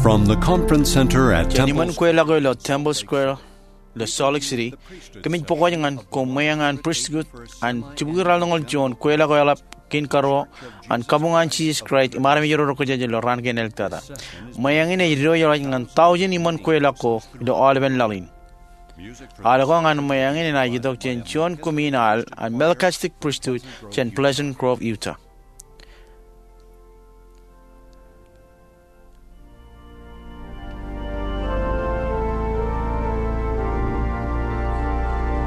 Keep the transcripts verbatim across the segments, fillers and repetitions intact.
From the conference center at Jān iṃōn kweilọk eo ilo Temple Square ilo Salt Lake City, kōmij pukot ñan ko ṃweeṇ an pristut an jibukwi ralitōñoul juon kweilọk eo eḷap kein karuo an kabuñ an Jisōs Kraist im armej ro rej kōjjeje ilo raan kein āliktata. Ṃweeṇ in ej diwōjḷọk ñan tọujin iṃōn kweilọk ko ilo aolepen laḷ in. Al ko ñan ṃweeṇ in enaaj itok jān juon kumi in al an Melchizedek Pristut jān Pleasant Grove, Utah.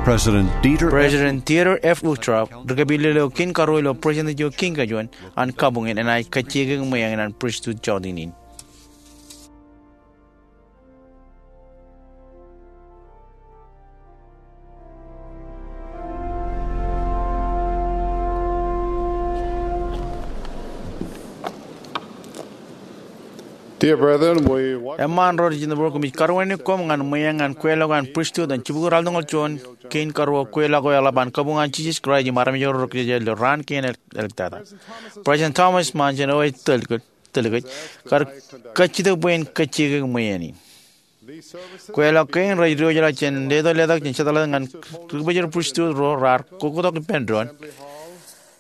President Dieter F. Uchtdorf, ri-kōpillel eo kein karuo ilo President eo kein kajuon an kabuñ in, enaaj kajjioñ ṃweeṇ in an pristut jọteen in. Eṃṃaan ro rej jitōnbōro, kōmij karuwaineik koṃ ñan ṃweeṇ an kweilọk an pristut an jibukwi ralitōñoul juon kein karuo kweilọk eo eḷap an kabuñ an Jisōs Kraist im armej ro rej kōjjeje ilo raan kein āliktata. President Thomas Monson, eo ej tōl kōj, tōl kōj, kar kajjitōk bwe en kajjioñ ṃweeṇ in. Kweilọk kein rej diwōjḷọk jān letok letok jān Sōtḷọk ñan ri-kōpojor pristut ro raar kōktak ippān doon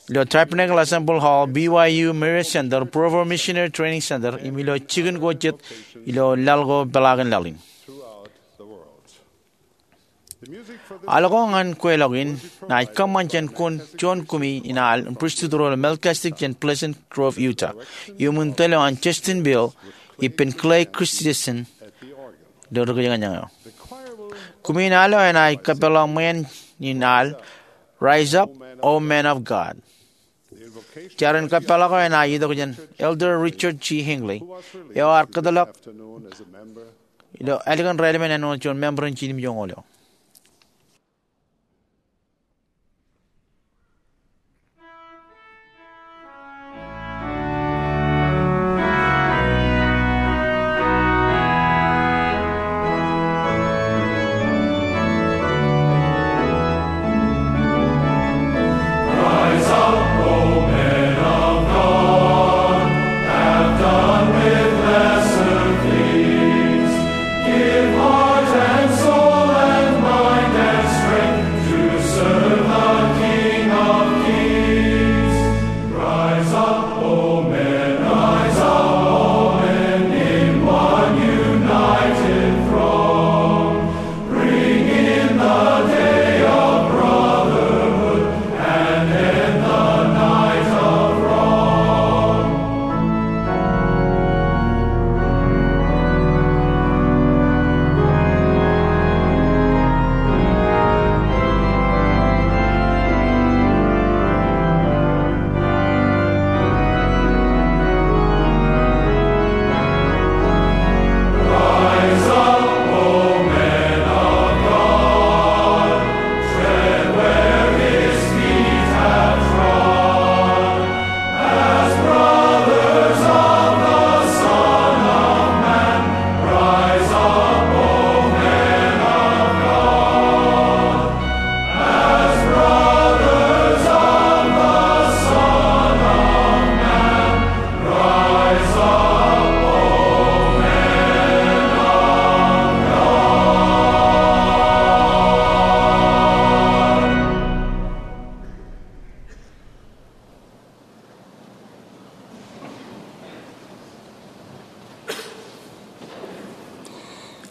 ilo Tabernacle Assembly Hall, B Y U Marriott Center, Provo Missionary Training Center, im ilo jikin ko jet ilo laḷ ko peḷaakin laḷ in. Al ko ñan kweilọk in enaaj kōṃṃan jān juon kumi in al pristut ro ilo Melchizedek jān Pleasant Grove, Utah, iuṃwin tōl eo an Justin Beal ippān Clay Christensen ilo ri-kōjañjañ eo. Kumi in al eo enaaj kōpeḷḷọk ṃweeṇ in al Rise Up, O Men of God. Jar in kōpeḷḷọk eo enaaj itok jān Elder Richard G. Hinckley, eo ear kōtḷọk ilo ālikin raelepen āinwōt juon member in jinimjuonñoul eo.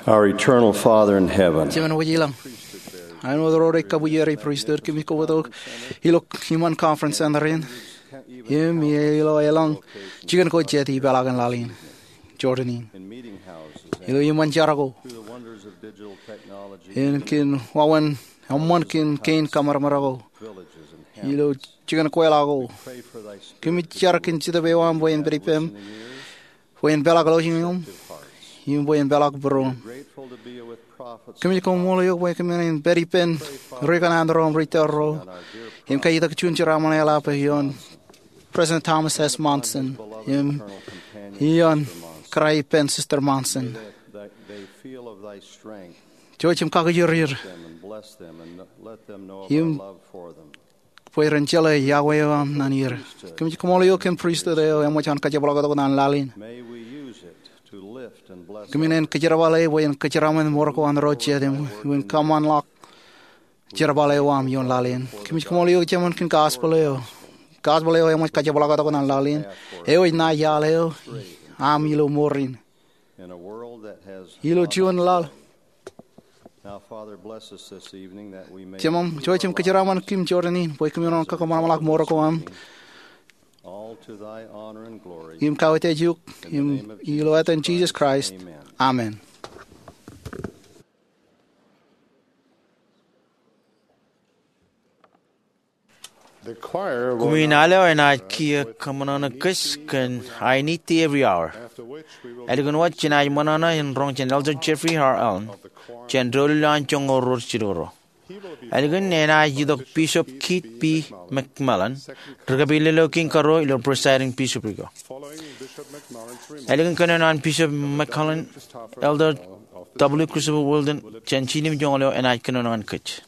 Our eternal Father in heaven. Jemān wōj ilañ, āinwōt ro rej kabwijerri pristut, kōmij kobtok ilo iṃaan conference center in im ilo eḷaññe jikin ko jet ipeḷaakin laḷ in, Jordan in, ilo iṃaan jar ko, im kōn wāween eṃṃan kōn kein kōṃadṃōd ko ilo jikin kweilọk ko. Kōmij jar kōn Jetōb eo aṃ bwe en pād ippem, bwe en peḷḷọk lọjilñiṃ im bwe en peḷḷọk būruōṃ. Kōmij koṃṃool eok bwe kōmin pād ippān ri kanaan ro im ri tōl ro im kaitok juon jeraaṃṃan eḷap ioon President Thomas S. Monson im ioon kōrā ippān Sister Monson. Jouj im kakijirjir im bwe ren jeḷā iọkwe eo aṃ ñan er. Kōmij koṃṃool eok kōn pristut eo eṃōj an kajepḷaaktok ñan laḷ in. May we use it to lift Kōmin kōjerbale bwe en kōjeraṃṃan mour ko an Irooj jet im, im kōṃṃanḷọk jerbal eo aṃ ioon laḷ in. Kōmij kaṃṃoolol eok Jemān kōn gospel eo. Gospel eo eṃōj kajepḷaaktok ñan laḷ in. Eo ej ṇae iaḷ eo aṃ ilo mour in. Ilo juon laḷ. Jemān, jouj im kōjeraṃṃan kōm jorrāān in bwe kōmin kōṃanṃanḷọk mour ko aṃ im kawōj eok im ilo etan Jisōs Kraist. Amen. Koṃwin al eo enaaj kiiō kōṃōṇōṇō kōj kōn I Need Thee Every Hour. Ālikin wōt jenaaj ṃōṇōṇō in roñ jān Elder Jeffrey R. Holland jān doulul eo an joñoul ruo jilu ruo. Ālikin enaaj itok Bishop Keith B. McMillan, ri-kōpeḷḷọk kein karuo ilo presiding bishopric eo. Ālikin kōnono an Bishop McMillan, Elder W. Christopher Wilden jān jinen joñoul eo enaaj kōnono ñan kōj.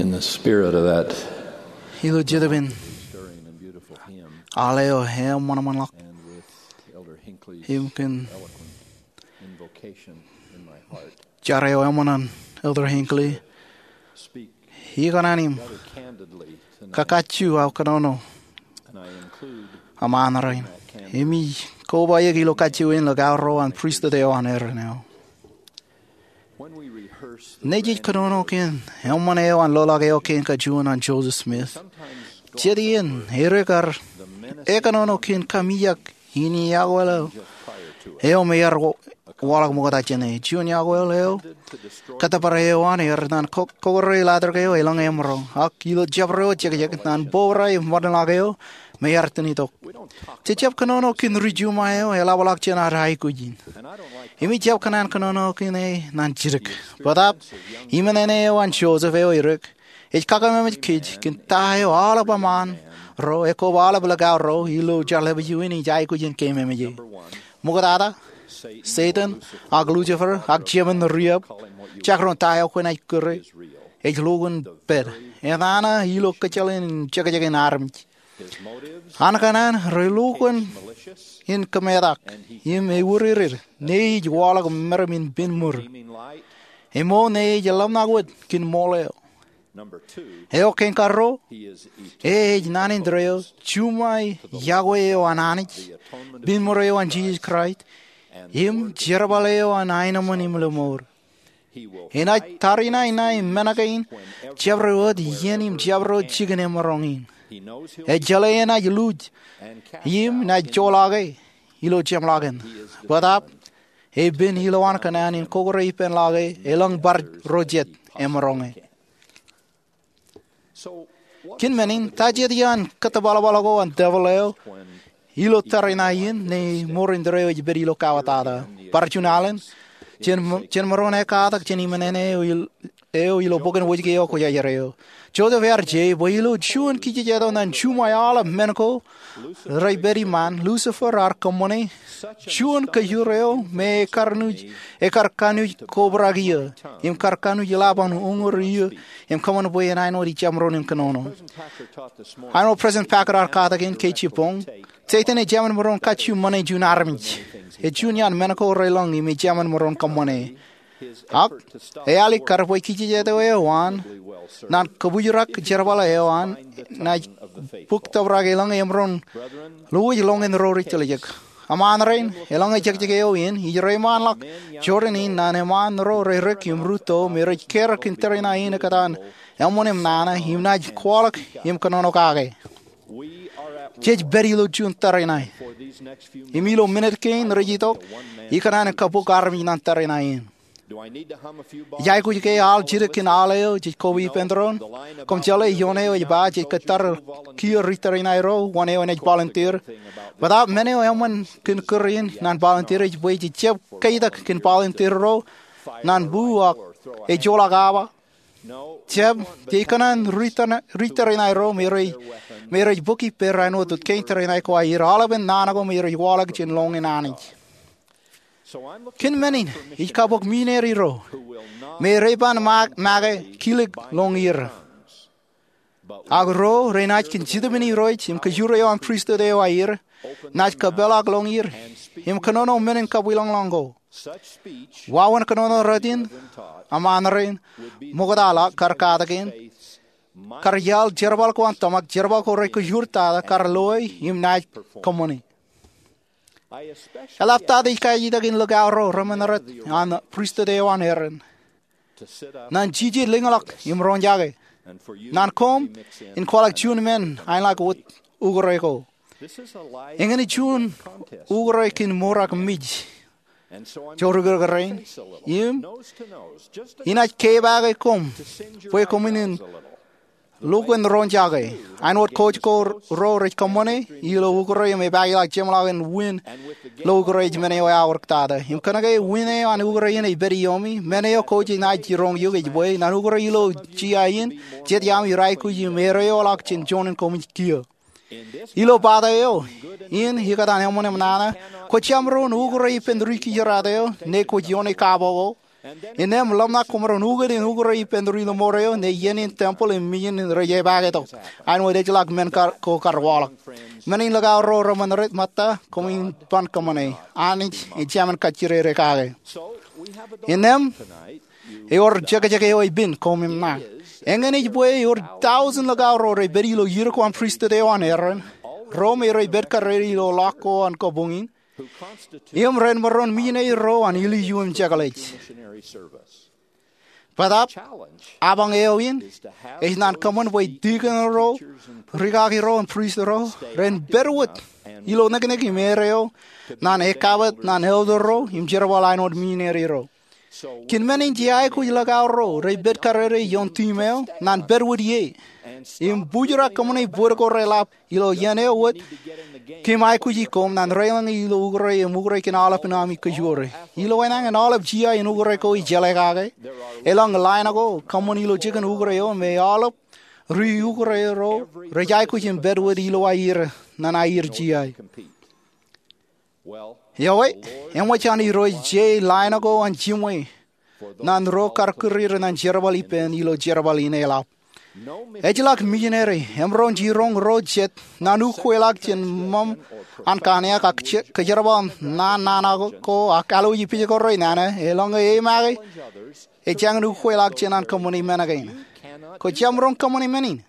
In the spirit of that ilo jetōb in stirring and beautiful hymn, al eo eṃṃanṃanḷọk and with Elder Hinckley's im kōn invocation in my heart, jar eo eṃṃan an Elder Hinckley, speak ikōṇaan im rather candidly tonight, kakajju aō kōnono and I include aṃ an rein. Im ij koba eok ilo kajju in ḷọk aorro an pristut eo an Aaron eo. Nejej kōnono kōn eṃṃan eo an loḷọk eo kein kajuon an Joseph Smith, jet iien edik ar ekōnono kōn kamijak in iọkwe eo me ear waḷọk ṃokta jāne. Juon iọkwe eo, kōttōpar eo an ear etan kokoroi latrōk eo elōñ emaroñ, ak ilo jabdewōt jekjek, nan bōbrae im ṃōdenḷọk eo me ear ten itok. Jej jab kōnono kōn ri juṃae eo eḷapḷọk jān ad aikuj in. Im ij jab kōṇaan kōnono kōn e nan jidik. Bōtaab, iṃōṇōṇō eo an Joseph eo edik ej kakememej kōj kōn ta eo aolep eṃṃaan ro, ekwe aolep ḷọk aorro ilo jerbal in ij aikuj in keememej e. Ṃoktata, Setan ak Lucifer ak jemān riab, jekdọọn ta eo kwōnaaj kūr e, ej lukkuun pād. Etan ilo kōjjeḷān jekjek in armej. An kōṇaan relukkuun in kōmetak im ewūrūrūr, ne ej waḷọk meram in pen ṃur, eo ṃool ne ej ḷōmṇak wōt kōn ṃool eo. Eo kein karuo, e ej naan in tōre eo, juṃae iọkwe eo an Anij, pen ṃur eo an Jisōs Kraist, im jerbal eo an aenōṃṃan im lōṃour. Enaaj tariṇaeṇae men kein jabdewōt iien im jabdewōt jikin emaroñ in. Ej jeḷā enaaj luuj im naaj joḷọk e ilo jeṃḷọkin. Bōtaab, epen ilowaan kōṇaan in kokoroi ippān ḷọk e elōñ bar ro jet emaroñ e. Kōn men in, ta jet iaan kōttōbalbal ko an devil eo ilo tariṇae in ne ṃoor in tōre eo ej pād ilo kawattata? Bar juon alen, jen, jen maroñ in ekkatak jān iṃōṇōṇō eo ilo bok in Wōjke eo kwōjarjar eo. Joseph ear je bwe ilo juon kijejeto ñan juṃae aolep men ko rej pād iṃaan, Lucifer ear kōṃṃane juon kōjur eo me ekar kōnuj, ekar kōnuj kobrak iiō im kar kōnuj lap an uñūr iiō im kōṃṃan bwe en āinwōt ijjab maroñ in kōnono. Āinwōt President Packer ear katak in ke jibboñ, Setan ej jemān maroñ kajju ṃane juon armej. Ej juon iaan men ko relōñ im ej jemān maroñ kōṃṃane. Ak ealikkar bwe kijejeto eo an, ñan kōbūjrak jerbal eo an, naaj bōk tōprak elōñ emaroñ ḷọk ilo ro rej tiljek. Eṃṃaan rein, elōñ ejekjek eo in ij reiṃaanḷọk jorrāān in ñan eṃṃaan ro rej dik im rūtto me rej kar kōn tariṇae in ekōtaan eṃṃan im nana im naaj kwaḷọk im kōnono kake. Jej pād ilo juon tariṇae. Im ilo minit kein rej itok, ikōṇaan in kabok armej ñan tariṇae in. Ij aikuj ke al jidik kōn al eo jej koba ippān doon? Koṃ jeḷā ioon eo ej ba jej kōttar kiiō ri tariṇae ro wōn eo enaaj volunteer. Bōtaab men eo eṃṃan kōn kūr in ñan volunteer ej bwe jej jab kaitak kōn volunteer ro ñan bu ak ej joḷọk awa. Jab, jej kōṇaan ri tariṇae ro me rej bōk ippāer āinwōt kein tariṇae ko aer aolepen naan ko me rej waḷọk jān lọñin Anij. Kōn men in, ij kabok missionary ro me rej ban make kilik lọñier. Ak ro renaaj kōn Jetōb in Irooj im kōjur eo an pristut eo aer, naaj kōpeḷḷọk lọñier im kōnono men in kabwilōñlōñ ko. Wāween kōnono rot in, eṃṃaan rein, ṃokta ḷọk kar katak in, kar iaḷ jerbal ko an tōmak, jerbal ko rej kōjur tata, kar loe im naaj kōṃṃane. Eḷaptata ij kajjitōk in ḷọk aorro remenrot an pristut eo an Aaron ñan jijet lōñḷọk im roñjake, ñan koṃ in kwaḷọk juon men aenḷọk wōt ukure ko. Eñin juon ukure kōn mour ak mej, jor ikōrā rein, im inaaj kepaake koṃ bwe koṃwin in lukkuun roñjake. Āinwōt coach ko ro rej kōṃṃane ilo ukure im epaakḷọk jeṃḷọkin win ilo ukure ej men eo eaorōk tata. Im kōnke win eo an ukure in ej pād iiōmi, men eo coach in naaj jiroñ eok ej bwe ñan ukure ilo jea in, jet iaami rej aikuj im edeoḷọk jān joñan koṃij kiiō. Ilo pata eo in ekōtaan eṃṃan im nana, kwōj jab maroñ ukure ippān ri kijeraat eo ne kwōj ioone kabo ko. Innām ḷōmṇak koṃaroñ ukōt in ukure ippān ri ḷōṃoor eo ñe iien in tempel im mijin rej epaake tok. Āinwōt ejjeḷọk men ko kar waḷọk. Men in ḷōkau ro reṃōn rej ṃōtta koṃ in ban kōṃṃane. Anij ej jemān kajjirere kake. Innām ewōr jekjek eo ej pen koṃ im ṇa. Eñin ej bwe ewōr tọujin ḷōkau ro rej pād ilo yirko an pristut eo an Aaron, ro me rej pād karere ilo ḷọk ko an kabuñ in, im ren maroñ mijineri ro an ilju im jekḷaj. Bōtaab, apañ eo in ej naan kōṃṃan bwe tikōn ro, rikaki ro im prist ro ren pād wōt ilo niknik im erreo naan ekabwet naan elder ro im jerbal āinwōt mijineri ro. Kōn men in jej aikuj ḷōkau ro rej pād karere ioon team eo naan pād wōt ie im bujrak kōṃṃane bōd ko reḷap ilo iien eo wōt. Kōm aikuji koṃ naan reiḷọñe ilo ukure im ukure kōn aolepān ami kōjwōre. Ilo enañin aolep jea in ukure ko ej jeḷā kake, eḷaññe line ko kōṃṃan ilo jikin ukure eo me aolep ri ukure ro rej aikuj im pād wōt ilo aer naan aer jea. Ewi, eṃōj an Irooj je line ko an jiṃwe naan ro kar kūr er naan jerbal ippān ilo jerbal in eḷap. Ejjeḷọk mijineri emaroñ jiroñ ro jet naan ukweḷọk jān ṃōṃ an kōṇiōk ak kōjerbal naan nana ko ak alwōj pijekōrā nana eḷaññe e make ejāñin ukweḷọk jān an kōṃṃane men kein. Kwō jab maroñ kōṃṃane men in.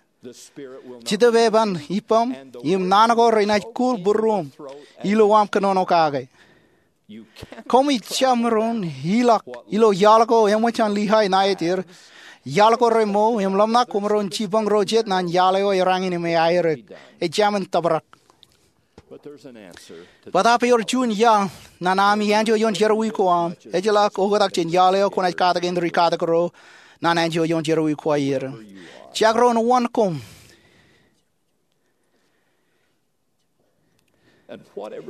Jetōb eo eban ippaṃ im naan ko renaaj kūr būruōṃ ilo aṃ kōnono kake. Koṃij jab maroñ ilọk ilo iaḷ ko eṃōj an Lihay ṇa ej er, iaḷ ko remour im ḷōmṇak koṃ maroñ jipañ ro jet naan iaḷ eo erāñin im eaerōk. Ejāmin tōprak. Bōtaab ewōr juon iaḷ naan ami anjọ ioon jerọwiwi ko aṃ, ejjeḷọk oktak jān iaḷ eo kwōnaaj katakin ri katak ro naan anjọ ioon jerọwiwi ko aer. Jekdọọn wōn koṃ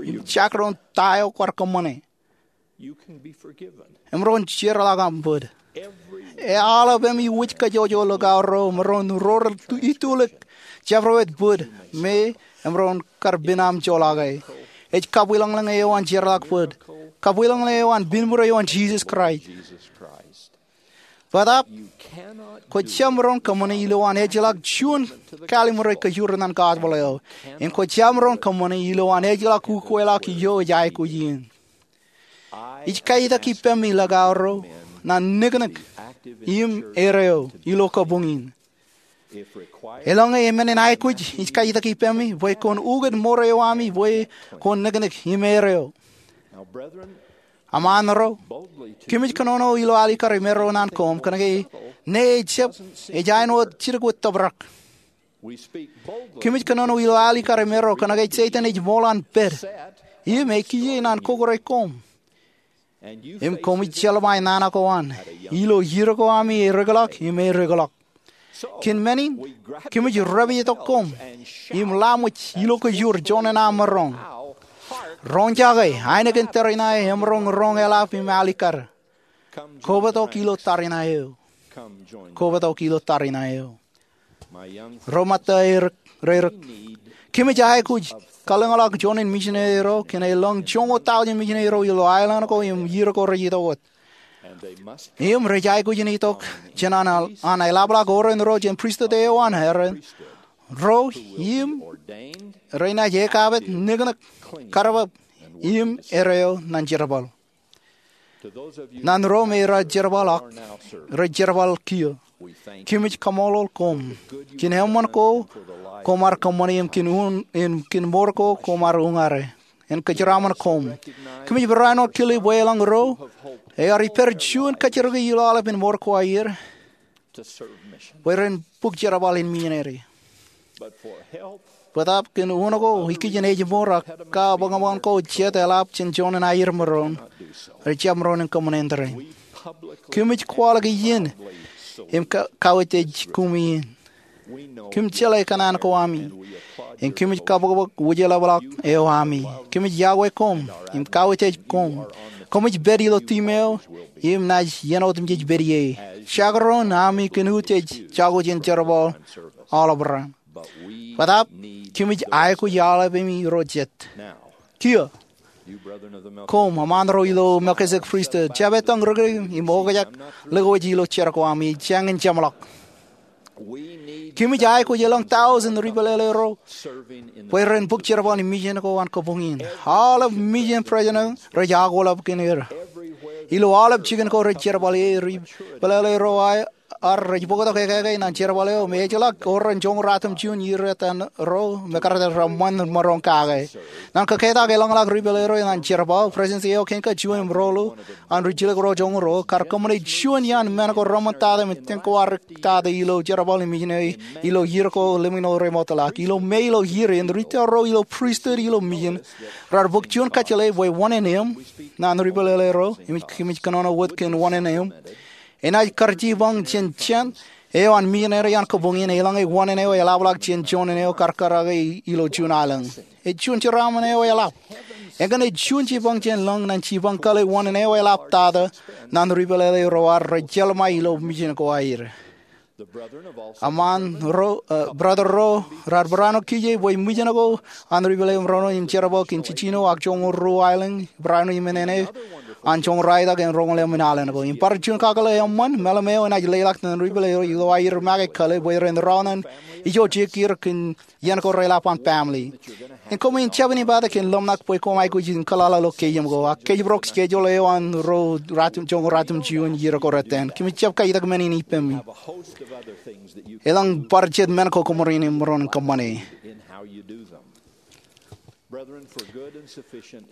im jekdọọn ta eo kwaar kōṃṃane, emaroñ jerḷọk aṃ bōd. Aolepāmi wōj kajjojo ḷōkau ro emaroñ rorōl itulōk jabdewōt bōd me emaroñ kar pen aṃ joḷọke. Ej kabwilōñlōñ eo an jeorḷọk bōd, kabwilōñlōñ eo an pinmure eo an Jisōs Kraist. Bōtaab kwō jab maroñ kōṃṃane ilowaan ejjeḷọk juon kalimjek kōjwōr naan gospel eo, im kwō jab maroñ kōṃṃane ilowaan ejjeḷọk ukweḷọk ijo ej aikuj in. Ij kaitak ippemi ḷōkau ro naan niknik im erreo ilo kabuñ in. Eḷaññe emenin aikuj, ij kaitak ippemi bwe kwōn ukōt mour eo ami bwe kwōn niknik im erreo. Aṃ naan ro, kōmij kōnono ilo alikkar im erreo naan koṃ kōnke ṇe ejjab ej āinwōt jidik wōt tōprak. Kōmij kōnono ilo alikkar im erreo kōnke Setan ej ṃool an pād im ekiiō naan kōkōrā koṃ. Im koṃij jeḷā ṃae nana ko an ilo ier ko ami erekḷọk im erekḷọk. Kōn men in, kōmij repeje tok koṃ im laṃōj ilo kōjwōr juon in aṃ maroñ. Roñjake ainikien tariṇae emaroñ roñ eḷap im alikkar. Kobatok ilo tariṇae eo. Kobatok ilo tariṇae eo. Ro ṃōtta ro erōk, kōmij aikuj kalōñḷọk juon in mijineri ro kōn elōñ joñoul tọujin mijineri ro ilo aelōñ ko im ier ko rej itok wōt. Im rej aikuj in itok jān an eḷapḷọk oren ro jān pristut eo an Aaron ro im renaaj ekabwet niknik, karbab im erreo naan jerbal. Naan ro me rej jerbal ak rej jerbal kiiō, kōmij kaṃṃoolol koṃ kōn eṃṃan ko koṃ ar kōṃṃane im kōn mour ko koṃ ar uñare in kōjeraaṃṃan koṃ. Kōmij barāinwōt kile bwe elōñ ro ear ippād juon kajjirke ilo aolepān mour ko aer bwe ren bōk jerbal in mijineri. Bōtaab kōn unin ko ikijjien ājmour ak kabuñbuñ ko jet eḷap jān juon in aer maroñ, rej jab maroñ in kōṃṃane tōre. Kōmij kwaḷọk iien im kauwōj kumi in. Kōm jeḷā kōṇaan ko ami im kōmij kabōkbōk wūjeḷāpḷọk eo ami. Kōmij yokwe koṃ im kauwōj koṃ. Koṃij pād ilo tiṃ eo im naaj iien otemjej pād ie. Jekdọọn ami kōn utiej jako jān jerbal aolep raṇ. Bōtaab kōmij aikuj aolepāmi ro jet kiiō. Koṃ eṃṃaan ro ilo Melkisetek Pristut, jab ettōñ rikaki im okjak likjab ilo jar ko ami, jañin jeṃḷọk. Kōmij aikuj elōñ tọujin ri-pālele ro bwe ren bōk jerbal in mijen ko an kabuñ in. Aolep mijen president rej akwōlep kōn er. Ilo aolep jikin ko rej jerbal e, ri-pālele ro aer rej bōktok ekake ñan jerbal eo im ejjeḷọk wōr ren joñoul ruatimjuon iiō etan ro me kar etan reṃṃan maroñ kake. Ñan kōketak eḷañḷọk ri-pālele ro ñan jerbal, President Eo Kenka juon im ruo ḷọk an ri-jilkinḷọk joñoul ruo kar kōṃṃane juon iaan men ko reṃṃantata im tōñkọwarik tata ilo jerbal in mijen eo ilo iiō ko lemñoul remootḷọk. Ilo me ilo iiō in, ri-tōl ro ilo pristut ilo mijen raar bōk juon kōjjeḷā bwe wōn in eṃ ñan ri-pālele ro, im kōmij kōnono wōt kōn wōn in eṃ. Enaaj kar jipañ jān jān eo an mijen eo an kabuñ in, eḷaññe wōn in eo eḷapḷọk jān joñan eo kar kōrā ke ilo juon aelōñ. Ej juon jeraaṃṃan eo eḷap. Eñin ej juon jipañ jān lōñ ñan jipañ kōḷḷā wōn in eo eḷaptata ñan ri-pālele ro ad rej jeḷmāe ilo mijen ko aer. Eṃṃaan ro, eh, brother ro raar barāinwōt kije bwe mijen ko an ri-pālele ro in jerbal kōn jiljino ak joñoul ruo aelōñ, barāinwōt im nene an joñoul ralitōk im roñoul emān aelōñ ko. Im bar juon kakōḷḷe eṃṃan, meḷeḷe eo enaaj leḷọk ñan ri-pālele ro ilo aer make kōḷḷā bwe ren rọọl ñan ijo jekkier kōn iien ko reḷap an family. Im koṃwin jab in ippatak kōn ḷōmṇak bwe koṃ aikuj in kōḷḷā ilo keiō ko, ak kōjparok schedule eo an ro ruatimjuon, joñoul ruatimjuon iiō ko reiten. Kōmij jab kaitak men in ippemi. Elōñ bar jet men ko koṃwin maroñ in kōṃṃane.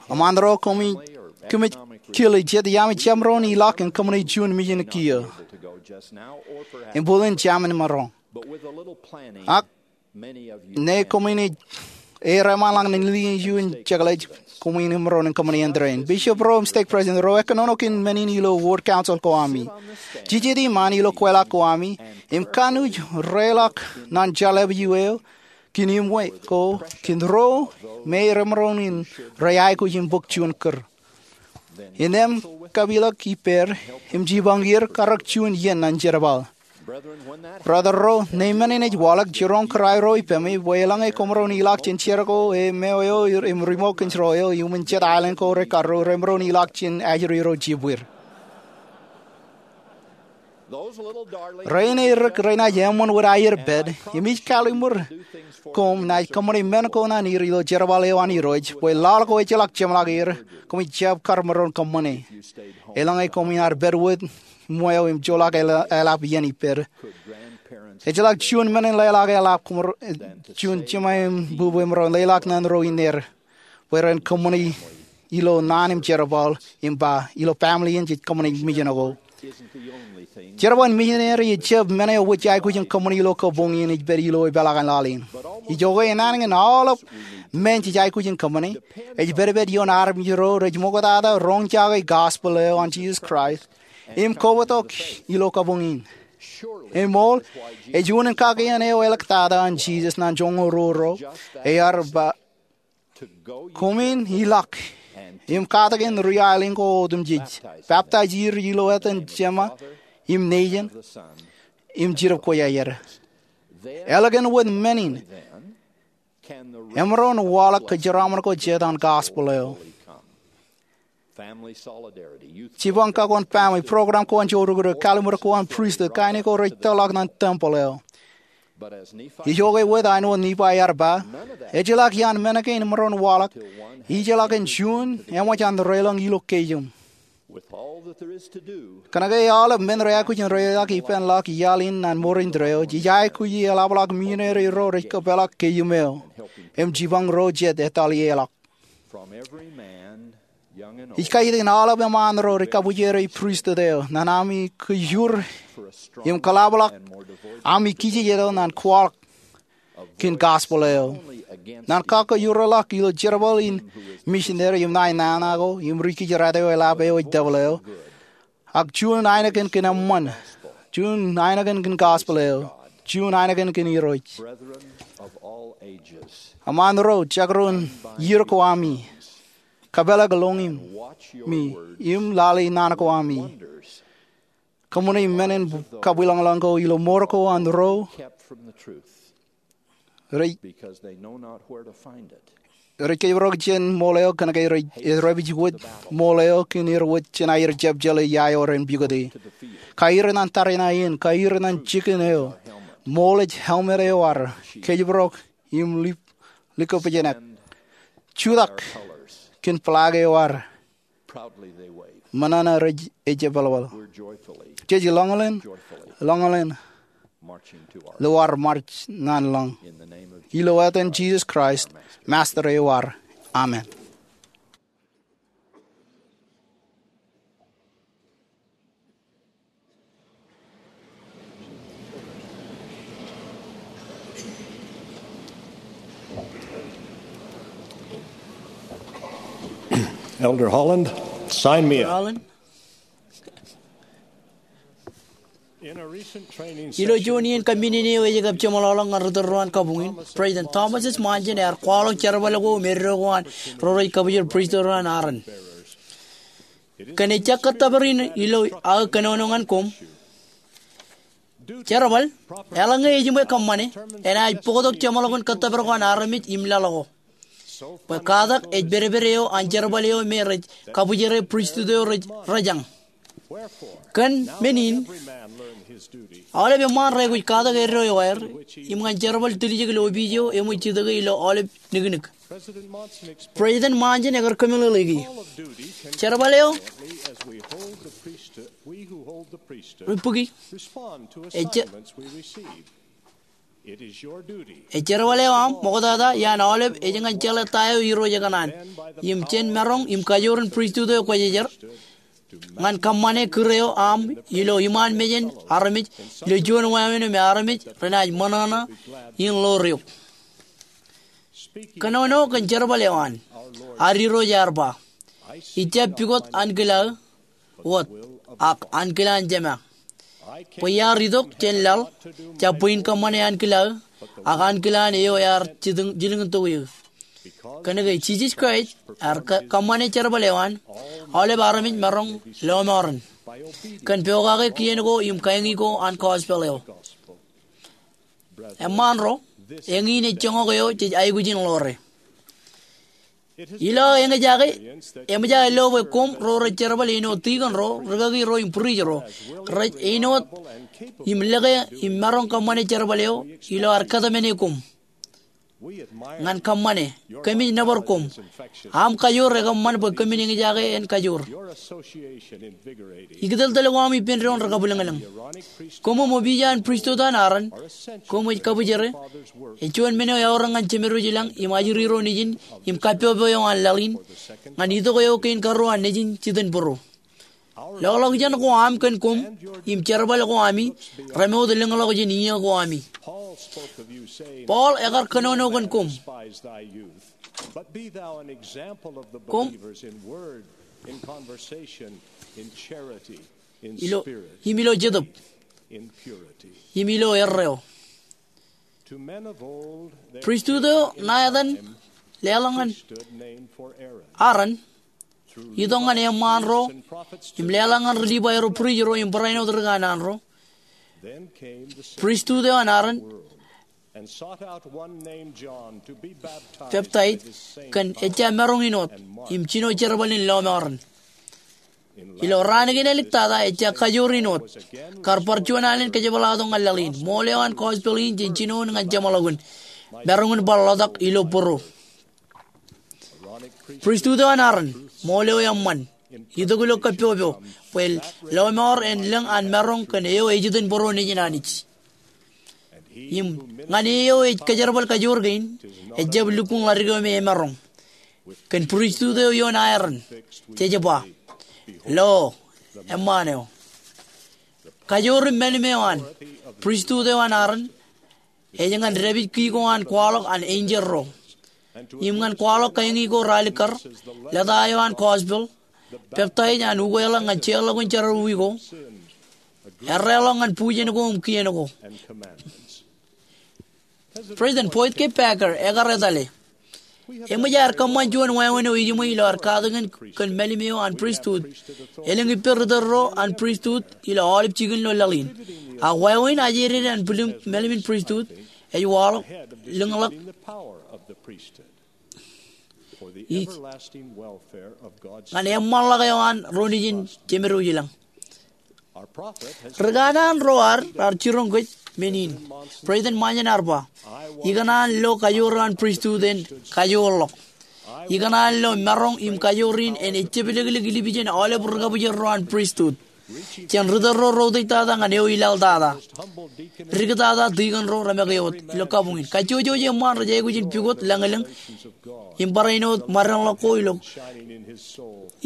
Eṃṃaan ro, kōmij kile jet iaami jab maroñ in ilọk in kōṃṃane juon mijen kiiō. Im bōlen jam in maroñ. Ak ñe koṃwin ej, ej reṃṃanḷọk ñan likin juon jekḷaj, koṃwin maroñ in kōṃṃane āindein. Bishop ro im stake president ro, ekōnono kōn men in ilo ward council ko ami. Jejjet iṃaan ilo kweilọk ko ami im kanooj reḷọk ñan jeḷāḷọkjeṇ eo kōn iṃwe ko kōn ro me remaroñ in rej aikuj in bōk juon kūr. Innām kapeḷḷọk ippāer im jipañ er karōk juon iien ñan jerbal. Brother ro, ñe men in ej waḷọk, jiroñ kūr aerro ippemi bwe eḷaññe koṃ maroñ in ilọk jān jar ko e meo eo im remote control eo iuṃwin jet aelōñ ko rekarro, remaroñ in ilọk jān ajri ro jibwir. Rein erik renaaj eṃṃan wōt aer pād, im ij kallimur koṃ naaj kōṃṃane men ko ñan er ilo jerbal eo an Irooj, bwe laḷ ko ejjeḷọk jeṃḷọk er, koṃij jab kar maroñ kōṃṃane. Eḷaññe koṃwin ar pād wōt iṃweo im joḷọk eḷap iien ippād, ejjeḷọk juon men in leḷọk eḷap koṃ, juon jema im bube maroñ leḷọk ñan ro in er bwe ren kōṃṃane ilo naan im jerbal im ba, ilo family in jej kōṃṃane mijen ko. Jerbal in mijen eo ej jab men eo wōj aikuj in kōṃṃane ilo kabuñ in, ej pād ilo epeḷaak an laḷ in. Ijoke, enana ñan aolep men jej aikuj in kōṃṃane, ej pedped ioon armej ro rej ṃoktata roñjake gospel eo an Jesus Christ im kobatok ilo kabuñ in. Eṃool, ej unin kakien eo āliktata an Jesus ñan joñoul ruo ro, ear ba, koṃwin ilọk im katakin ri-aelōñ ko otemjej, baptize er ilo etan Jema im Nejin im Jetōb Kwōjarjar. Ālikin wōt men in, emaroñ waḷọk kōjeraaṃṃan ko jet an gospel eo. Jipañ kab wōn family, program ko an joorukūr, kallimur ko an pristut, kain ko rej tōrḷọk ñan temple eo. Ijoke wōt, āinwōt Nifai ear ba, ejjeḷọk iaan men kein emaroñ waḷọk ijeḷọkin juon eṃōj an deḷọñ ilo keiō. Kōnke aolep men rej aikuj in reiḷọk ippān ḷọk iaḷ in ñan mour indeeo, jej aikuj in eḷapḷọk misineri ro rej kōpeḷḷọk keiō eo im jipañ ro jet ettoḷ ieḷọk. Ij kaitik ñan aolep eṃṃaan ro rej kabwijere pristut eo ñan ami kōjur im kōḷapḷọk ami kijejeto ñan kwaḷọk kōn gospel eo. Ñan kakōjorḷọk ilo jerbal in misineri im ṇae nana ko im ri-kijjirata eo eḷap eo ej tōpar eo, ak juon ainikien kōn eṃṃan, juon ainikien kōn gospel eo, juon ainikien kōn Irooj. Eṃṃaan ro, jekdọọn iiō ko ami, kōpeḷḷọk lōñ in im lale naan ko ami. Kōṃṃane men in kabwilōñlōñ ko ilo mour ko an ro rej rej kōjparok jān ṃool eo kōnke rej, rej rej wōj ṃool eo kōn er wōj jān aer jab jeḷā ia eo ren pukot e. Kaiur ṇe an tariṇae in, kaiur ṇe an jikin eo, ṃool ej helmet eo ad, kōjparok im lip, likōpejnek. Jutak kōn flag eo ad. Ṃōṇōṇō rej ejepḷapḷap. Jej lọñḷọk, lọñḷọk ilo ad march ñan lọñiṃ. Ilo etan Jisōs Kraist, Master eo ad. Amen. Elder Holland, sign me up. Holland. Ilo juon iien kōmmitment eo ej kab jeṃḷọkḷọk ñan ri tōl ro an kabuñ in, President Thomas S. Monson ear kwaḷọk jerbal ko im eddo ko an ro rej kabwijer pristut ro an Aaron. Kōn ejjab kōttōpar in ilo aō kōnono ñan koṃ. Jerbal, eḷaññe ejiṃwe kōṃṃane, enaaj bōktok jeṃḷọkin kōttōpar ko an armej im laḷ ko. Bwe katak ej pedped eo an jerbal eo me rej kabwijere pristut eo rej rejañ. Kōn men in, aolep eṃṃaan rekwōj katak eddo eo aer, im ñan jerbal tiljek ilo opiij eo eṃōj jitōke ilo aolep niknik. President Monson ekar kōmeḷeḷeiki jerbal eo ri bōki. Ej je-, ej jerbal eo aṃ ṃoktata iaan aolep ej ñan jeḷā ta eo Irooj ekōṇaan. Im jān maroñ im kajoor in pristut eo kwōjarjar ñan kōṃṃane kūr eo aṃ ilo iṃaan mejān armej ilo juon wāween eo me armej renaaj ṃōṇōṇō in ḷoor eok. Kōnono kōn jerbal eo an. Ad Irooj ear ba, ij jab pukot ankilaō wōt, ak ankilaan Jema. Bwe iar itok jān laḷ, jab bwe in kōṃṃane ankilaō, ak ankilaan eo ear jilkintok eō. Kōnke Jisōs Kraist ear kō-, kōṃṃane jerbal eo an, aolep armej maroñ lọmọọren kōn pokake kien ko im kaeñi ko an gospel eo. Eṃṃaan ro, eñin ej joñak eo jej aikuj in ḷoore. Ilo eñjake, eṃōj aō lo bwe koṃ ro rej jerbal āinwōt tikōn ro, rikaki ro im priest ro, rej āinwōt im lōke im maroñ kōṃṃane jerbal eo ilo ad kōtmāne koṃ. Ñan kōṃṃane, kōmij nōbar koṃ. Aṃ kajoor ekōṃṃan bwe kōmin eñjake en kajoor. Ikōtōltōl ko aṃ ippān doon rekabwilōñlōñ. Koṃ im opiij eo an pristut an Aaron, koṃ ej kabwijere, ej juon men eo eorōk ñan Jemedwōj ilañ im ajri ro nejin im kappọpọ eo an laḷ in, ñan itok eo kein karuo an Nejin jitōnbōro. Loḷọkjeṇ ko aṃ kōn koṃ im jerbal ko ami remoot lōñḷọk jān iiō ko ami. Paul ekar kōnono kōn koṃ. Koṃ ilo, im ilo jetōb, im ilo erreo. Pristut eo ṇa etan leḷọk ñan Aaron, itok ñan eṃṃaan ro, im leḷọk ñan ri Livai ro, priest ro, im barāinwōt ri kanaan ro. Pristut eo an Aaron peptaij kōn ejja maroñ in wōt, im jino jerbal in lọmọọren. Ilo raan kein āliktata ejja kajoor in wōt, kar bar juon alen kōjepḷaaktok ñan laḷ in. Ṃool eo an gospel in jen jinoin ñan jeṃḷọkin, maroñ in bar ḷotak ilo bōro. Pristut eo an Aaron, ṃool eo eṃṃan, itok ilo kappọpọ, bwe lọmọọr en lōñ an maroñ kōn eo ejitōnbōro nejin Anij. Im ñan e eo ej kōjerbal kajoor kein, ejjab lukkuun ḷadik eo me emaroñ. Kōn pristut eo ioon Aaron, jej ba, lo, eṃṃaan eo. Kajoor im mālim eo an, pristut eo an Aaron, ej ñan dāpij ki ko an kwaḷọk an enjeḷ ro, im ñan kwaḷọk kaeñi ko ralikar, lōta eo an gospel, peptaij an ukweḷọk ñan jeorḷọkin jerọwiwi ko, erreḷọk ñan bujen ko im kien ko. President Boyd K. Packer ekar etale, eṃōj aer kōṃṃan juon wāween eo ejiṃwe ilo ad katakin kōn mālim eo an pristut. Elōñ ippān ri tōl ro an pristut ilo aolep jikin ilo laḷ in. Ak wāween ajri an mālim in pristut ej waḷọk lōñḷọk. Ij ñan eṃṃanḷọk eo an ro nejin Jemed eo ilañ. Ri kanaan ro ad raar jiroñ kōj men in. President Monson ear ba, ikōṇaan lo kajoor eo an pristut en kajoorḷọk. Ikōṇaan lo maroñ im kajoor in en ejjeplōklōk ilipijen aolep ri kabwijer ro an pristut. Jān ri tōl ro reutiej tata ñan eo ilaḷ tata. Dik tata, tikōn ro, remake wōt ilo kabuñ in. Kajjojo eṃṃaan rej aikuj in pukot lañlōñ im barāinwōt ṃōdeañ ḷọk ko ilo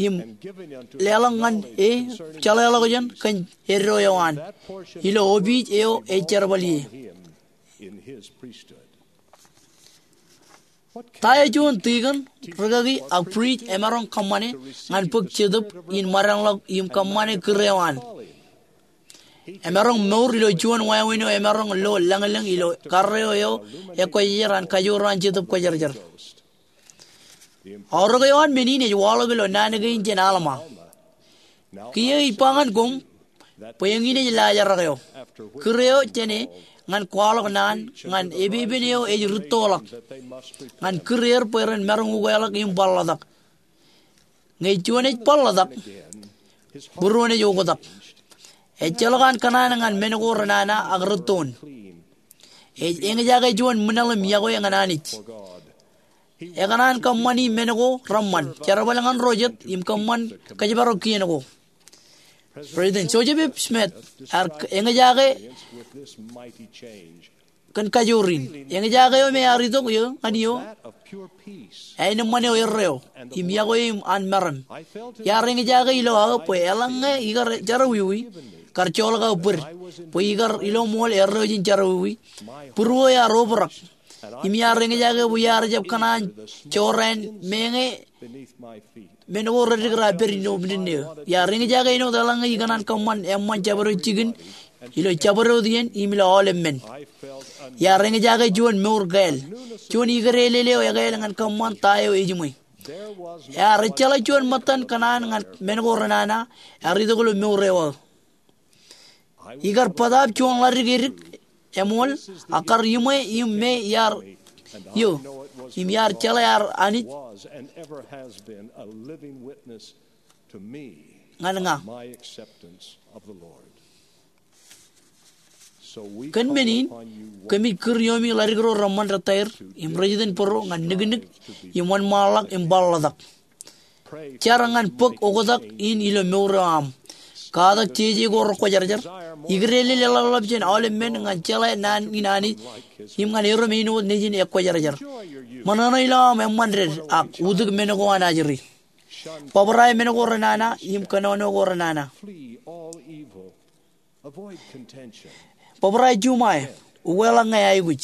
im leḷọk ñan e jeḷāḷọkjeṇ kōn eddo eo an ilo opiij eo ej jerbal ie. Ta eo juon tikōn, rikaki ak prist emaroñ kōṃṃane ñan bōk jetōb in ṃōdeañ ḷọk im kōṃṃane kūr eo an? Emaroñ mour ilo juon wāween eo emaroñ lo lañlōñ ilo karreo eo ekwejejer an kajoor an Jetōb Kwōjarjar. Aorōk eo an men in ej waḷọk ilo naan kein jān Alma. Kiiō ij ba ñan koṃ bwe eñin ej laajrak eo. Kūr eo jāne ñan kwaḷọk naan ñan epepen eo ej rūttoḷọk ñan kūr er bwe ren maroñ ukeḷọk im bar ḷotak. Ñe juon ej bar ḷotak, būruon ej oktak. Ejjeḷọk an kōṇaan ñan men ko renana ak rūttoon. Ej eñjake juon ṃwilaḷ im yokwe ñan Anij. Ekōṇaan kōṃṃani men ko reṃṃan, jerbal ñan ro jet im kōṃṃan kōjparok kien ko. President Joseph F. Smith ear eñjake kōn kajoor in. Eñjake eo me ear itok eō ñan eō aenōṃṃan eo erreo im yokwe eo an meram. Iar eñjake ilo aō bwe eḷaññe ikar jerọwiwi, kar joḷọk aō bōd bwe ikar ilo ṃool erreo jān jerọwiwi. Būruō ear obrak im iar eñjake bwe iar jab kōṇaan jorrāān meñe men ko reddik raar pād ilo mdinne eō. Iar eñjake āinwōt eḷaññe ikōṇaan kōṃṃan eṃṃan jabdewōt jikin ilo jabdewōt iien im ilo aolep men. Iar eñjake juon mour kāāl, juon ikōdeḷeḷe eo ekāāl ñan kōṃṃan ta eo ejiṃwe. Ear ejjeḷọk juon ṃōttan kōṇaan ñan men ko renana ear itok ilo mour eo aō. Ikar bōtaab juon ḷadik edik eṃool, ak kar iṃwe im me iar iō, im iar jeḷā ear Anij ñan ña. Kōn men in, kōmij kūr iomi ḷadik ro reṃṃan retaer im rejitōnbōro ñan niknik im wōnṃaanḷọk im bar ḷotak. Jar ñan bōk oktak in ilo mour eo aṃ. Katak jeje ko rekwōjarjar. Ikōdeḷeḷe ḷapḷap jān aolep men ñan jeḷā naan in Anij im ñan erom āinwōt nejin ekwōjarjar. Ṃōṇōṇō ilo aṃ eṃṃan ded ak utōk men ko an ajri. Bōbrae men ko renana im kōnono ko renana. Bōbrae juṃae, ukeḷọk ñe aikuj.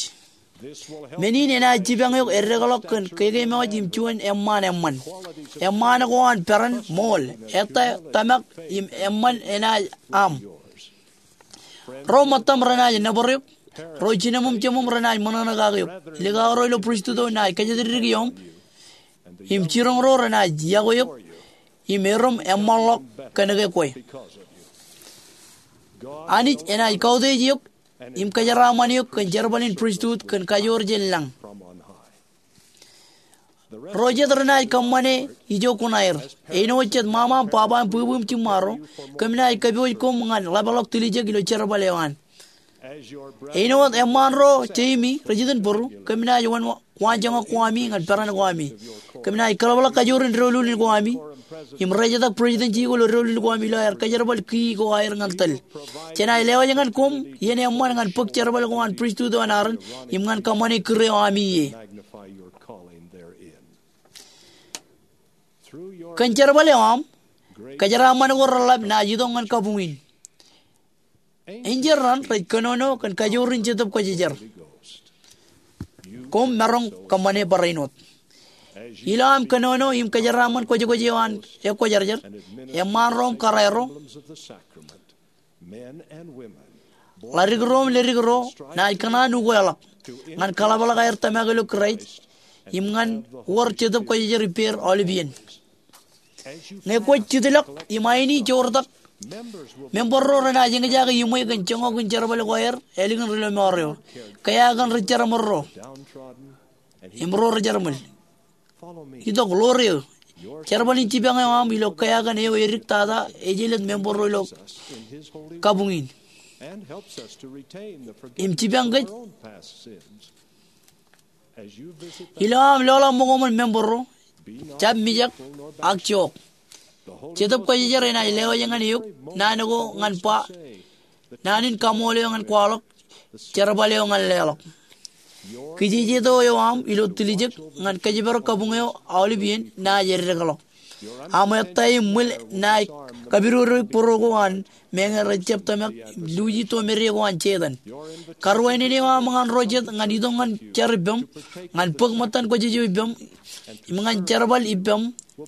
Men in enaaj jipañ eok eddekḷọk kōn kekeememej im juon eṃṃaan eṃṃan. Eṃṃaan ko an peran, ṃool, ettā, tōmak im eṃṃan enaaj aṃ. Ro ṃōttaṃ renaaj nōbar eok. Ro jinoṃōm jemōm renaaj ṃōṇōṇō kake eok. Likao ro ilo pristut eo naaj kōjatdikdik ioṃ im jiroñ ro renaaj yokwe eok im erom eṃṃanḷọk kōnke kwe. Anij enaaj kautiej eok im kōjeraaṃṃan eok kōn jerbal in pristut kōn kajoor jān lañ. Ro jet renaaj kōṃṃane ijo kuṇaer. Āinwōt jet ṃaṃa im baba im bwibwi im jiṃṃaro, kōm naaj kōpooj koṃ ñan ḷapḷọk tiljek ilo jerbal eo an. Āinwōt eṃṃaan ro jeimi rejitōnbōro, kōm naaj wōn waanjoñak ko ami ñan peran ko ami. Kōm naaj kōḷapḷọk kajoor in doulul in ko ami im rejetak presidency ko ilo doulul ko ami ilo aer kōjerbal key ko aer ñan tōl. Jenaaj lewōj ñan koṃ iien eṃṃan ñan bōk jerbal ko an pristut eo an Aaron im ñan kōṃṃane kūr eo ami ie. Kōn jerbal eo aṃ, kōjeraaṃṃan ko reḷap naaj itok ñan kabuñ in. Enjeḷ raṇ rej kōnono kōn kajoor in Jetōb Kwōjarjar. Koṃ maroñ kōṃṃane barāinwōt. Ilo aṃ kōnono im kōjeraaṃṃan kwōjkwōj eo an ekwōjarjar, eṃṃaan ro im kōrā ro, ḷadik ro im ledik ro naaj kōṇaan ukeḷọk ñan kaḷapḷọk aer tōmak ilo Kraist im ñan wōr Jetōb Kwōjarjar ippāer aolep iien. Ñe kwōj jitḷọk im aini joortak, member ro renaaj eñjake iṃwe kōn joñak in jerbal ko aer ālikin ri lọmọọr eo, kea kōn ri jeramōl ro im ro ri jeramōl. Itok, ḷoor eō. Jerbal in jipañ eo aṃ ilo kea kōn eo edik tata ej jelōt member ro ilo kabuñ in. Im jipañ kōj ilo aṃ loḷọk ṃokoṃōn member ro, jab mijak ak jook. Jetōb Kwōjarjar enaaj lewōj ñan eok naan ko ñan ba, naan in kaṃool eo ñan kwaḷọk, jerbal eo ñan leḷọk. Kijejeto eo aṃ ilo tiljek ñan kōjparok kabuñ eo aolep iien naaj eddekḷọk. Aṃ ettā im ṃwil naaj kapidodoik būruo ko an meñe rej jab tōmak im luuji tomede ko an Setan. Karuwainene eo aṃ ñan ro jet ñan itok ñan jar ippaṃ, ñan bōk ṃōttan kwōjarjar eo ippaṃ, im ñan jerbal ippaṃ,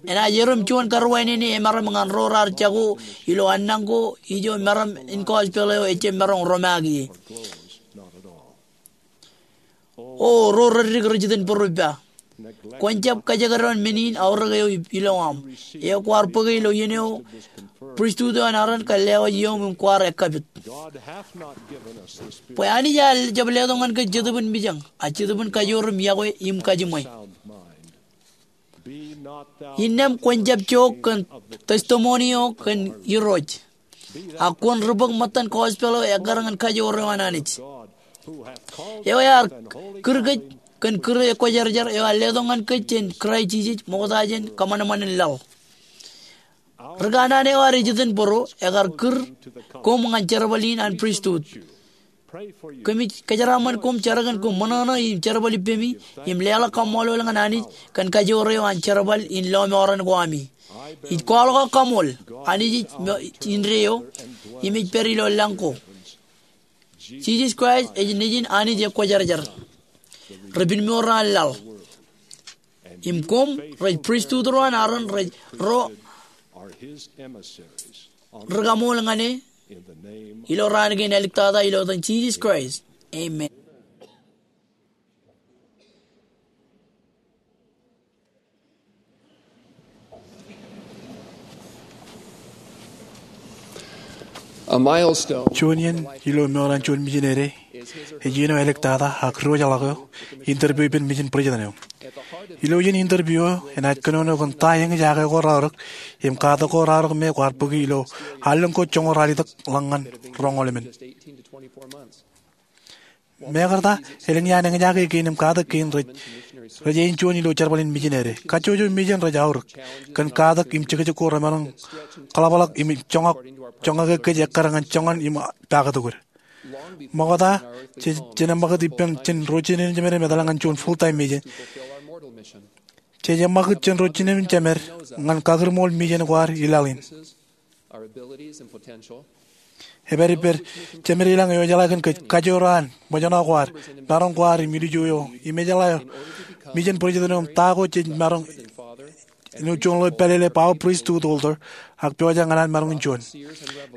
enaaj erom juon karuwainene emaroñ ñan ro raar jako ilo annañ ko ijo maroñ in gospel eo ejjab maroñ romaak ie. O ro reddik rej itōn būruo ippa, kwōn jab kajekdọọn men in aorōk eo ilo aṃ, eo kwaar bōke ilo iien eo pristut eo an Aaron kar lewōj iom im kwaar ekkapit. Bwe Anij ear jab letok ñan kōj Jetōb in mijañ, ak Jetōb in kajoor im yokwe im kajiṃwe. Innām kwōn jab jook kōn testimony eo kōn Irooj, ak kwōn ri bōk ṃōttan gospel eo ekkar ñan kajoor eo an Anij, eo ear kūr kōj kōn kūr ekwōjarjar eo ear letok ñan kōj jān Kraist Jisōs ṃokta jān kōṃanṃan in laḷ. Ri kanaan eo ear ej itōn būruo ekar kūr koṃ ñan jerbal in an pristut. Kōmij kōjeraaṃṃan koṃ jar kōn koṃ ṃōṇōṇō im jerbal ippemi im leḷọk kaṃṃoolol ñan Anij kōn kajoor eo an jerbal in lọmọọren ko ami. Ij kwaḷọk aō kaṃool. Anij ej indeeo im ej pād ilo lañ ko. Jisōs Kraist ej Nejin Anij ekwōjarjar, ri pinmour an laḷ, im koṃ rej pristut ro an Aaron rej ro ri kaṃool ñan e. Ilo raan kein āliktata ilo etan Jisōs Kraist, amen. Juon iien ilo mour an juon mijinede ej iien eo āliktata ak diwōjḷọk eo, interview ippān mijin president eo. Ilo iien interview eo enaaj kōnono kōn ta eñjake ko raorōk im katak ko raorōk me kwaar bōki ilo allōñ ko joñoul ralitōk ḷọk ñan roñoul emān. Mekarta, elōñ iaan eñjake kein im katak kein rej, rej āinjuon ilo jerbal in mijinede. Kajjojo mejān rej aorōk kōn katak im jekjek ko remaroñ kōḷapḷọk im joñak, joñak kōj ekkar ñan joñan im paktok wōt. Ṃokta, je, jenaaj ṃakūt ippān jān ro jinen jemed im etal ñan juon full-time mejān, jej ṃakūt jān ro jinen jemed ñan kakūrṃool mejān ko ad i laḷ in. Epād ippād jemed ilañ eo ejeḷā kōn kōj, kajoor an, ṃōjṇọ ko ad, maroñ ko ad im ilju eo, im ejeḷā eo, mejān president eo im ta ko jej maroñ, āinwōt juon ḷeo ej pālele bwe aō pristut elder, ak pojak ñan an maroñ in juon.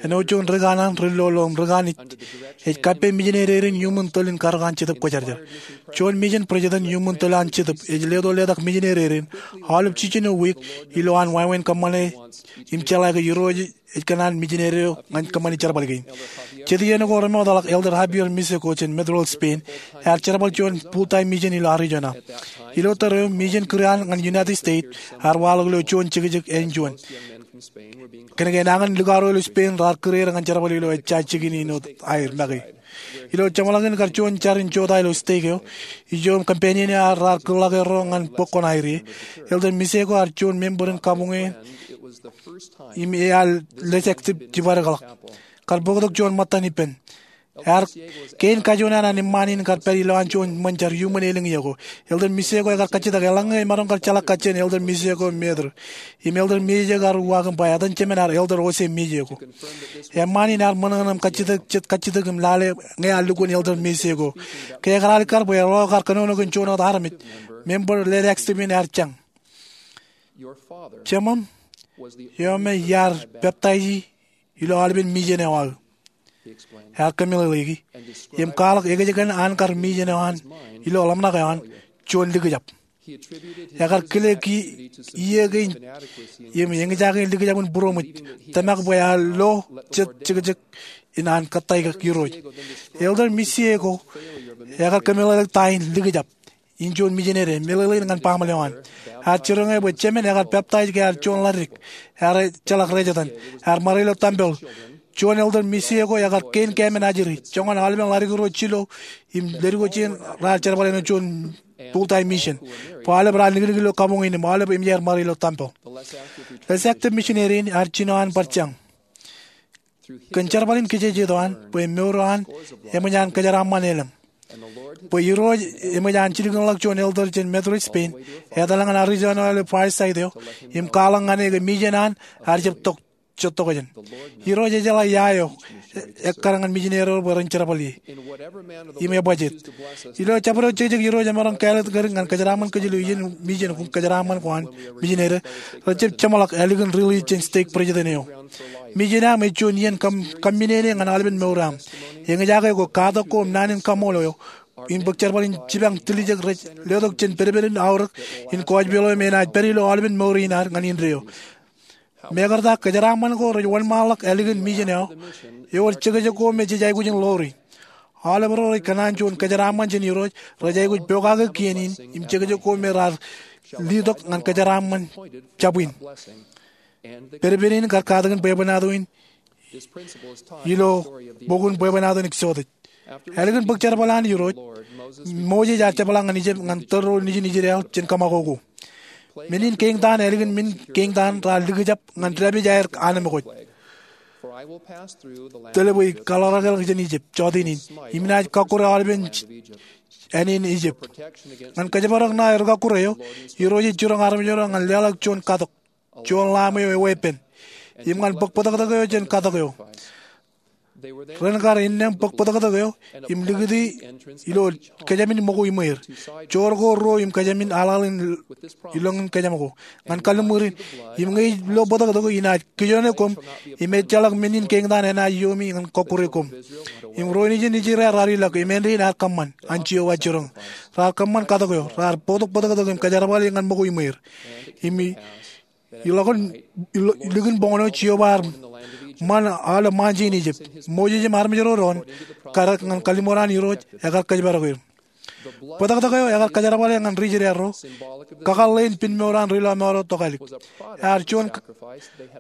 Āinwōt juon ri kanaan, ri lolo im ri kanij, ej kappān mijinededen iuṃwin tōl in karōk an Jetōb Kwōjarjar. Juon mejān president iuṃwin tōl an Jetōb ej leto letak mijinededen aolep jiljino wiik ilo an wāween kōṃṃane im jeḷā ke Irooj ej kōṇaan mijinede eo ñan kōṃṃani jerbal kein. Jet iien ko remootḷọk, Elder Javier Miseko jān Medrol, Spain, ear jerbal juon full-time mejān ilo Arizona. Ilo tōre eo, mejān kūr an ñan United States ear waḷọk ilo juon jekjek āinjuon. Kōnke nañin likaro ilo Spain raar kūr er ñan jerbal ilo ejja jikin in wōt aer make. Ilo jeṃḷọkin kar juon jar in jota ilo stake eo, ijo im companion eo ear raar kūrḷọk erro ñan bōk koṇaer ie. Elder Miseko ear juon member in kabuñ in im ear lejāktip jibadekḷọk. Kar bōktok juon ṃōttan ippān. Ear kein kajoor an an eṃṃaan in kar pād ilowaan juon ṃōn jar iuṃwin elōñ iiō ko. Elder Miseko ekar kajjitōk eḷaññe emaroñ kar jeḷā kajjien Elder Miseko im Mother. Im Elder Miseko ear uwaak im ba etan jemān ear Elder Jose Miseko. Eṃṃaan in ear ṃōṇōṇō im kajjitōk, jet kajjitōk im lale ñe ear lukkuun Elder Miseko. Ke ekar alikkar bwe erro kar kōnono kōn juon wōt armej, member lejāktip in ear jañ. Jemem, eo me iar peptaiji ilo aolepen mejān eo aō. Ear kōmeḷeḷeiki im kwaḷọk ekōjkan an kar mejān eo an ilo ḷōmṇak eo an juon likjab. Ekar kile ki iiō kein im eñjake likjab in būroṃōj, tōmak bwe ear lo jet jekjek in an kōttāik Irooj. Elder Miseko ekar kōmeḷeḷeik ta in likjab. in juon mijinede meḷeḷein ñan baaṃle eo an. Ear jiroñ eō bwe jemān ekar peptaij ke ear juon ḷaddik. Ear ejjeḷọk rejjitōn. Ear ṃare ilo tempel. Juon elder missio ko ekar kein kāmen ajri. Joñan aolepen ḷaddik ro jilo im leddik eo jān raar jerbal āinwōt juon full-time mission bwe aolep raar niknik ilo kabuñ in im aolep eṃōj aer ṃare ilo tempel. Ḷejakjab misineri in ear jino an bar jañ kōn jerbal in kijejeto an bwe mour eo an eṃōj an kōjeraaṃṃan elōñ. Bwe Irooj eṃōj an jilkinḷọk juon elder jān Methodist Spain, etal ñan Arizona ilo fireside eo, im kwaḷọk ñan e ke mission an ear jab tok, jab tok jān. Irooj ejjeḷọk ia eo ekkar ñan misineri ro bwe ren jerbal ie im ebajjek. Ilo jabdewōt jekjek Irooj emaroñ kāālōt kōn ñan kōjeraaṃṃan kōj ilo iien mission ko, kōjeraaṃṃan ko an misineri, rejjab jeṃḷọk ālikin release jān stake president eo. Mission eo aṃ ej juon iien kaṃ, kaṃṃinene ñan aolepen mour eo aṃ. Eñjake ko katak ko im naan in kaṃool eo im bōk jerbal in jipañ tiljek rej letok jān pedped in aorōk in kōjpeḷ eo im enaaj pād ilo aolepen mour in ad ñan indeeo. Mekarta kōjeraaṃṃan ko rej wōnṃaanḷọk ālikin mission eo, ewōr jekjek ko me jej aikuj in ḷoori. Aolep ro rej kōṇaan juon kōjeraaṃṃan jān Irooj rej aikuj pokake kien in im jekjek ko me raar letok ñan kōjeraaṃṃan jabwin. Pedped in kar katakin bwebwenato in ilo bok in Bwebwenato in Eksotis. Ālikin bōk jerbal an Irooj, Moses ear jepḷaak ñan Ijipt ñan tōl ro nejin Israel jān kōṃakoko. Men in keeñtaan ālikin men keeñtaan raar likjab ñan dāpij aer anemkwōj. Tōl bwe ij kaḷọk ḷọk jān Ijipt, jọteen in, im inaaj kọkkure aolepen āne in Ijipt. Ñan kōjparok ṇae rikakkure eo, Irooj ej jiroñ armej ro ñan leḷọk juon katok, juon lamb eo eweeppān, im ñan bōk bōtōktōk eo jān katok eo. Ren kar innām bōk bōtōktōk eo im likūti ilo kōjām in ṃōko iṃweer. Joor ko ruo im kōjām in aḷaḷ in ilọñin kōjām ko. Ñan kalliṃur in, im ñe ij lo bōtōktōk, inaaj kijoone koṃ, im ejjeḷọk men in keeñtaan enaaj iiomi ñan kọkkure koṃ. Im ro nejin Israel raar ilọk, im āindein ear kōṃṃan, an Jeova jiroñ. Raar kōṃṃan katok eo, raar bōktok bōtōktōk im kōjerbale ñan ṃōko iṃweer. Im i Ḷọk in, ilo, likin boñōn eo Jeova ear ṃan aolep ṃaanjin Ijipt. Moses im armej ro doon, kar ñan kalliṃur an Irooj, ekar kōjparok er. Bōtōktōk eo ekar kōjerbale ñan ri-Israel ro, kakōḷḷe in pinemour an ri-lọmọọr eo tokālik. Ear juon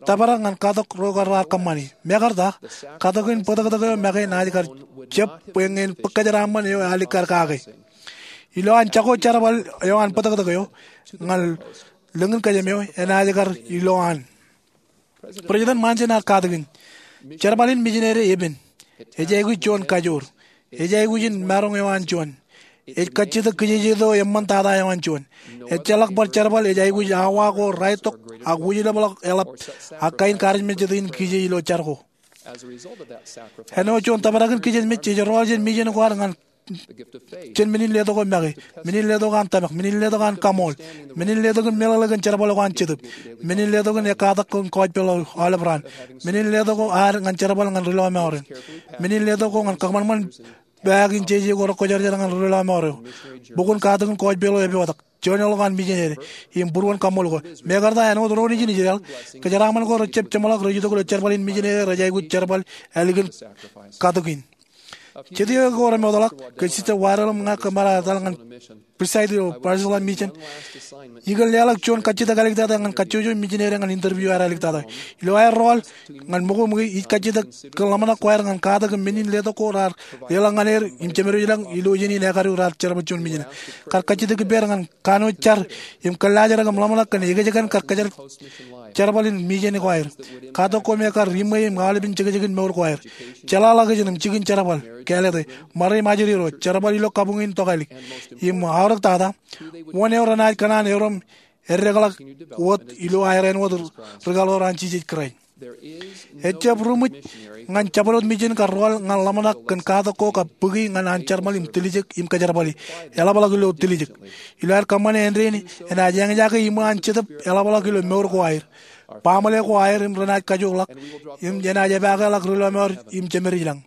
tōprak ñan katok ro kar raar kōṃṃani. Mekarta, katok in bōtōktōk eo make enaaj kar jab bwe ñe en bōk kōjeraaṃṃan eo ealikkar kake. Ilo an jako jerbal eo an bōtōktōk eo, ñan lōñin kōjām eo, enaaj kar ilo an. President Monson ear katakin, jerbal in mijineri epen. Ej aikuj juon kajoor. Ej aikuj in maroñ eo an juon. Ej kajjitōk kijejeto eṃṃantata eo an juon. Ejjeḷọk bar jerbal ej aikuj awa ko raetok ak wūjlepḷọk eḷap ak kain karijmejjet in kije ilo jar ko. Āinwōt juon tōprak in kijenmej ej rọọl jān mission ko ad ñan jān men in letok ko make, men in letok an tōmak, men in letok an kaṃool, men in letok in meḷeḷe kōn jerbal ko an Jetōb, men in letok in ekkatak kōn kōjpeḷ eo aolep raan, men in letok ko ad ñan jerbal ñan ri-lọmọọr in, men in letok ko ñan kōṃanṃan paak in jeje ko rekwōjarjar ñan ri-lọmọọr eo, bok in katakin kōjpeḷ eo epotak, joñoul ḷọk an mijineri, im būruon kaṃool ko. Mekarta āinwōt ro nejin Israel, kōjeraaṃṃan ko rejjab jeṃḷọk rej itok ilo jerbal in mijineri rej aikuj jerbal ālikin katok in. Jet iiō ko remootḷọk, ke Sister Waddell im ña kōmar etal ñan preside ilo Barcelona Mission. Ikōn leḷọk juon kajjitōk āliktata ñan kajjojo mijineri ñan interview ear āliktata. Ilo aer rọọl ñan ṃōko ṃōke, ij kajjitōk kōn ḷōmṇak ko aer ñan katak im men in letok ko raar leḷọk ñan er im jemedwōj ilañ ilo iien in ekadu raar jerbal juon mission. Kar kajjitōk ippāer ñan kanooj jar im kōllaajrak im ḷōmṇak kōn ekōjkan kar kōjjeḷ jerbal in mission ko aer. Katak ko me kar iṃwe im aolepen jekjekin mour ko aer. Jeḷāḷọkjeṇ im jikin jerbal, kāālōt e, ṃare im ajri ro, jerbal ilo kabuñ in tokālik. Im aorōktata, wōn eo renaaj kōṇaan erom eddekḷọk wōt ilo aer āinwōt rikaḷoor an Jisōs Kraist. Ejjab ruṃwij ñan jabdewōt mission kar rọọl ñan ḷōmṇak kōn katak ko kab bōki ñan an jerbal im tiljek im kōjerbale. Eḷapḷọk ilo tiljek. Ilo aer kōṃṃane āindein, enaaj eñjake iṃwe an Jetōb eḷapḷọk ilo mour ko aer, baaṃle ko aer im renaaj kajookḷọk, im enaaj epaakḷọk ri-lọmọọr im jemedwōj ilañ.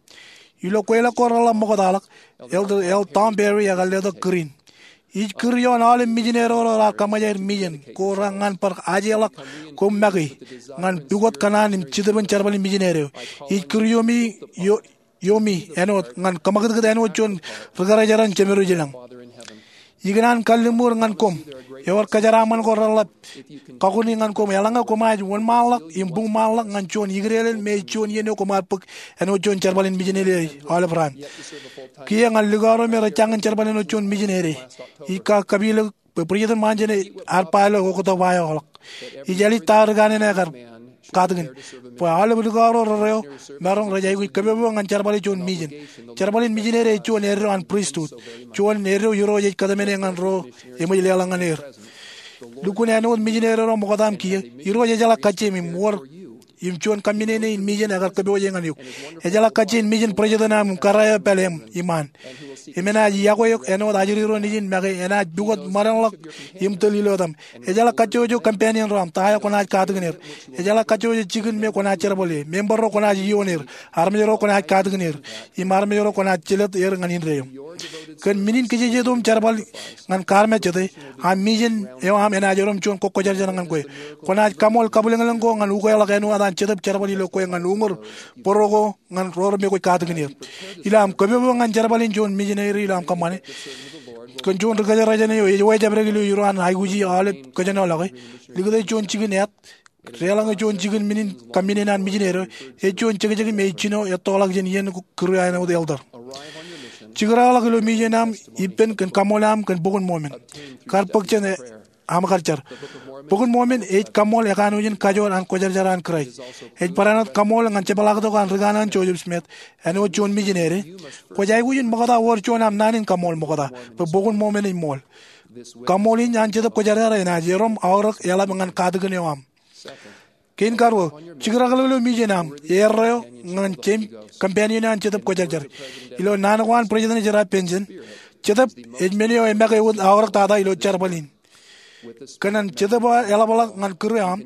Ilo kweilọk ko reḷap ṃoktaḷọk, Elder L. Tom Perry ekar letok kūr in. Ij kūr ioon aolep mijineri ro raar kōṃṃan aer mission ko raar ñan bar ajeḷọk koṃ make ñan pukot kōṇaan im Jetōb in jerbal in mijineri eo. Ij kūr iomi, io-, iomi āinwōt ñan kōṃakūtkūt āinwōt juon ri-kōrā jeran jemedwōj ilañ. Ikōṇaan kalliṃur ñan koṃ, ewōr kōjeraaṃṃan ko reḷap kakuni ñan koṃ eḷaññe koṃij wōnṃaanḷọk im buñṃaanḷọk ñan juon ikdeḷọñ me ej juon iien eo koṃ ar bōk āinwōt juon jerbal in mijineri aolep raan. Kiiō ñan likao ro me rej jañin jerbal āinwōt juon mijineri, ij kakapeḷḷọk bwe President Monson ear ba ilo oktak ba eo ḷọk, ij ālij ta ri kanaan eo ekar katakin, bwe aolep likao ro rerreo maroñ rej aikuj kōpopo ñan jerbale juon mijen. Jerbal in mijineri ej juon eddo an pristut, juon eddo Irooj ej kōtmāne ñan ro eṃōj leḷọk ñan er. Lukkuun āinwōt mijineri ro ṃoktata kiiō, Irooj ejeḷā kajjien im wōr im juon kaminene in mijen ekar kōpooje ñan eok. Ejeḷā kajjien mijen president eo aṃ im kōrā eo pālle aṃ iṃaan. Im enaaj yokwe eok āinwōt ajri ro nejin make, enaaj pukot ṃōdenḷọk im tōl ilo etaṃ. Ejeḷā kajjojo companion ro aṃ, ta eo kwōnaaj katakin er. Ejeḷā kajjojo jikin me kwōnaaj jerbale, member ro kwōnaaj ioon er, armej ro kwōnaaj katakin er, im armej ro kwōnaaj jelōt er ñan indeeo. Kōn men in kajjojo im jerbal ñan kaarmejjete, aṃ mijen eo aṃ enaaj erom juon kwōjarjar ñan kwe. Kwōnaaj kaṃool kabwilōñlōñ ko ñan ukeḷọk āinwōt an Jetōb jerbal ilo kwe ñan uñūr bōro ko ñan ro remekwōj katakin er. Ilo aṃ kōpopo ñan jerbal in juon mijineri ilo aṃ kōṃṃane kōn juon ri kōjerajen eo ej wejāpdik ilo iroon aikuji aolep kōjenolọke, likūt eo juon jikin āt, deḷọñ eo juon jikin men in kaminene an mijineri eo, ej juon jekjek im ej jino ettoḷọk jān iien ko kūr eo āinwōt elder. Jikrakḷọk ilo mijen eo aṃ ippān kōn kaṃool eo aṃ kōn Bok in Mormon. Kar bōk jān e aṃ kar jar. Bok in Mormon ej kaṃool ekanooj in kajoor an kwōjarjar an Kraist. Ej barāinwōt kaṃool ñan jepḷaaktok an ri kanaan Joseph Smith āinwōt juon mijineri. Kwōj aikuj in ṃokta wōr juon aṃ naan in kaṃool ṃokta bwe Bok in Mormon ej ṃool. Kaṃool in an Jetōb Kwōjarjar enaaj erom aorōk eḷap ñan katakin eo aṃ. Kein karuo, jikrakḷọk ilo mijen eo aṃ eddo ñan jeiū companion eo an Jetōb Kwōjarjar. Ilo naan ko an President Ezra Benson, Jetōb ej men eo emake wōt aorōk tata ilo jerbal in. Kōn an Jetōb eo eḷapḷọk ñan kūr eo aṃ,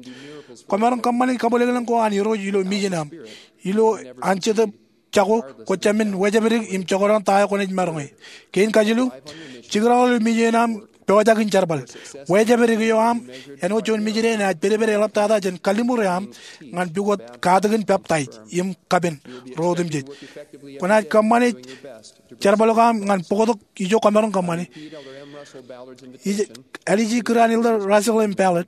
kwōmaroñ kōṃṃane kabwilōñlōñ ko an Irooj ilo mijen eo aṃ. Ilo an Jetōb jako, kwōj jāmin wejāpdik im jokdọọn ta eo kwōnaaj maroñe. Kein kajilu, jikrakḷọk ilo mijen eo aṃ pojak in jerbal. Wejāpdik eo aṃ āinwōt juon mijineri enaaj pedped eḷaptata jān kalliṃur eo aṃ ñan pukot katakin peptaij im kapen ro otemjej. Kwōnaaj kōṃṃane jerbal ko aṃ ñan bōktok ijo kwōmaroñ kōṃṃane. Ij āliji kūr an Elder Russell M. Ballard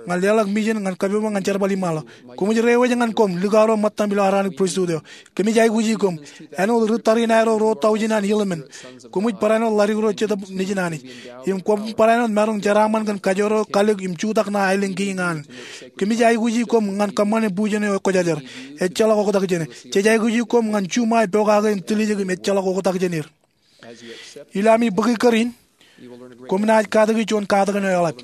ñan leḷọk mijen ñan kōpopo ñan jerbal iṃaanḷọk. Koṃij reiwōj ñan koṃ likao ro ṃōttaṃ ilo Aaronic Pristut eo. Kōmij aikuji koṃ āinwōt ri tariṇae ro ro taujin an Helaman. Koṃij barāinwōt ḷadik ro Jetōb Nejin Anij. Im koṃ barāinwōt maroñ jeraaṃṃan kōn kajoor eo kalōk im jutak ṇa aelōñ kein an. Kōmij aikuji koṃ ñan kōṃṃane bujen eo ekwōjarjar. Ejjeḷọk oktak jāne. Jej aikuji koṃ ñan juṃae pokake im tiljek im ejjeḷọk oktak jān er. Ilo ami bōki kōr in, koṃ naaj katōki juon katakin eo eḷap.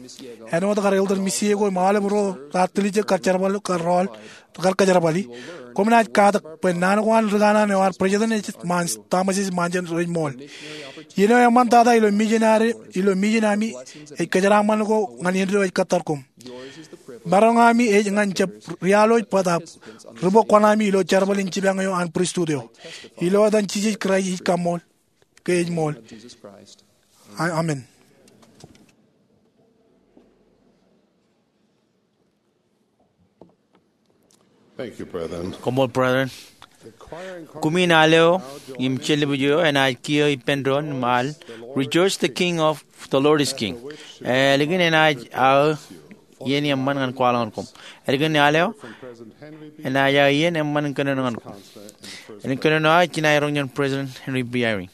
Āinwōt kar Elder Misieko im aolep ro raar tiljek kar jerbal, kar rọọl, kar kōjerbali. Koṃ naaj katak bwe naan ko an ri kanaan eo an President Thomas S. Monson rej ṃool. Iien eo eṃṃantata ilo mijen ami ej kōjeraaṃṃan ko ñan indeeo ej kōttar koṃ. Maroñ ami ej ñan jab rialooj bōtab ri-bōk kuṇaami ilo jerbal in jipañ eo an pristut eo. Ilo etan Jisōs Kraist ij kaṃṃool ke ej ṃool. Amen. Koṃṃool, brethren. Kumin al eo im jellipij eo enaaj kiiō ippān doon im al, Rejoice, the King of, the Lord is King. Ālikin enaaj aō iien eṃṃan ñan kwaḷọk ñan koṃ. Ālikin al eo enaaj aō iien eṃṃan in kōnono ñan koṃ. Im kōnono eo ej jinae roñ jān President Henry B. Eyring.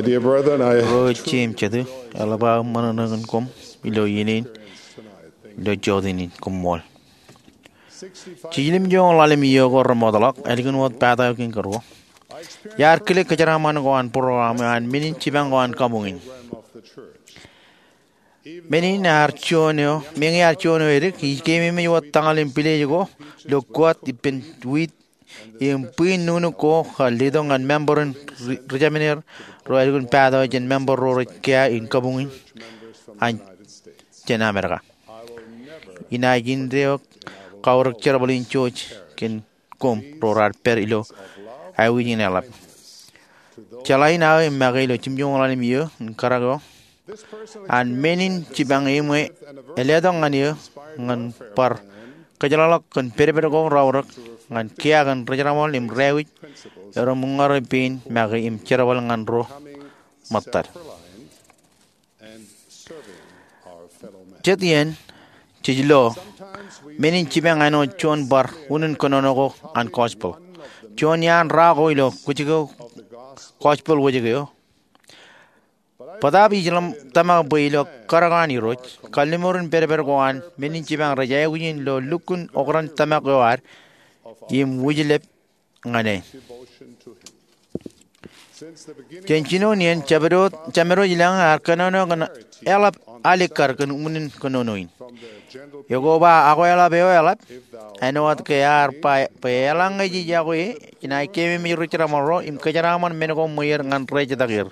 Dear brethren, I Ro ej jeiū im jetū, eḷap aō ṃōṇōṇō kōn koṃ ilo iien in, ilo jota in, koṃṃool. Jiljino ḷalem iiō ko remootḷọk, ālikin wōt pata eo kein kōrā ko, iar kile kōjeraaṃṃan ko an būruō eo an men in jipañ ko an kabuñ in. Men in ear juon eo, meñe ear juon eo edik, ij keememej wōt tōñal im pilej ko ilo kuwat ippān wiit im bwin nuknuk ko kar letok ñan member in ri-, rijemān er ro ālikin pata eo jān member ro rej kiiō in kabuñ in an jān Amedka. Inaaj indeeo kaurōk jerbal in jouj kōn koṃ ro raar pād ilo aikuj in eḷap. Jeḷā in aō im make ilo jimjuonñoul ḷalem iiō in karak eo an men in jipañ eṃṃan eo eḷap ñan eō ñan bar kōjjeḷāḷọk kōn pedped ko raorōk ñan kiiō kōn ri-jerbal im ri-aikuj eo reṃwilaḷ pein make im jerbal ñan ro ṃōttad. Jet iien, jej lo, men in jipañ āinwōt juon bar unin kōnono ko an gospel. Juon iaan ra ko ilo kajjitōk gospel wōjke eo. Bōtaab ij ḷōmṇak bwe ilo karak an Irooj, kalliṃur in pedped ko an men in jipañ rej aikuj in ilo lukkuun okran tōmak eo ad im wūjlep ñan e. Jān jinoin iien, Jemedwōj, Jemedwōj ilañ ear kōnono kōn eḷap alikkar kōn unin kōnono in. Ekoba akweḷap eo eḷap, āinwōt ke ear ba bwe eḷaññe jej yokwe e, jenaaj keememej ri-jerbal ro im kōjeraaṃṃan men ko ṃweer ñan rej jatōk er.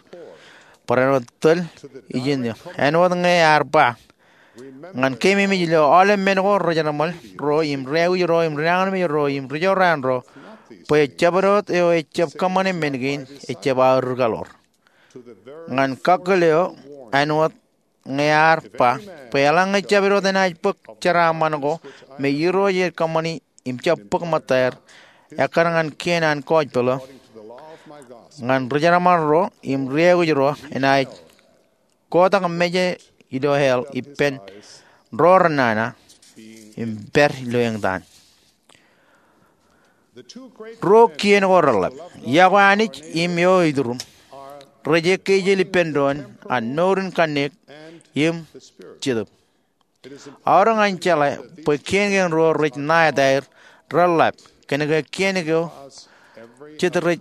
Barāinwōt tōl ijin eo, āinwōt ñe ear ba, ñan keememej ilo aolep men ko ri-jerbal ro im ri-aikuj ro im ri-nañinmej ro im ri-jorrāān ro, bwe Jemedwōj eo ejjab kōṃṃane men kein ejjab aō rūkaḷoor. Ñan kakkōl eo, āinwōt ñe ear ba bwe eḷaññe Jemedwōj enaaj bōk jeraaṃṃan ko me Irooj ej kōṃṃani im jab bōk ṃōttaer, ekkar ñan kien an gospel eo, ñan ri-jerbal ro im ri-aikuj ro enaaj kotak meje ilo hell ippān ro renana im pād ilo eñtaan. Ruo kien ko reḷap, iọkwe Anij im eo ituruṃ, rej ekkejel ippān doon an mour in kanniōk im jetōb. Ear ñan jeḷā bwe kien kein ruo rej ṇa etaer, reḷap, kōnke kien kein jet rej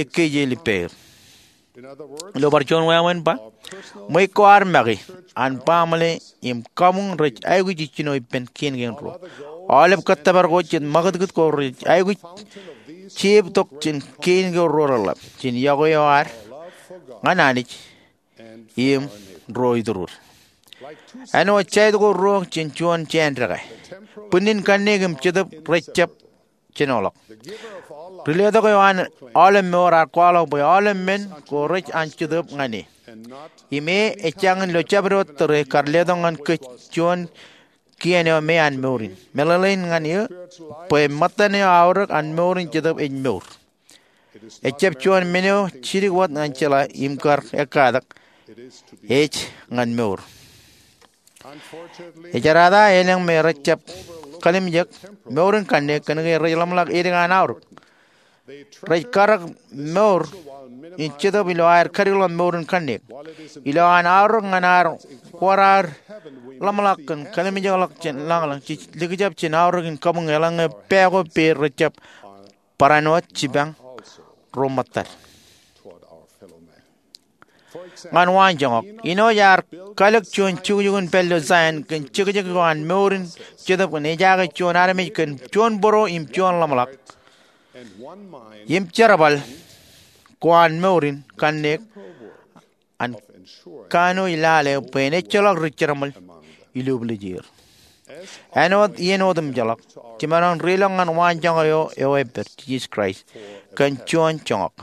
ekkejel ippāer. Ilo bar juon wāween ba, ṃweiuk ko ad make an baaṃle im kabuñ rej aikuj ijjino ippān kien kein ruo. Aolep kōttōpar ko jet ṃakūtkūt ko rej aikuj jeebtok jān kien kein ruo reḷap, jān iọkwe eo ad ñan Anij im ro ituruūd. Āinwōt jaid ko ruo jān juon jān dekā, bwinnin kanniōk im jetōb rej jab jenoḷọk. Riletok eo an aolep mour ear kwaḷọk bwe aolep men ko rej an jetōb ñan e. Im e ejjañin ilo Jemedwōj tōre kar letok ñan kōj juon kien eo me an mour in. Meḷeḷein ñan eō bwe ṃōttan eo aorōk an mour in jetōb ej mour. Ejjab juon men eo jidik wōt ñan jeḷā im kar ekkatak, ej ñan mour. Ejerata elōñ me rej jab kalimjek mour in kanniōk kōnke rej ḷōmṇak edik an aorōk. Rej karōk mour in jetōb ilo aer kadikḷọk mour in kanniōk. Ilo an aorōk ñan ad wōr aer ḷōmṇak kōn kalimjekḷọk jān lañlōñ, jej likjab jān aorōk in kabuñ eḷaññe pā ko pād rej jab barāinwōt jipañ ro ṃōttad. Ñan waanjoñak, Inoj ear kalōk juon jukjuk in pād ilo Zion kōn jekjek ko an mour in jetōb kōn ejaake juon armej kōn juon bōro im juon ḷōmṇak im jerbal ko an mour in kanniōk an kanooj lale bwe en ejjeḷọk ri-jerbal iluuplij er. Āinwōt iien otemjeḷọk, jemaroñ in riilọk ñan waanjoñak eo eo epād, Jisōs Kraist, kōn juon joñak.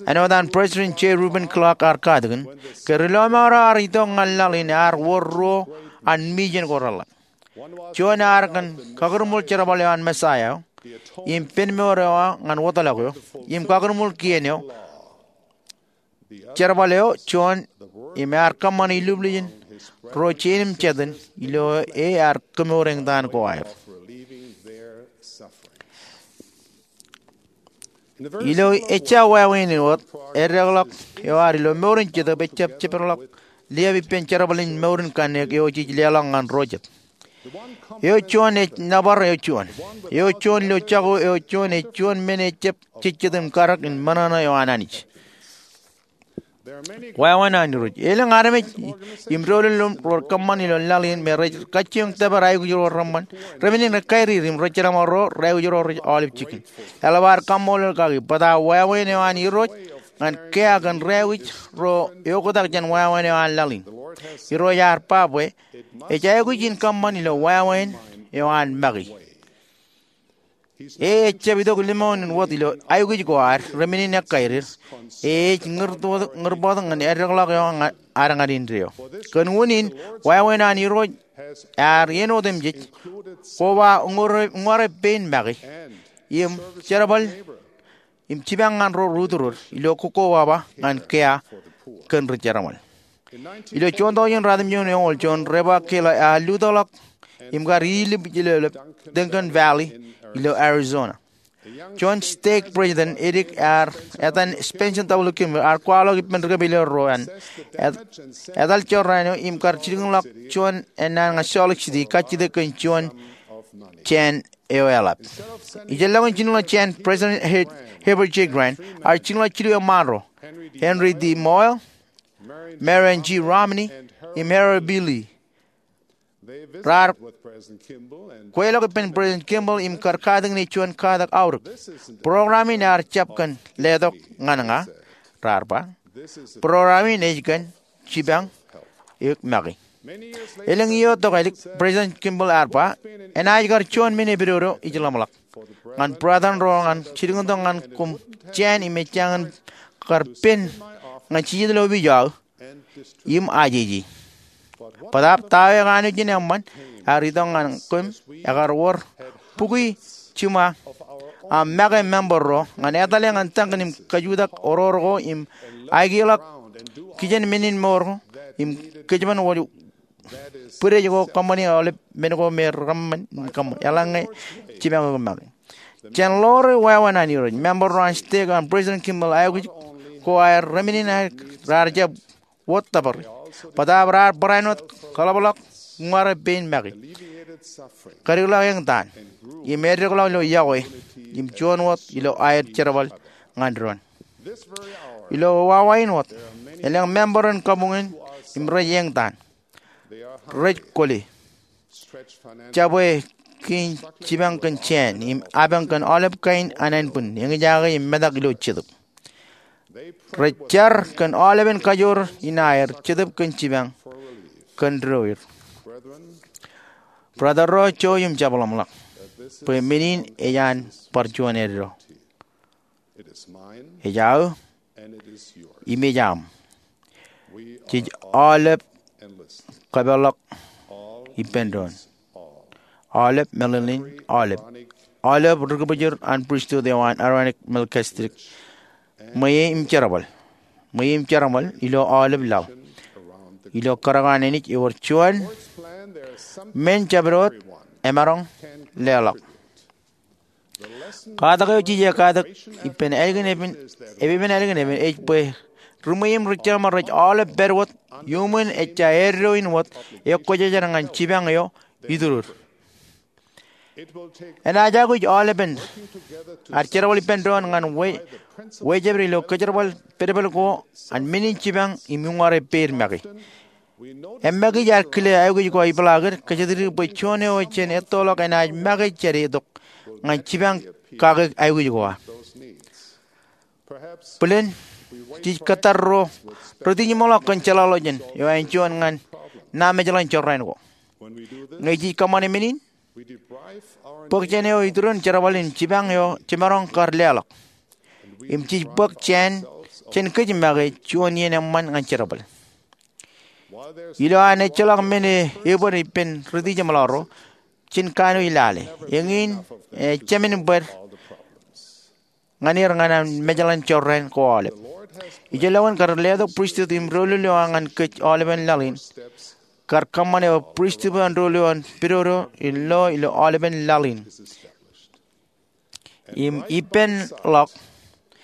Āinwōt an President J. Reuben Clark ear katakin, ke ri-lọmọọr eo ear itok ñan laḷ in ear wōr ruo an mission ko reḷap. Juon ear kōn kakūrmul jerbal eo an Messiah eo, im penmour eo ñan wōtlọk eo, im kakūrmul kien eo, jerbal eo juon, im ear kōṃṃan iluuplij in ruo jein im jatūn ilo ear kemour eñtaan ko aer. Ilo ejja wāween in wōt, eddekḷọk eo ad ilo mour in jetōb ejjab jepedḷọk liab ippān jerbal in mour in kanniōk eo jej leḷọk ñan ro jet. Eo juon ej nōbar eo juon. Eo juon ilo jako eo juon ej juon men ejjab jejjet im karōk in ṃōṇōṇō eo an Anij. Wāween an Irooj. Elōñ armej im doulul ro rej kōṃṃan ilo laḷ in me rej kajjioñ tōpar aikuj ro reṃṃan, remenin rej kairir im rej jerbal ro rej aikuj ro rej aolep jikin. Eḷap ad kaṃṃoolol kaki bōtaab wāween eo an Irooj ñan kea kōn ro aikuj ro eoktak jān wāween eo an laḷ in. Irooj ear ba bwe ej aikuj in kōṃṃan ilo wāween eo an make. E ejjab itok limoun in wōt ilo aikuj ko ad, remenin ekkairir. E ej ñūr tok, ñūr tok ñan eddekḷọk eo ad ñan indeeo. Kōn unin, wāween an Irooj ear iien otemjej koba uññūr, uññūrep pein make im jerbal im jipañ ñan ro ri-utdorur ilo kokkobaba ñan kea kōn ri-jerbal. Ilo juon tọujin ratimjuon eoon, juon Rebecca Keller ear lutōkḷọk im kar ilip ilo Duncan Valley ilo Arizona. Juon stake president edik ear etan Spencer W. Kimball ear kwaḷọk ippān ri-kōpeḷḷọk ro an etal jorrāān eo im kar jilkinḷọk juon ennaan ñan Salt Lake City kajjitōk kōn juon jāān eo eḷap. Ijellọkin jinōḷọk jāān, President Heber J. Grant ear jinōḷọk jilu eṃṃaan ro, Henry D. Moyle, Marion G. Romney, im Harold B. Lee. Raar kweilọk ippān President Kimball im kar katakin e juon katak aorōk. Program in ear jab kōn letok ñan ña, raar ba. Program in ej kōn jipañ eok make. Elōñ iiō tokālik, President Kimball ear ba, enaaj kar juon men epidodo ij ḷōmṇak ñan brother in ro ñan jilkintok ñan koṃ jāān im ejjañin kar pen ñan jijet ilo opiij eo aō im ajeje. Bōtaab ta eo ekanooj in eṃṃan ear itok ñan koṃ, ekar wōr bukwi jiṃa aṃ make member ro ñan etale ñan takin im kajutak oror ko im aikuj ḷọk kijenmān in mour ko im kōjparok wōj bwidej ko kōṃṃani aolep men ko me rej kōṃṃan im kōṃṃan. Eḷaññe jipañ eok make. Jān ḷoore wāween an Irooj, member ro an stake an President Kimball aikuj ko aer remenin aer raar jab wōt tōpar, bōtaab raar barāinwōt kaḷapḷọk uññūrep pein make, kadikḷọk eñtaan, im eddekḷọk ilo yokwe im juon wōt ilo aer jerbal ñan doon. Ilo wāween wōt, elōñ member in kabuñ in im rej eñtaan. Rej kwōle, jabwe kiiñ jipañ kōn jāān im apañ kōn aolep kain anenbwin, eñjake im metak ilo jetōb. Rej jar kōn aolepen kajoor in aer jetōb kōn jipañ kōn doon. Brother ro, jouj im jab ḷōmṇak bwe men in ej an bar juon eddo. Ej aō im ej aṃ. Jej aolep kōpeḷḷọk ippān doon. Aolep meḷeḷein aolep. Aolep ri-kōbōjor an pristut eo an Aaronic Melchizedek. Ṃweiie im jerbal. Ṃweiie im jerbal ilo aolep laḷ. Ilo kōrā ko an Anij ewōr juon men jabdewōt emaroñ leḷọk. Katak eo jej katak ippān ālikin epen, epepen ālikin epen ej bwe ri-ṃweiie im ri-jerbal rej aolep pād wōt iuṃwin ejja eddo in wōt ekwōjarjar ñan jipañ eo itōror. Enaaj aikuj aolepen ad jerbal ippān doon ñan we, wejeped ilo kōjerbal pedpel ko an men in jipañ im uññūrep pein make. Eṃṃakij ear kile aikuj ko ipḷaakid kōjatdikdik bwe juon eo jen ettoḷọk enaaj make jāde itok ñan jipañ kake aikuj ko aō. Bōlen jej kōttar ro rūtijeṃḷọk kōn jeḷāḷọkjeṇ eo an juon ñan ṇa mejḷan jorrāān ko. Ñe jej kōṃṃane men in, bōk jān eo itōror in jerbal in jipañ eo jemaroñ kar leḷọk im jej bōk jān, jān kōj make juon iien eṃṃan ñan jerbal. Ilo an ejjeḷọk men e ebōd ippān rūtijeṃḷọk ro, jen kanooj lale. Eñin, e, jemān bōd ñan er ñan an mejḷan jorrāān ko aolep. Ijellọkin kar letok pristut im doulul eo ñan kōj aolepen laḷ in, kar kōṃṃan eo pristut eo an doulul eo an pedodo in lo ilo aolepen laḷ in. Im ippān ḷọk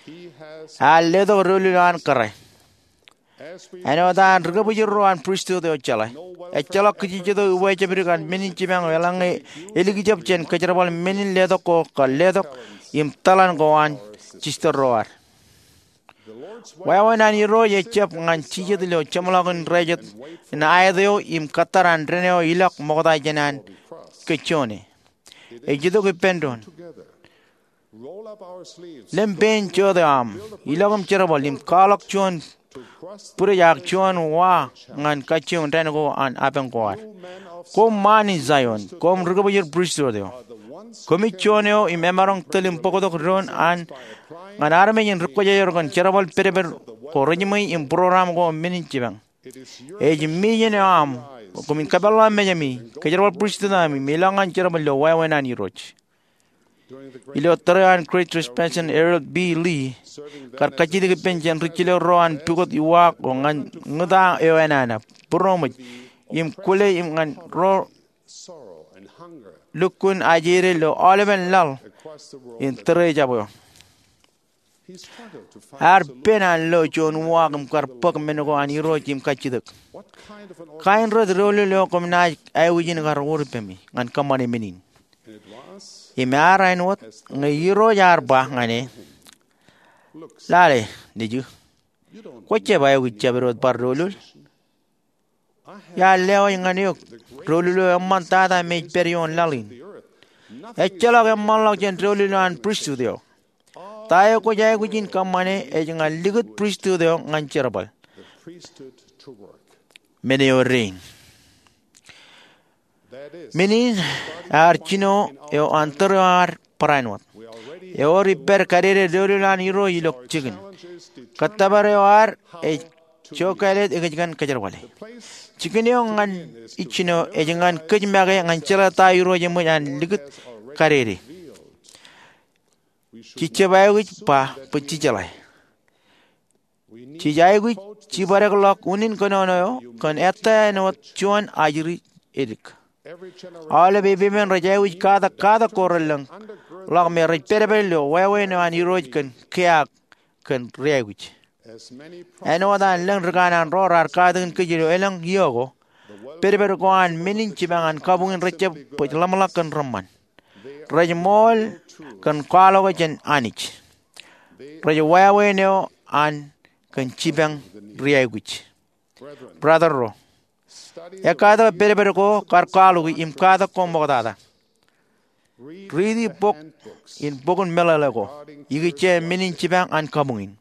Ear letok doulul eo an kōrā. Āinwōt an ri kōbwijin ro an pristut eo jeḷā, ejjeḷọk kajjitōk iwōjab dik an men in jipañ eo eḷaññe elikjab jān kōjerbal men in letok ko kar letok im tōḷan ko an jistōl ro ad. Wāween an Irooj ejjab ñan jijet ilo jeṃḷọkin indein jet in aet eo im kōttar an dān eo ilọk ṃokta jān an ke juon e. Ej itok ippān doon. Lōñ pein jota eo aṃ, ilọk im jerbal im kwaḷọk juon bwidej ak juon wa ñan kajjioñ dān ko an apañ ko ad. Koṃ ṃaan in Zaion, koṃ ri kōbwijin pristut eo. Koṃij juon eo im emaroñ tōl im bōktok doon an ñan armej in ri kwōjarjar kōn jerbal pedped ko rejiṃwe im program ko men in jipañ. Ej mission eo aṃ bwe koṃwin kapeḷḷọk mejami, kōjerbal pristut eo aṃ im ilọk ñan jerbal ilo wāween an Irooj. Ilo tōre eo an Great Resignation, Harold B. Lee kar kajjitōk ippān jān ri jilōk ro an pukot iwaak eo ñan ñūta eo enana, būroṃōj, im kwōle im ñan ro lukkuun ajeeded ilo aolepen laḷ in tōre eo jab eo. Ear pen an lo juon uwaak im kar bōk men ko an Irooj im kajjitōk, "Kain ro doulul eo koṃ naaj aikuj in kar wōr ippemi ñan kōṃṃane men in?" Im ear āinwōt ñe Irooj ear ba ñan e, "Lale, nejū, kwōjab aikuj jabdewōt bar doulul. Iar lewōj ñan eok doulul eo eṃṃantata im ej pād ioon laḷ in. Ejjeḷọk eṃṃanḷọk jān doulul eo an pristut eo. Ta eo kwōj aikuj in kōṃṃane ej ñan likūt pristut eo ñan jerbal." Men eo rein. Men in ear jino eo an tōre eo ad barāinwōt. Ewōr ippād kadede doulul an Irooj ilo jikin. Kōttōpar eo ad ej jokālet ikōjkan kōjerbale. Jikin eo ñan ij jino ej ñan kōj make ñan jeḷā ta Irooj eṃōj an likūt kadede. Jej jab aikuj ba bwe jejeḷā. Jej aikuj jibadekḷọk unin kōnono eo kōn ettā āinwōt juon ajri edik. Aolep epepen rej aikuj katak katak ko relōñ ḷọk me rej pedped ilo wāween eo an Irooj kōn keaak kōn ri-aikuj. Āinwōt an lōñ rikanaan ro raar katakin kōj ilo elōñ iiō ko, pedped ko an men in jipañ an kabuñ in rejjab bōk ḷōmṇak kōn reṃṃan. Rej ṃool kōn kwaḷọke jān Anij. Rej wāween eo an kōn jipañ ri-aikuj. Brother ro, ekkatak pedped ko kar kwaḷọki im katak ko ṃoktata. Riiti bok in bok in meḷeḷe ko ikijjeen men in jipañ an kabuñ in.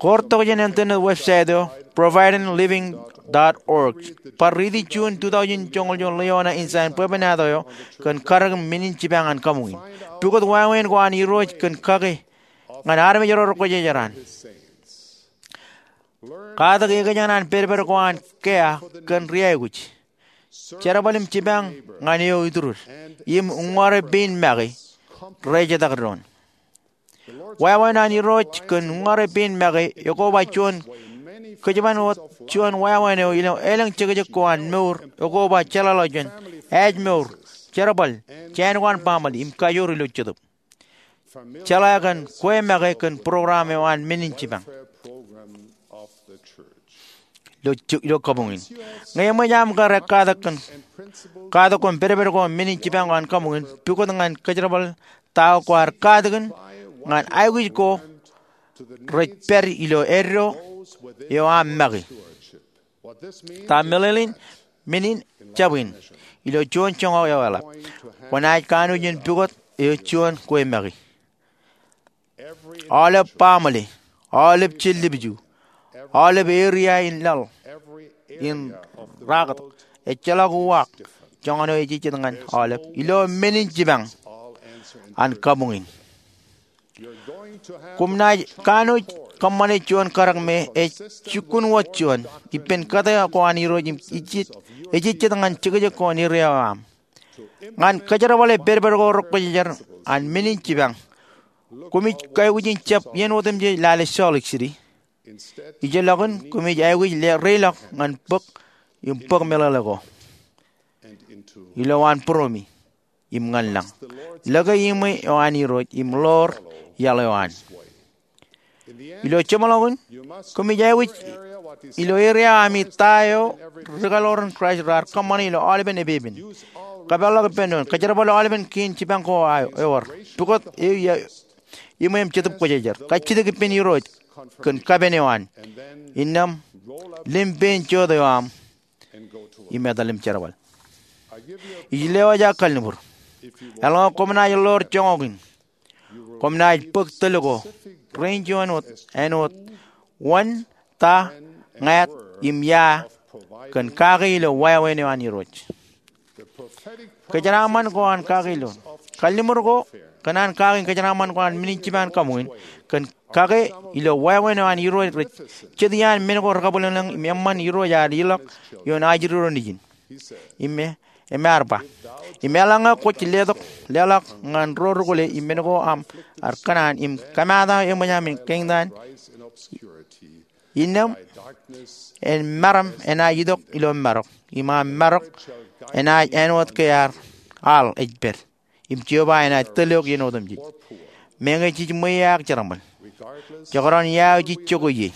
Koortok jān internet website eo providing living dot org. Bar riiti June two thousand joñoul joñoul ḷeo ṇe in sign bwebwenato eo kōn kadek in men in jipañ an kabuñ in. Pukot wāween ko an Irooj kōn kake ñan armej ro rekwōjarjar an. Katak ekōjkan an pedped ko an keaak kōn ri-aikuj. Jerbal im jipañ ñan eo iturūd im uññūri pein make rejetak doon. Wāween an Irooj kōn uññūri pein make ekoba juon kōjban wōt juon wāween eo ilo elōñ jekjek ko an mour ekoba jeḷāḷọkjeṇ, ājmour, jerbal, jān ko an baaṃle im kajoor ilo Jetōb. Jeḷā kōn kwe make kōn program eo an men in jipañ ilo kabuñ in. Ñe eṃōj aṃ kar ekkatak kōn katak ko im pedped ko men in jipañ ko an kabuñ in, pukot ñan kōjerbal ta ko kwaar katakin ñan aikuj ko rej pād ilo eddo eo aṃ make. Ta meḷeḷein men in jab in ilo juon joñak eo eḷap. Kwōnaaj kanooj in pukot eo juon kwe make. Aolep baaṃle, aolep jellipju, aolep area in laḷ in rakat, ejjeḷọk uwaak, joñan eo ejejjet ñan aolep ilo men in jipañ an kabuñ in. Koṃ naaj kanooj kōṃṃane juon kadek me ej jukkuun wōt juon ippān kōtā ko an Irooj im ejejjet ñan jekjek ko an area eo aṃ. Ñan kōjerbale pedped ko rekwōjarjar an men in jipañ, koṃij aikuj in jab iien otemjej lale Salt Lake City. Ijeḷọkin koṃij aikuj reiḷọk ñan bōk im bōk meḷeḷe ko ilowaan būroṃōj im ñan lañ. Lōke iṃwe eo an Irooj im ḷoor iaḷ eo an. Ilo jeṃḷọkin, koṃij aikuj ilo eria ami ta eo ri-kaḷoor in Kraist raar kōṃṃane ilo aolepen epepen. Kapeḷḷọk ippān doon, kōjerbal aolepen kien jipañ ko ewōr, pukot ewi iṃweo im Jetōb Kwōjarjar, kajjitōk ippān Irooj kōn kapen eo an, innām lim pein jota eo aṃ im etal im jerbal. Ij lewōj aō kalliṃur. Eḷaññe koṃ naaj ḷoor joñak in, koṃ naaj bōk tōl ko rein juon wōt āinwōt wōn, ta, ñāāt, im ia kōn kake ilo wāween eo an Irooj. Kōjeraaṃṃan ko an kake ilo, kalliṃur ko kōn an kake in kōjeraaṃṃan ko an men in jipañ kabuñ in, kōn kake ilo wāween eo an Irooj rej jet iaan men ko rekabwilōñlōñ im eṃṃan Irooj ad ilọk ioon ajri ro nejin. Im e, im ear ba, im eḷaññe kwōj letok leḷọk ñan ro rukule im men ko aṃ ar kōṇaan im kōmaat aō eṃōj aṃ kein taan, innām en maram enaaj itok ilo marok, im aṃ marok enaaj āinwōt ke aḷ ej pād, im Jeova enaaj tōl eok iien otemjej. Meñe jej ṃweiaak jerbal, jekdọọn ia eo jej jokwe ie,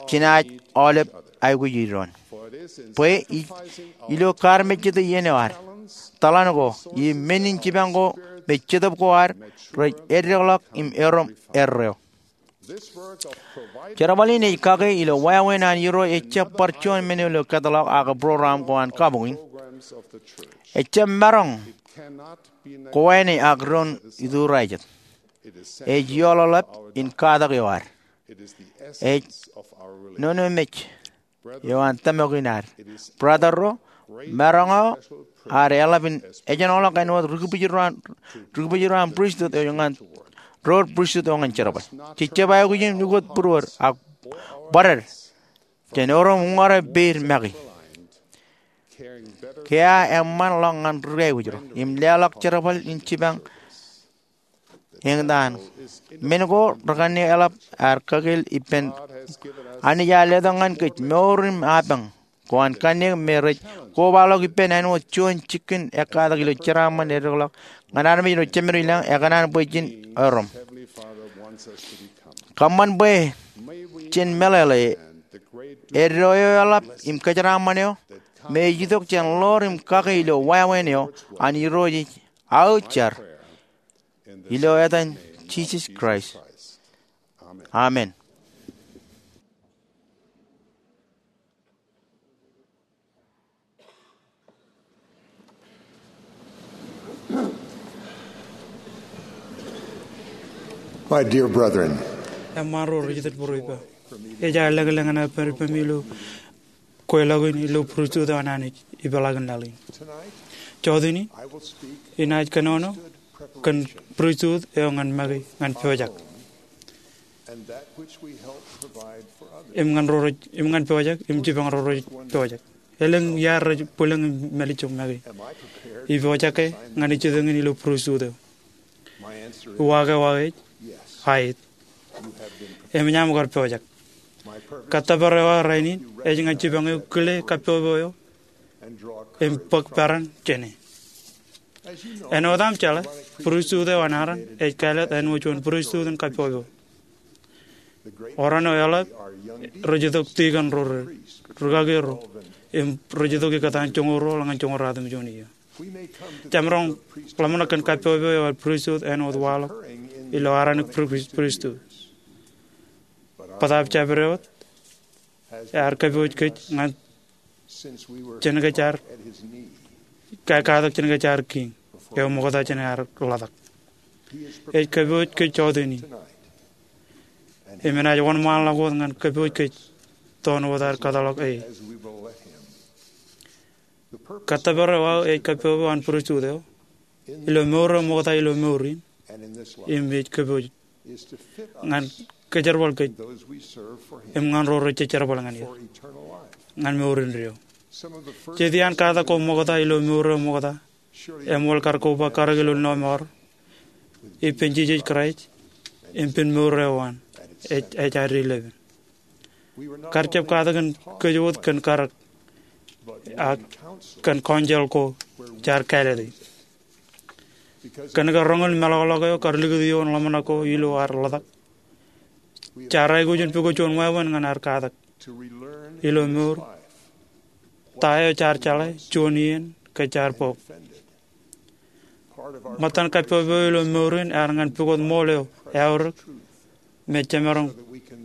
jenaaj aolep aikuj doon. Bwe ij, ilo kaarmejjete iien eo ad, tōḷan ko, im men in jipañ ko me Jetōb ko ad rej eddekḷọk im erom erreo. Jerbal in ej kake ilo wāween an Irooj ejjab bar juon men eo ilo kōtḷọk ak program ko an kabuñ in. Ejjab maroñ kowāne ak doon iturajet. Ej ioḷaḷap in katak eo ad. Ej nonomej eo an tōmak in ad. Brother ro, maroñ eo ad eḷap in ejenolọk āinwōt ri-kibwijin ro an, ri-kibwijin ro an pristut eo ñan, ro pristut eo ñan jerbal. Jej jab aikuj in ukōt būruod ak bōded jān erom uññūr peid make. Ke aō eṃṃanḷọk ñan ri-aikuj ro im leḷọk jerbal in jipañ eñtaan. Men ko rekane eḷap aer kakeel ippān. Anij ear letok ñan kōj mour im apañ ko an kanniōk me rej kobaḷọk ippān āinwōt juon jikin ekkatak ilo jeraaṃṃan eddekḷọk ñan armej ilo Jemed ilañ ekōṇaan bwe jen erom. Kōṃṃan bwe jen meḷeḷe eddo eo eḷap im kōjeraaṃṃan eo me ej itok jān ḷoor im kake ilo wāween eo an Irooj ej aō jar. Ilo etan Jisōs Kraist, amen. My dear brethren, eṃṃaan ro rej itok bwe rej ba, ej aō lōkḷōk ñan aō pād ippemi ilo kweilọk in ilo pristut eo an Anij ipeḷaakin laḷ in. Jọteen in, inaaj kōnono kōn pristut eo ñan make ñan pojak. Im ñan ro rej, im ñan pojak, im jipañ ro rej pojak. Elōñ iaar rej bwilōñ im mālejjek make. Ipojak ke ñan ijjitōñin ilo pristut eo? Uwaak eo aō ej, aet. Eṃōj aṃ kar pojak. Kōttōpar eo aō rainin ej ñan jipañ eok kile kappokpok eo im bōk peran jāne. Āinwōt aṃ jeḷā, pristut eo an Aaron ej kāālōt āinwōt juon pristut in kappokpok. Oran eo eḷap rej itok tikōn ro, ri-kaki ro, im rej itok ikōtaan joñoul ruo ñan joñoul ratimjuon iiō. Jemaroñ ḷōmṇak kōn kappokpok eo an pristut āinwōt waḷọk ilo Aaronic pri-, pristut. Bōtaab jabdewōt ear kappooj kōj ñan jenkōj ear, ka-, katak jenkōj ear kiiñ eo ṃokta jān ear ḷotak. Ej kappooj kōj jọteen in. Im enaaj wōnṃaanḷọk wōt ñan kappooj kōj toon wōt ad kōtḷọk e. Kōttōpar eo aō ej kappokpok an pristut eo ilo mour eo ṃokta ilo mour in, im ej kappooj ñan kōjerbal kōj im ñan ro rej jerbal ñan er ñan mour indeeo. Jet iaan katak ko ṃokta ilo mour eo ṃokta eṃool kar koba karōk ilo lọmọọr ippān Jisōs Kraist im pen mour eo an ej, ej ad deliver. Kar jab katak kōj wōt kōn karōk, ak kōn counsel ko jaar kāālōt e. Kōn ke roñoul meḷọkḷọk eo kar likūt ioon ḷōmṇak ko ilo ad ḷotak, jaar aikuj in pukot juon wāween ñan ad katak ilo mour ta eo jaar jeḷā juon iien ke jaar bōk. Ṃōttan kappok eo ilo mour in ear ñan pukot ṃool eo eaorōk me jemaroñ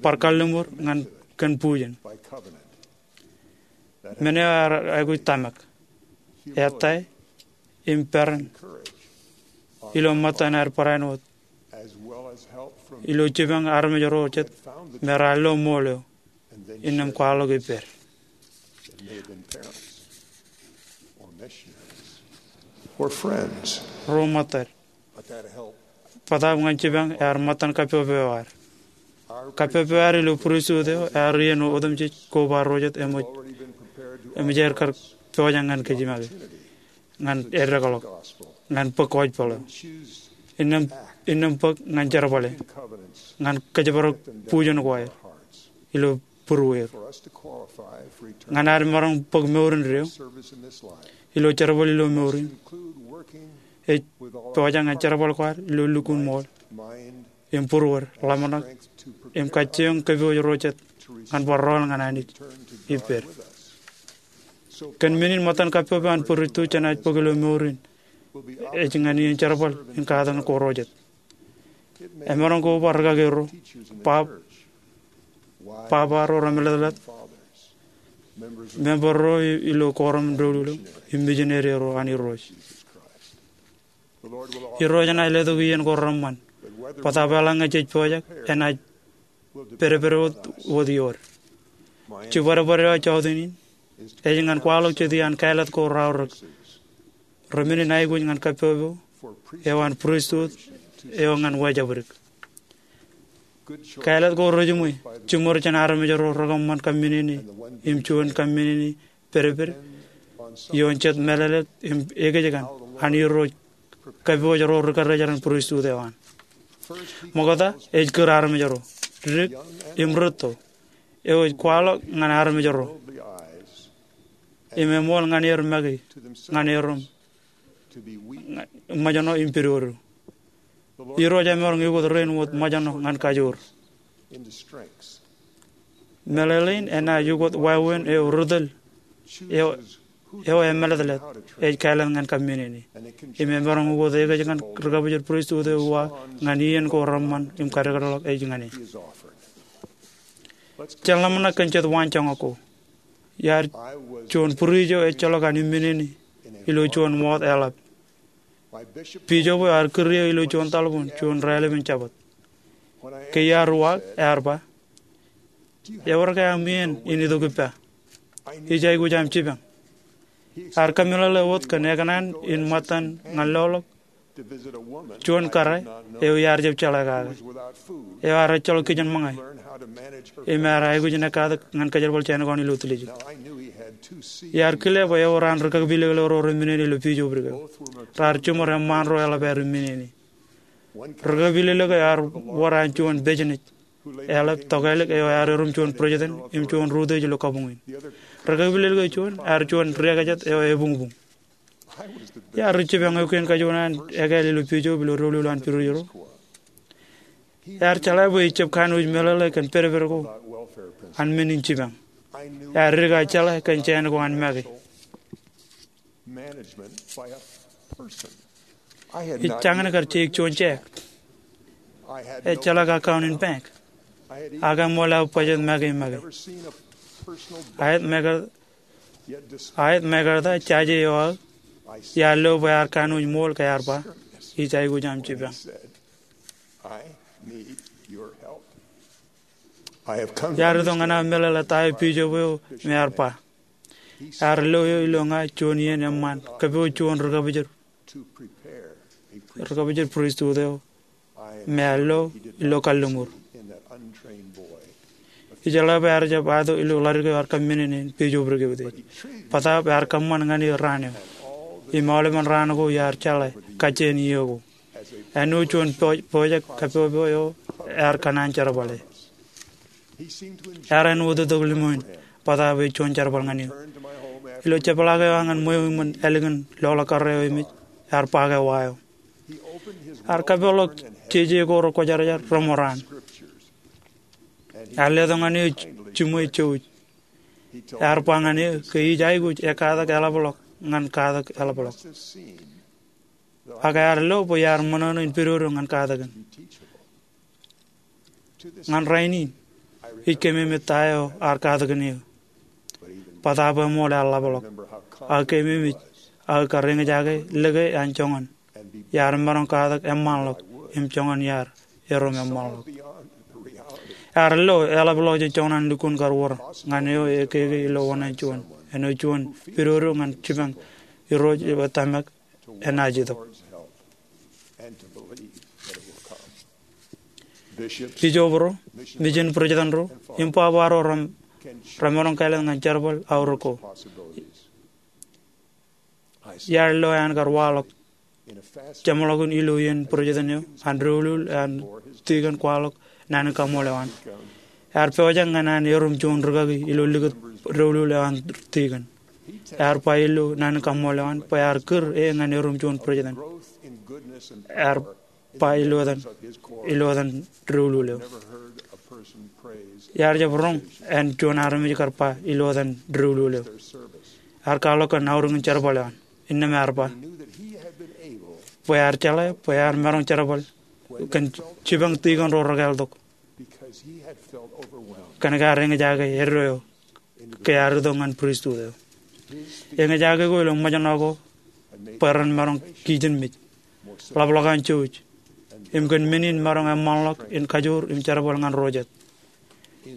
bar kalliṃur ñan kōn bujen. Men eo ear aikuj tōmak, ettā im peran ilo ṃōttan ad barāinwōt ilo jipañ armej ro jet me raar lo ṃool eo innām kwaḷọk ippād. Ro ṃōttad, bōtaab ñan jipañ ear ṃōttan kappok eo ad. Kappok eo ad ilo pristut eo ear iien otemjej koba ro jet eṃōj, eṃōj aer kar pojak ñan kōj make ñan eddekḷọk, ñan bōk gospel eo, innām, innām bōk ñan jerbale, ñan kōjparok bujen ko aer ilo būrueir, ñan ad maroñ bōk mour indeeo ilo jerbal ilo mour in. Ej pojak ñan jerbal ko ad ilo lukkuun ṃool im būruod, ḷōmṇak im kajjioñ kōpooj ro jet ñan bar rọọl ñan Anij ippād. Kōn men in ṃōttan kappok eo an pristut jenaaj bōk ilo mour in ej ñan iien jerbal in katakin ko ro jet. Emaroñ koba rikaki ro, bab, baba ro remeḷeḷeḷe, member ro ilo korom doulul eo, im mijineri ro an Irooj. Irooj enaaj letok iien ko reṃṃan. Bōtaab eḷaññe jej pojak, enaaj pedped wōt, wōt iood. Jibadbad eo aō jọteen in ej ñan kwaḷọk jet iaan kāālōt ko raorōk remenin aikuj ñan kappok eo an pristut eo ñan wājabdik. Kāālōt ko rejiṃwe jiṃor jān armej ro rekōṃṃan kōmminene im juon kōmminene pedped ioon jet mālōtlōt im ekōjkan an Irooj kōpooj ro ri kōrrejeran pristut eo an. Ṃokta, ej kūr armej ro, dik im rūtto, eo ej kwaḷọk ñan armej ro im eṃool ñan er make, ñan er im ṃōjṇọ im pidodo. Irooj emaroñ ukōt rein wōt ṃōjṇọ ñan kajoor. Meḷeḷein enaaj ukōt wāween eo ri tōl eo, eo emālōtlōt ej kāālōt ñan kōmminene. Im emaroñ ukōt ekōjkan ri kōpooj pristut eo uwaak ñan iien ko reṃṃan im kadekdeḷọk ej ñan e. Jen ḷōmṇak kōn jet waanjoñak ko. Iar juon būriij eo ejjeḷọk an imminene ilo juon wōt eḷap. Bishop eo ear kūr eō ilo juon taḷboon juon raelepen Jabōt. Ke iar uwaak, ear ba, "Ewōr ke aṃ iien in itok ippa? Ij aikuj aṃ jipañ." Ear kōmeḷeḷe wōt kōn ekōṇaan in ṃōttan ñan loḷọk juon kōrā eo iar jab jeḷā kake, eo ear ejjeḷọk kijenṃōñā im ear aikuj in ekkatak ñan kōjerbal jān ko an ilo tiljek. Iar kile bwe ewōr an ri kaki pilōklōk ro reminene ilo bishop eo. Raar jiṃor eṃṃaan ro eḷap aer imminene. Ri kaki pilōklōk eo ear wōr an juon business eḷap tokālik eo ear erom juon president im juon rūtiej ilo kabuñ in. Ri kaki pilōklōk eo juon ear juon riekajet eo ebuñbuñ. Iar ri jipañ eo kein kajuon an ekāāl ilo bishop ilo doulul an būrueir ro. Ear jeḷā bwe ij jab kanooj meḷeḷe kōn pedped ko an men in jipañ. Ear dik aō jeḷā kōn jāān ko an make. Ij jañin kar jeik juon jāk. Ejjeḷọk account in bank. Ak eṃool aō budget make im make. Aet make Aet make ta jaje eo aō, iar lo bwe ear kanooj ṃool ke ear ba, "Ij aikuj aṃ jipañ." Iar itok ñan aō meḷeḷe ta eo bishop eo me ear ba. Ear lo eō ilo ña juon iien eṃṃaan kōpooj juon ri kōpojor, ri kōpojor pristut eo me ear lo ilo kalliṃur. Ijeḷā bwe ear jab ato ilo ḷadik eo ear kōmminene in bishop ri kōpojor. Bōtaab ear kōṃṃan ñan e raan eo. Im aolepen raan ko iar jeḷā kajjien iiō ko. Āinwōt juon pojak kappok eo ear kōṇaan jerbale. Ear āinwōt itok limoin, bōtaab ej juon jerbal ñan eō. Ilo jepḷaak eo aō ñan ṃweo iṃōn ālikin loḷọk kōrā eo emej, ear ba ke wa eo. Ear kapeḷḷọk jeje ko rekwōjarjar reṃōraan. Ear letok ñan eō jiṃwe jouj. Ear ba ñan eō ke ij aikuj ekkatak eḷapḷọk ñan katak eḷapḷọk. Ak ear lo bwe iar ṃōṇōṇō in pedodo ñan katakin. Ñan rainin, ij keememej ta eo ear katakin eō. Bōtaab eṃool ear ḷapḷọk. Ak keememej aō kar eñjake lōke an joñan iar maroñ katak eṃṃanḷọk im joñan iar erom eṃṃanḷọk. Ear lo eḷapḷọk jān joñan an lukkuun kar wōr ñan eo ekkeke ilo oṇāān juon, āinwōt juon pedodo ñan jipañ Irooj eo tōmak enaaj itok. Bijob ro, mejān bwidjetan ro, im baba ro remaroñ kāālōt ñan jerbal aorōk ko. Iar lo an kar waḷọk jeṃḷọkin ilo iien bwidjetan eo an doulul eo an tikōn kwaḷọk naan in kaṃṃoolol eo an. Ear pojak ñan an erom juon rikaki ilo likūt doulul eo an tikōn. Ear ba ilo naan in kaṃṃoolol eo an bwe ear kūr e ñan erom juon bwidjetan. Ear ba ilo etan, ilo etan doulul eo. Iar jab roñ an juon armej kar ba ilo etan doulul eo. Ear kwaḷọk kōn aorōk in jerbal eo an. Innām ear ba bwe ear jeḷā bwe ear maroñ jerbal kōn jipañ tikōn ro rekāāl tok. Kōnke ear eñjake eddo eo ke ear itok ñan pristut eo. Eñjake ko ilo ṃōjṇọ ko bwe ren maroñ kijenmej, ḷapḷọk an jouj, im kōn men in maroñ eṃṃanḷọk in kajoor im jerbal ñan ro jet.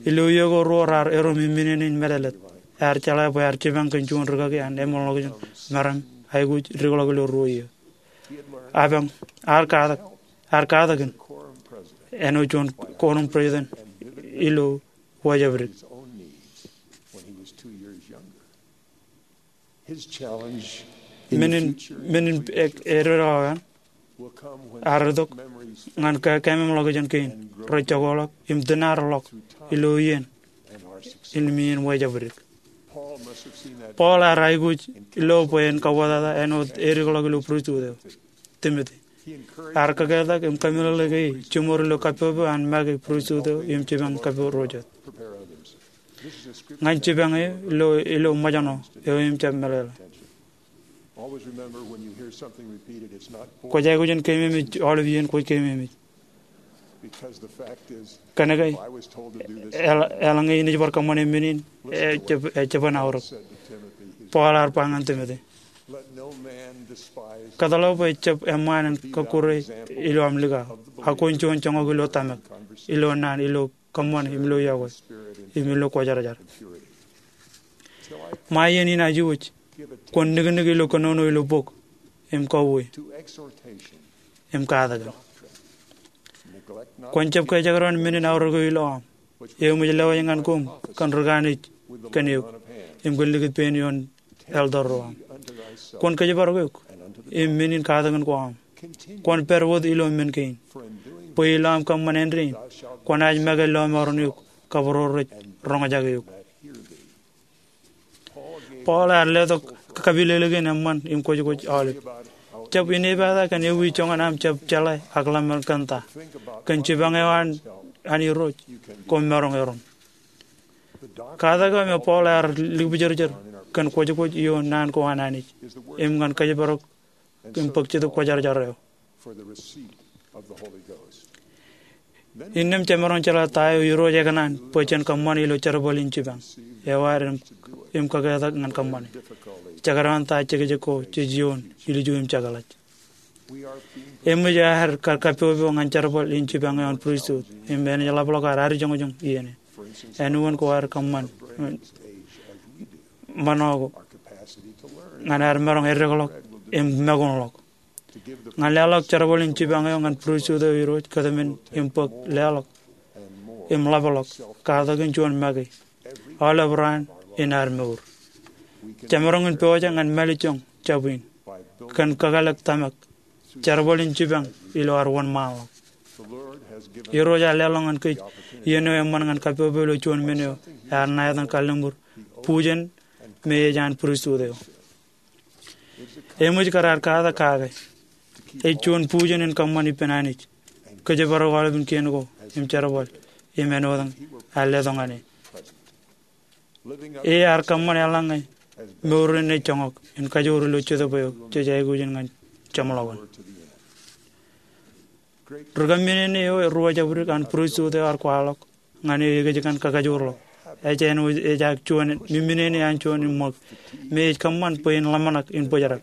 Ilo iiō ko ruo raar erom im men in meḷeḷet, ear jeḷā bwe ear jipañ kōn juon rikaki an eṃṃanḷọkjeṇ meram aikuj dikḷọk ilo ruo iiō. Apañ, ear katak, ear katakin āinwōt juon korom bwidjetan ilo wājepdik. Men in, men in eddo eo an ear itok ñan kakeememḷọkjeṇ kein rej jokoḷọk im tūnaarḷọk ilo iien im iien wājepdik. Paul ear aikuj lo bwe en kauwōtata āinwōt edikḷọk ilo pristut eo. Timothy. Ear kaketak im kameḷeḷeik e jiṃor ilo kappop eo an make pristut eo im jipañ kappok ro jet. Ñan jipañ eo ilo, ilo ṃōjṇọ eo im jab meḷeḷe. Kwōj aikuj in keememej aolep iien kwōj keememej. Kōnke eḷaññe inaaj bar kōṃṃane men in, ejab, ejab aorōk. Paul ear ba ñan Timothy, kōtḷọk bwe jab eṃṃaan en kọkkure ilo aṃ likao, ak kwōn juon joñak ilo tōmak, ilo naan, ilo kōṃṃane, im ilo iọkwe, im ilo kwōjarjar. Ṃae iien inaaj iwōj, kwōn niknik ilo kōnono ilo bok, im kauwe, im katakin. Kwōn jab kajekdọọn men in aorōk eo ilo aṃ, eṃōj lewōj ñan koṃ kōn ri kanooj kōn eok, im kōn likūt pein ioon elder ro aṃ. Kwōn kōjparok eok im men in katakin ko aṃ. Kwōn pād wōt ilo men kein, bwe ilo aṃ kōṃṃan āindein, kwōnaaj make lọmọọren eok kab ro rej roñjake eok. Paul ear letok kapilōklōk in eṃṃan im kwōjkwōj aolep. Jab inepata kōn ewi joñan aṃ jab jeḷā ak ḷōmṇak kōn ta, kōn jipañ eo an, an Irooj, koṃ maroñ erom. Katak eo me Paul ear likpijerjer kōn kwōjkwōj ioon naan ko an Anij, im ñan kōjparok im bōk Jetōb Kwōjarjar eo. Innām jemaroñ jeḷā ta eo Irooj ekōṇaan bwe jen kōṃṃane ilo jerbal in jipañ eo ad im, im kaketak ñan kōṃṃane. Jekdọọn ta jekjek ko jej ioon ilju im jekḷaj. Eṃōj aer kar kappop eo ñan jerbal in jipañ eo an pristut, im enaaj ḷapḷọk ad adjoñjoñ iien in. Āinwōt ko aer kōṃṃan ṃōṇọ ko ñan aer maroñ eddekḷọk im makoṇḷọk. Ñan leḷọk jerbal in jipañ eo ñan pristut eo Irooj kōtmān im bōk leḷọk im ḷapḷọk katakin juon make aolep raan in ad mour. Jemaroñ in pojak ñan mālejjoñ jab in kōn kakōḷḷe tōmak, jerbal in jipañ ilo ad wōnṃaanḷọk. Irooj ear leḷọk ñan kōj iien eo eṃṃan ñan kappop eo ilo juon men eo ear ṇa etan kalliṃur bujen me ej an pristut eo. Eṃōj kar ad katak kake. Ej juon bujen in kōṃṃan ippān Anij, kōjparok aolepān kien ko im jerbal im āinwōt ear letok ñan e. E ear kōṃṃan eḷaññe mour in ej joñak in kajoor ilo jetōb eo jej aikuj in ñan jeṃḷọkin. Ri kōmmenin eo ruo jabdewōt an pristut eo ear kwaḷọk ñan e ekōjkan kakajoorḷọk. Ej āinwōt ej ak juon mimminene an juon im ṃōk me ej kōṃṃan bwe in ḷōmṇak in bōjrak.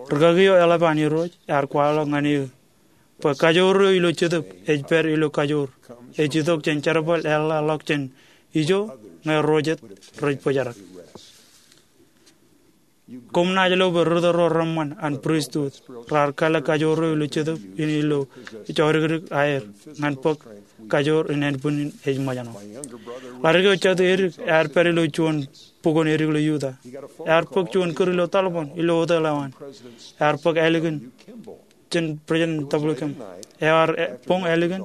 Rūkaki eo eḷap an Irooj ear kwaḷọk ñan eō bwe kajoor eo ilo jetōb ej pād ilo kajoor ej itok jān jerbal eḷḷā ḷọk jān ijo ñe ro jet rej bōjrak. Koṃ naaj lo bwe ri tōl ro reṃṃan an pristut raar kalōk kajoor eo ilo jetōb in ilo jodikdik aer ñan bōk kajoor in ānbwinnin ej ṃōjṇọ. Ḷadik eo jatū edik ear pād ilo juon bukwōn edik ilo Utah. Ear bōk juon kūr ilo taḷboon ilo hotel eo an. Ear bōk ālikin jān President W. Kimball. Ear boñ ālikin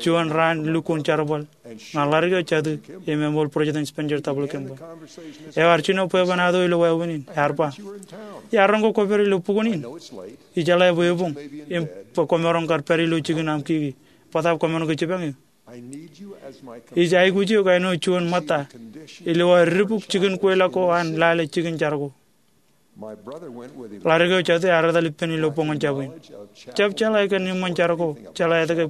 juon raan lukkuun jerbal ñan ḷadik eo jatū im eṃool President Spencer W. Kimball. Ear jino bwebwenato ilo wāween in, ear ba, "Iar roñ ke kwōpād ilo bukwōn in? Ijeḷā bwe eboñ im bwe kwōmaroñ kar pād ilo jikin aṃ kiki. Bōtaab kwōmaroñ ke jipañ eō? Ij aikuj eok āinwōt juon ṃōtta ilo aō dibuk jikin kweilọk ko an lale jikin jar ko." Ḷadik eo jatū ear etal ippān ilo boñōn jab in. Jab jeḷā kōn eṃṃan jar ko, jeḷā etke,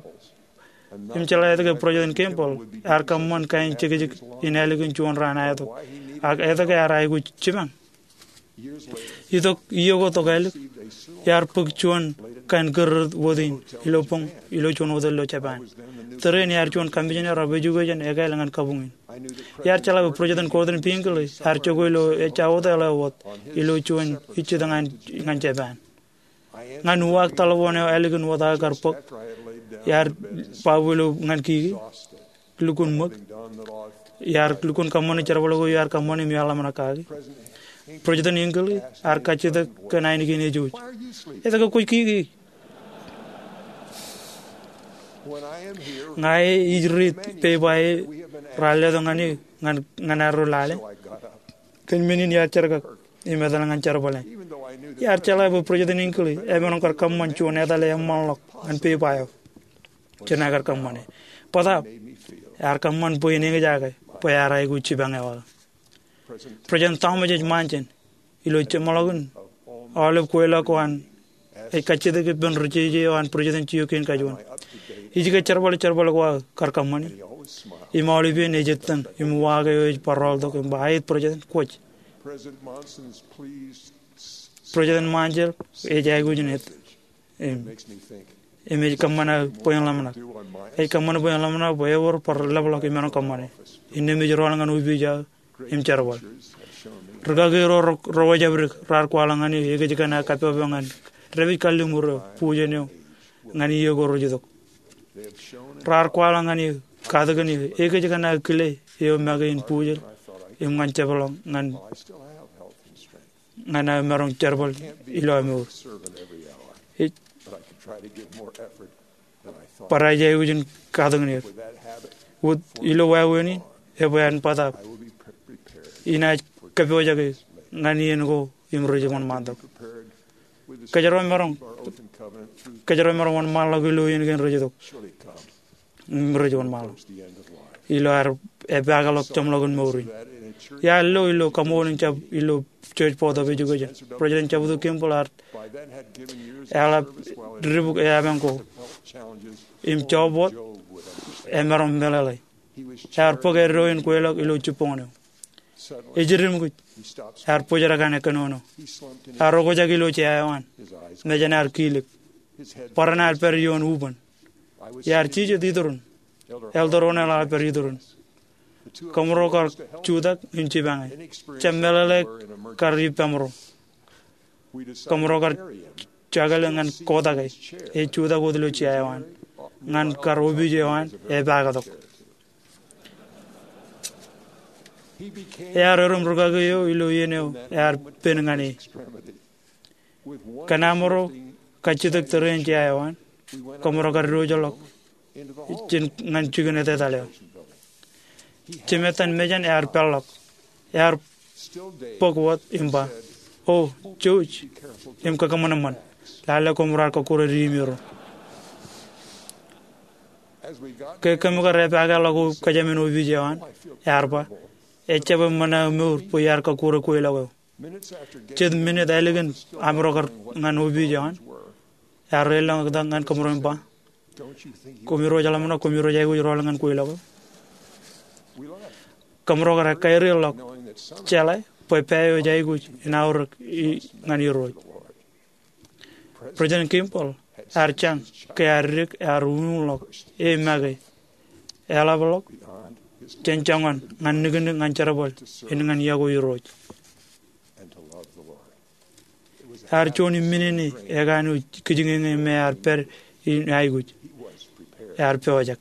im jeḷā etke President Kimball ear kōṃṃan kain jekjek in ālikin juon raan aetok, ak etke ear aikuj jipañ. Itok iiō ko tok ālik, iar bōk juon kain kūr wōt in ilo boñ ilo juon hotel ilo Japan. Tōre in iar juon commissioner of education ekāāl ñan kabuñ in. Iar jeḷā bwe President Gordon B. Hinckley ear jokwe ilo ejja hotel eo wōt ilo juon ijjitōñ ñan Japan. Ñan uwaak taḷboon eo ālikin wōt aō kar bōk, iar baabu ilo ñan kiki, lukkuun ṃōk. Iar lukkuun kōṃṃane jerbal ko iar kōṃṃane im iar ḷōmṇak kaki. President Hinckley ear kajjitōk kōn ainikien ejouj, "Etke kwōj kiki?" Ña e ij riit peiba e raar letok ñan eō ñan, ñan arro lale. Kōn men in iar jerkak im etal ñan jerbale. Iar jeḷā bwe President Hinckley emaroñ kar kōṃṃan juon etale eṃṃanḷọk ñan peiba eo jān aō kar kōṃṃane. Bōtaab ear kōṃṃan bwe in eñjake bwe ear aikuj jipañ eo aō. President Thomas H. Monson, ilo jeṃḷọkin aolep kweilọk ko an, ej kajjitōk ippān ri jeje eo an President Joaquin K. Juon. Ij ke jerbal jerbal ko aō kar kōṃṃane. Im aolepān ej ettōñ im uwaak eo ej barāinwōt im ba, "Aet, President, kwōj." President Monson ej aikuj in ettōñ im, im ej kōṃṃan aō bwe in ḷōmṇak. Ej kōṃṃan bwe in ḷōmṇak bwe ewōr bar ḷapḷọk imaroñ kōṃṃane. Innām ej rọọl ñan opiij aō im jerbal. Rūkaki ro, ro, ro wōjabdewōt raar kwaḷọk ñan eō ekōjkan aō kappok ñan dāpij kalliṃur eo, bujen eo, ñan iiō ko rej itok. Raar kwaḷọk ñan eō, katakin eō, ekōjkan aō kile eo make in bujel im ñan jepḷọk ñan ñan aō maroñ jerbal ilo aō mour. Ej, barāinwōt ij aikuj in katakin er. Wōt ilo wāween in, ebwe an bōtaab inaaj kōpooj ñan iien ko im rej wōnṃaantok. Kōjro maroñ, kōjro maroñ wōnṃaanḷọk ilo iien kein rej itok. Im rej wōnṃaanḷọk ilo ad epaakḷọk jeṃḷọkin mour in. Iar lo ilo kaṃool in jab ilo Church Board of Education. President W. Kimball ear eḷap dibuk eapañ ko im jọọb wōt emaroñ meḷeḷe. Ear bōk eddo in kweilọk ilo jibboñōn eo. Ej eddimkuj. Ear bōjrak an kōnono. Ear okjak ilo jea eo an. Mejān ear kilik. Bōran ear pād ioon ubōn. Iar jijet itūrin. Elder O'Neill ear pād itūrin. Kōmro kar jutak im jipañe. Jab meḷeḷe kar ippaṃro. Kōmro kar jokale ñan kotake. Ej jutak wōt ilo jea eo an. Ñan kar opiij eo an epaaktok. Ear erom rūkaki eo ilo iien eo ear pen ñan e. Kōn amro kajjitōk tōre in jea eo an, kōmro kar diwōjḷọk jān ñan jikin etetal eo. Jemettan mejān ear peḷḷọk. Ear bōk wōt im ba, O, jouj im kakōṃanṃan. Lale koṃ raar kọkkure diimero. Ke kōm kar epaake ḷọk kōjām in opiij eo an, ear ba, ejjab ṃōṇōṇō mour bwe iar kọkkure kweilọk eo. Jet minit ālikin aṃro kar ñan opiij eo an, ear reilọk tok ñan kōṃro im ba, koṃ irooj ḷōmṇak, koṃ irooj aikuj rọọl ñan kweilọk eo. Kōṃro kar ekkā ri ḷọk jeḷā bwe pā eo ej aikuj en aorōk ñan Irooj. President Kimball ear jañ ke ear dik, ear uñuñḷọk, e make, eḷapḷọk jān joñan ñan nikinik ñan jerbal in ñan iọkwe Irooj. Ear juon im minini ekanooj kijiñeñe me ear pād in aikuj. Ear pojak.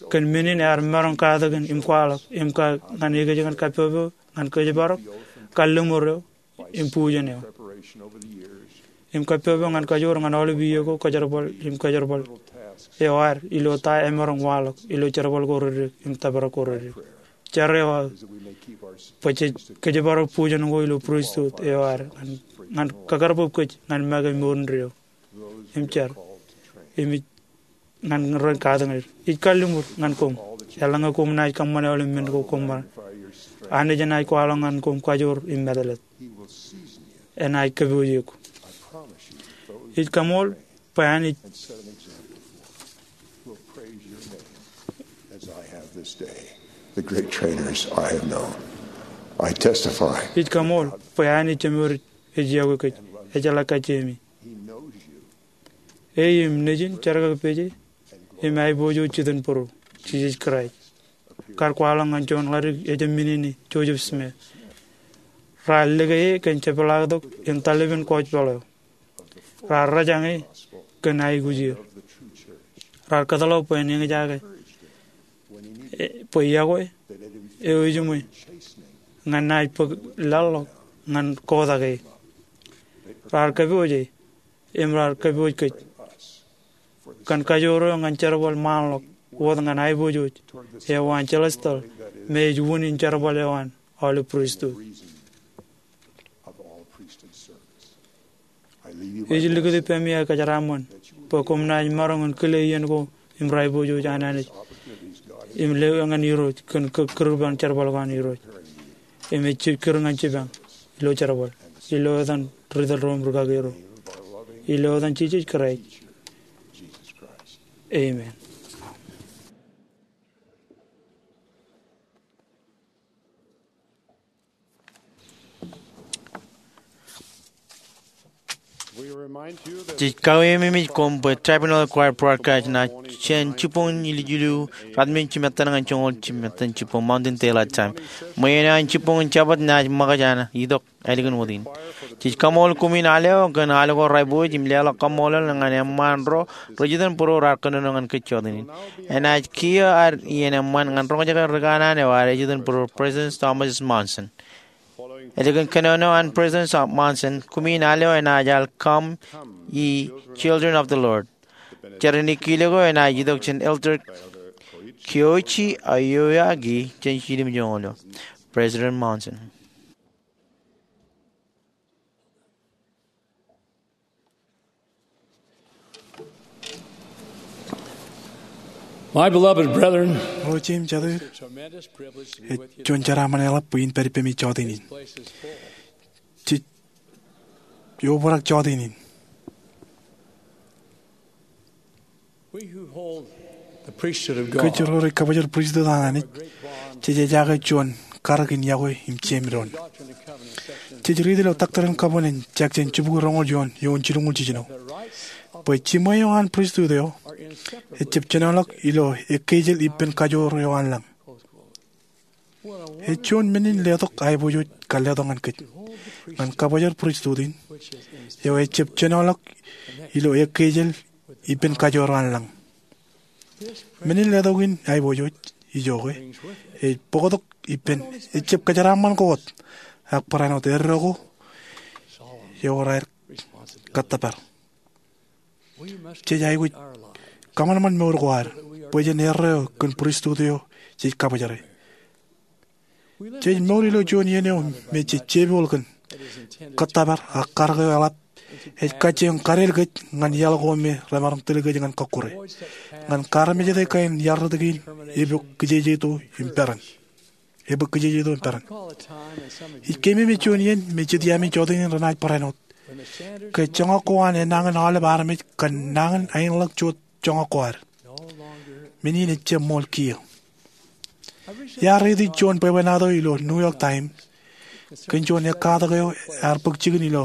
Kōn men in ear maroñ katakin im kwaḷọk im ka ñan ekōjkan kappopeo ñan kōjparok kalliṃur eo im bujen eo im kappopeo ñan kajoor ñan aolep iiō ko kōjerbal im kōjerbal eo ad ilo ta emaroñ waḷọk ilo jerbal ko reddik im tōprak ko reddik. Jar eo aō bwe jej kōjparok bujen ko ilo pristut eo ad ñan kakarbōb kōj ñan make mour indeeo im jar im ij ñan ren katakin er. Ij kalliṃur ñan koṃ eḷaññe koṃ naaj kōṃṃane aolep men ko koṃ ṃōk. Anij enaaj kwaḷọk ñan koṃ kajoor im mātōlōt. Enaaj kōpooj eok. Ij kaṃool bwe Anij Ij kaṃool bwe Anij Jemedwōj ej iọkwe kōj, ejeḷā kajjiemi. E im Nejin jerkakpeje im aiboojoj Jitōnbōro, Jisōs Kraist, kar kwaḷọk ñan juon ḷadik ejab minini, Joseph Smith. Raar lōke e kōn jepḷaaktok in talipen gospel eo. Raar rōjañ e kōn aikuj er. Raar kōtḷọk bwe en eñjake bwe iọkwe eo ejiṃwe ñan naaj bōk laḷḷọk ñan kotak e. Raar kōpooj e im raar kōpooj kōj kōn kajoor eo ñan jerbal ṃaanḷọk wōt ñan aiboojoj eo an celestial me ej unin jerbal eo an aolep pristut. Ij likūt ippaṃ iaer kōjeraaṃṃan bwe koṃ naaj maroñ in kile iien ko im aiboojoj an Anij im lewōj ñan Irooj kōn kūr ban jerbal ko an Irooj im ej kūr ñan jipañ ilo jerbal ilo etan ri tōl ro im rūkaki ro ilo etan Jisōs Kraist. Amen. Jej kaweimemej koṃ bwe Tabernacle Choir broadcast ṇa jān jibboñ in jilu, ruatimjuon jimettan ñan joñoul jimettan jibboñ Mountain Daylight Time. Ṃweien eo an jibboñ in Jabōt naaj ṃōkaj an itok ālikin wōt in. Jej kaṃool koṃwin al eo kōn al ko rej aiboojoj im leḷọk kaṃṃoolol ñan eṃṃaan ro rej jitōnbōro raar kōnono ñan kōj jọteen in. Enaaj kiiō ad iien eṃṃan ñan roñjake ri kanaan eo ad ej jitōnbōro, President Thomas S. Monson. Ālikin kōnono an President Monson, koṃwin al eo enaaj al Come, Ye Children of the Lord. Jar in ikkilek eo enaaj itok jān Elder Kyoichi Aoyagi jān jiljilimjuonñoul eo. President Monson. My beloved brethren, O jeiū im jatū, ej juon jeraaṃṃan eḷap bwe in pād ippemi jọteen in. Jej obrak jọteen in. We who hold the priesthood of God Kōj ro rej kabōjrak pristut an Anij, jej ejaake juon karōk in iọkwe im jeiū im doon. Jej riit ilo Doctrine and Covenants, section jibukwi roñoul juon, eoon jilñuul jiljino, bwe jiṃwe eo an pristut eo ejjab jenoḷọk ilo ekkeijel ippān kajoor eo an lañ. Ej juon men in letok aiboojoj kar letok ñan kōj ñan kabōjrak pristut in eo ejjab jenoḷọk ilo ekkeijel ippān kajoor eo an lañ. Men in letok in aiboojoj ijoke ej bōktok ippān, ejjab kōjeraaṃṃan ko wōt, ak barāinwōt erreo ko eo raar kōttōpar. Jej aikuj kōṃanṃan mour ko ad bwe jen erreo kōn pristut eo jej kabōjrak. Jej mour ilo juon iien eo me jej jebọọl kōn. kōttōpar ak karōk eo eḷap ej kajjioñ kadel kōj ñan iaḷ ko me remaroñ tōl kōj ñan kọkkure. Ñan kaarmejede kain iarrōt kein, epok kijejeito im peran. Epok kijejeito im peran. Ij keememej juon iien me jet iaami jọteen in renaaj barāinwōt ke joñak ko an enañin aolep armej kōn nañin aenḷọk joñak ko ad. Men in ejjab ṃool kiiō. Iar riiti juon bwebwenato ilo New York Times kōn juon ekkatak eo ear bōk jikin ilo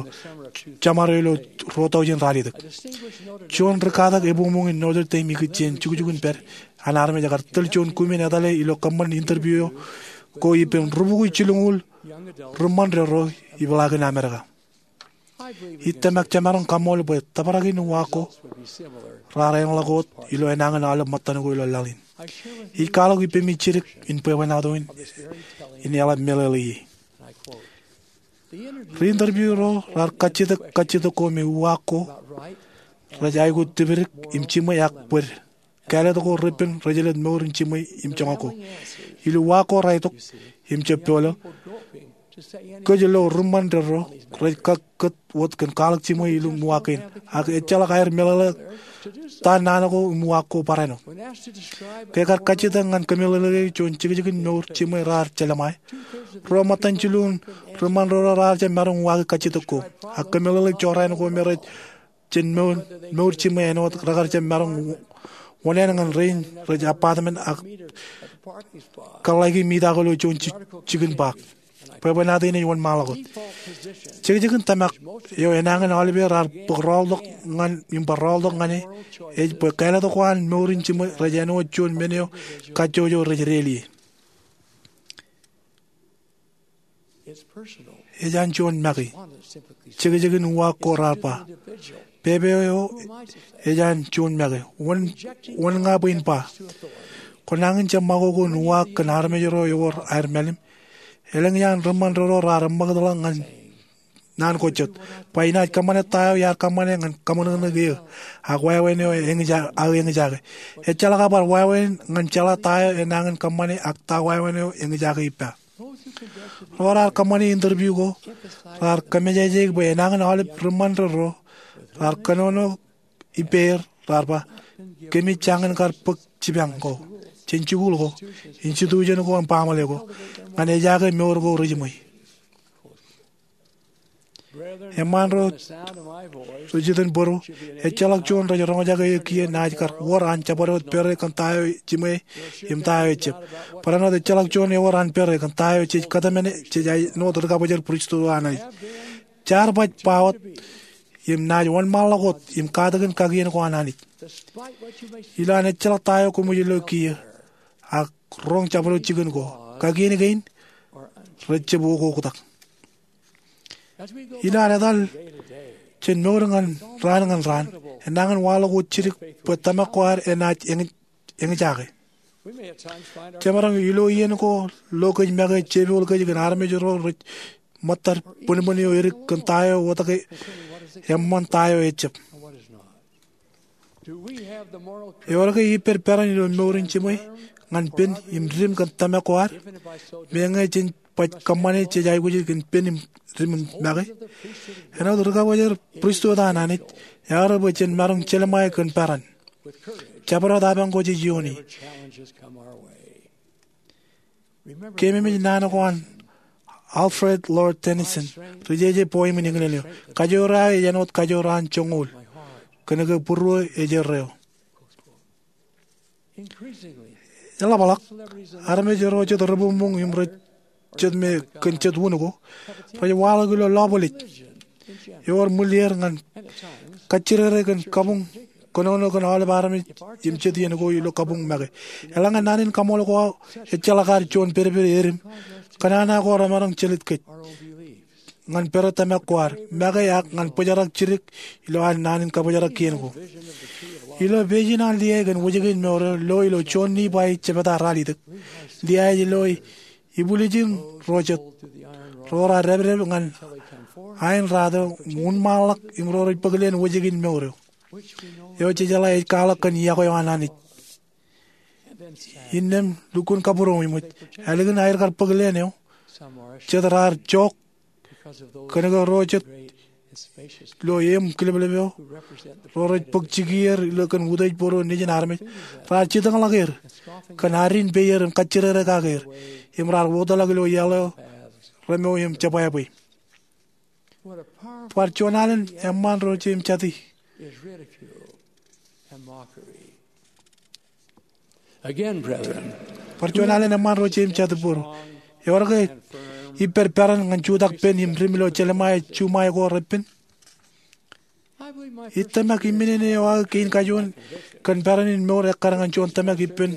jemād eo ilo ruo tọujin ralitōk. Juon ri katak ebuñbuñ in Notre Dame ikijjien jukjuk in pād an armej ekar tōl juon kumen etale ilo kōṃṃan interview ko ippān rubukwi jilñuul ri ṃaṇ derro ipḷaakin Amerika. Ij tōmak jemaroñ kaṃool bwe tōprak in uwaak ko raar enḷọk wōt ilo enañin aolep ṃōttan ko ilo laḷ in. Ij kwaḷọk ippemi jidik in bwebwenato in, in eḷap meḷeḷe ie. Ri interview ro raar kajjitōk kajjitōk ko me uwaak ko rej aikuj tipidik im jiṃwe ak bōd kāālōt ko repen rejelōt mour in jiṃwe im joñak ko. Ilo uwaak ko raar itok im jab polo, kōj lo ri ṃaṇ derro rej kōt wōt kōn kwaḷọk jiṃwe ilo uwaak kein, ak ejjeḷọk aer meḷeḷe ta naan ko im uwaak ko barāinwōt. Ke kar kajjitōk ñan kōmeḷeḷeiki juon jekjekin mour jiṃwe raar jelṃae, ruo ṃōttan jilu in ri ṃaṇ derro raar jab maroñ uwaaki kajjitōk ko, ak kōmeḷeḷeik jorrāān ko me rej jān mour jiṃwe āinwōt rekar jab maroñ wōṇāān ñan rein rej apartment ak kōḷḷāiki mita ko ilo juon jikin park. Bwebwenato in ej wōnṃaanḷọk wōt. Jekjekin tōmak eo enañin aolepen raar bōk rọọltok ñan im bar rọọltok ñan e ej bwe kāālōt ko an mour in jiṃwe rej āinwōt juon men eo kajjojo rej deḷọñ ie. Ej an juon make. Jekjekin uwaak ko raar ba, pepe eo ej an juon make. Wōn, wōn ña bwe in ba? Kwō nañin jab ṃakoko in uwaak kōn armej ro ewōr aer mālim? Elōñ iaan ri ṃaṇ derro raar eṃṃakūtḷọk ñan naan ko jet, ba inaaj kōṃṃane ta eo iar kōṃṃane ñan kaṃōṇōṇōik eō ak wāween eo eñjake, aō eñjake. Ejjeḷọk aō bar wāween ñan jeḷā ta eo enañin kōṃṃane ak ta wāween eo eñjake ippa. Ro raar kōṃṃane interview ko raar kōmejajeik bwe enañin aolep ri ṃaṇ derro raar kōnono ippāer, raar ba, kōmij jañin kar bōk jipañ ko jān jikuuḷ ko, institution ko im baaṃle ko ñan ejaake mour ko rejiṃwe. Eṃṃaan ro rej iten bōro, ejjeḷọk juon rej roñjake eō kiiō naaj kar wōr an jabdewōt pere kōn ta eo jiṃwe im ta eo ejjab. Barāinwōt ejjeḷọk juon ewōr an pere kōn ta eo jej kōtmāne jej āinwōt ri kabōjor pristut an Anij. Jaar baj ba wōt im naaj wōnṃaanḷọk wōt im katakin kakien ko an Anij. Ilo an ejjeḷọk ta eo koṃij lo kiiō ak roñ jabdewōt jikin ko, kakien kein rej jab okoktak. Ilo an etal jān mour ñan raan ñan raan, enañin waḷọk wōt jidik bwe tōmak ko ad enaaj eñjake. Jemaroñ ilo iien ko lo kōj make jepoul kōj kōn armej ro rej ṃōttad bōnbōn eo edik kōn ta eo wōtake eṃṃan ta eo ejjab. Ewōr ke ippād peran ilo mour in jiṃwe ñan pen im dim kōn tōmak ko ad, meñe jej baj kōṃṃane jej aikuj kōn pen im dim make? Āinwōt ri kabōjor pristut an Anij, ear bwe jen maroñ jelṃae kōn peran, jabdewōt apañ ko jej iooni. Keememej naan ko an Alfred Lord Tennyson, ri jeje poem in English eo: Kajoor eo aō ej āinwōt kajoor an joñoul, kōnke būruō ej erreo. Eḷapḷọk, armej ro jet rebuñbuñ im rej jet me kōn jet wūn ko rej waḷọk ilo lọbwilej, ewōr ṃwilier ñan kajjidikdik kōn kabuñ kōnono kōn aolep armej im jet iien ko ilo kabuñ make. Eḷaññe naan in kaṃool ko ejjeḷọk ad juon pedped edim, kōṇaan ko remaroñ jelōt kōj ñan pere tōmak ko ad make ak ñan bōjrak jidik ilo ad naan in kabōjrak kien ko. Ilo pejin an liae kōn wōjke in mour eo lo ilo juon Nifai jebta ralitōk, liae ej lo, ibwiljin ro jet ro raar dāpdep ñan aenrato im wūnṃaanḷọk im ro rej bōk leen wōjke in mour eo, eo jejeḷā ej kwaḷọk kōn iọkwe eo an Anij. Innām lukkuun kabūroṃōj, ālikin aer kar bōk leen eo, jet raar jook Kōnke ro jet ilo eṃ kileplepeo, ro rej bōk jikier ilo kōn utiej bōro nejin armej, raar jitōñḷọk er kōn addiñ peier im kajjirere kake er, im raar wōtlọk ilo iaḷ eo remeo im jebwābwe. Bar juon alen eṃṃaan ro jeiū im jatū. Bar juon alen eṃṃaan ro jeiū im jatū bōro. Ewōr ke ij pād peran ñan jutak pen im dim ilo jelṃae juṃae ko repen? Ij tōmak iminene eo aō kein kajoor kōn peran in mour ekkar ñan juon tōmak ippān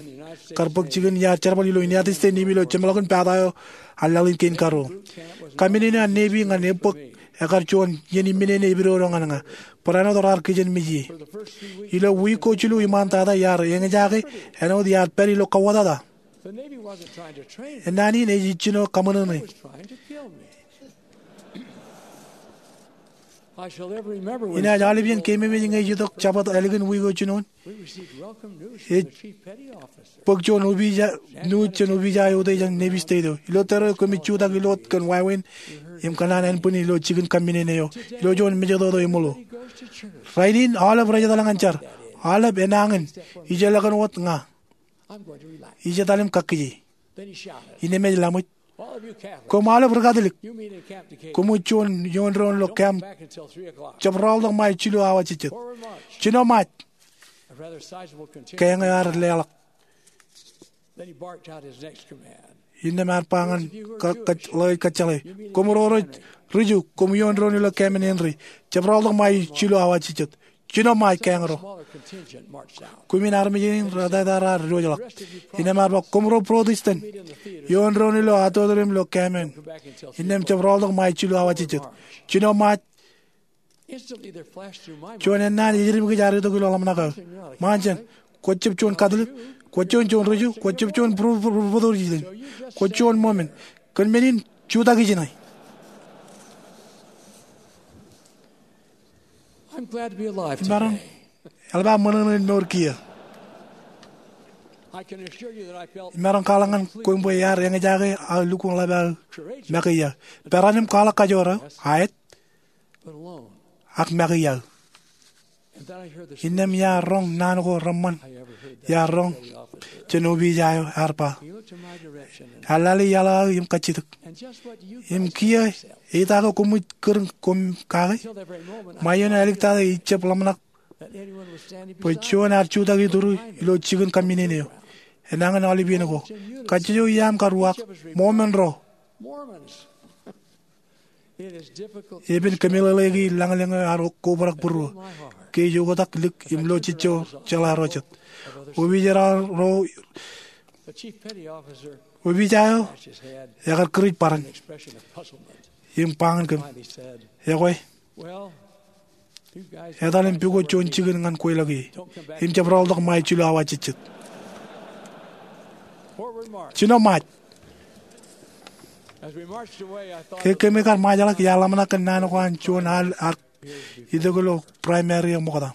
kar bōk jikin iar jerbal ilo United States Navy ilo jeṃḷọkin pata eo an laḷ in kein karuo. Kaminene an Navy ñan ebōk ekkar juon iien iminene epidodo ñan ña. Barāinwōt raar kijenmej ie. Ilo wiik ko jilu iṃaan tata iar eñjake āinwōt iar pād ilo kauwōtata. Naan in ej ijjino kaṃōṇōṇō. Inaaj aolepān keememej ñe ij itok Jabōt ālikin wiik eo jinoin. Ej bōk juon nuuj jān opija eo eutiej an Navy State eo. Ilo tōre eo kōmij jutak ilo wōt kōn wāween im kōṇaan ānbwin ilo jikin kaminene eo ilo juon mejatoto eṃōḷo. Rainin aolep rej etal ñan jar. Aolep enañin. Ij elōñ wōt ña. Ij etal im kakkije. Innām ej laṃōj, koṃ aolep ri-Katolik, koṃij juon ioon doon ilo camp jab raoḷtok ṃae jilu awa jejjet. Jino Ṃaaj. Keeñ eo ear leḷọk. Innām ear ba ñan ḷe ej kōjjeḷā, koṃ ro rej riju, koṃ ioon doon ilo camp in Henry, jab raoḷtok ṃae jilu awa jejjet. Jino Ṃaaj, keeñro. Kumi in armej in raan raar diwōjḷọk. Innām ear ba, koṃ ro Protestant, ioon doon ilo auditorium ilo camp in. Innām jab raoḷtok ṃae jilu awa jejjet. Jino Ṃaaj. Juon ennaan ej edim kōj ear itok ilo ḷōmṇak aō. Ṃaan jān, kwōj jab juon Katolik, kwōj jab juon riju, kwōj jab juon Protestant, kwōj juon Mormon. Kōn men in, jutak ijin. Imaroñ eḷap aō ṃōṇōṇō in mour kiiō. Imaroñ kwaḷọk ñan koṃ bwe iar eñjake aō lukkuun ḷap aō make iaō. Peran im kwaḷọk kajoor aō, aet, ak make iaō. Innām iar roñ naan ko reṃṃan iar roñ jān opija eo, ear ba, ear lale iaḷ aō im kajjitōk. Im kiiō, eita ke koṃij kūr koṃ kake? Ṃae ioon āliktata ij jab ḷōmṇak bwe juon ear jutak ituru ilo jikin kaminene eo. Enañin aolepān ko, kajjojo iaam kar uwaak, Mormon ro. Epen kōmeḷeḷeiki lañlōñ eo ear kobrak būruō ke ej oktak lik im lo jejjo jeḷā ro jet. Opija ro, opija eo ekar kūrij bōran im ba ñan kōm, ekwe, etal im pukot juon jikin ñan kweilọk ie im jab raoḷtok ṃae jilu awa jejjet. Jino Ṃaaj. Ke kōmij kar ṃaajḷọk iar ḷōmṇak kōn naan ko an juon al ear itok ilo primary eo ṃokta.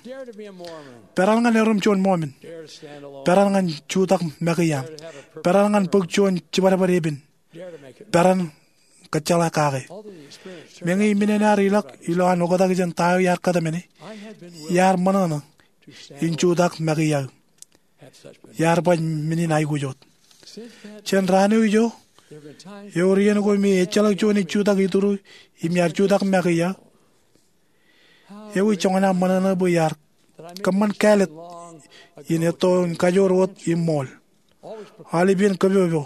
Peran ñan erom juon Mormon. Peran ñan jutak make iaam. Peran ñan bōk juon jibadbad epen. Peran kōjjeḷā kake. Meñe iminene ear ilọk ilo an oktak jān ta eo iar kōtmāne, iar ṃōṇōṇō in jutak make iaō. Iar baj men in aikuj wōt. Jān raan eo ijo, ewōr iien ko me ejjeḷọk juon ej jutak ituru im iar jutak make iaō. Ewi joñan aō ṃōṇōṇō bwe iar kōṃṃan kāālōt in etto in kajoor wōt im ṃool? Aolepān kōpopo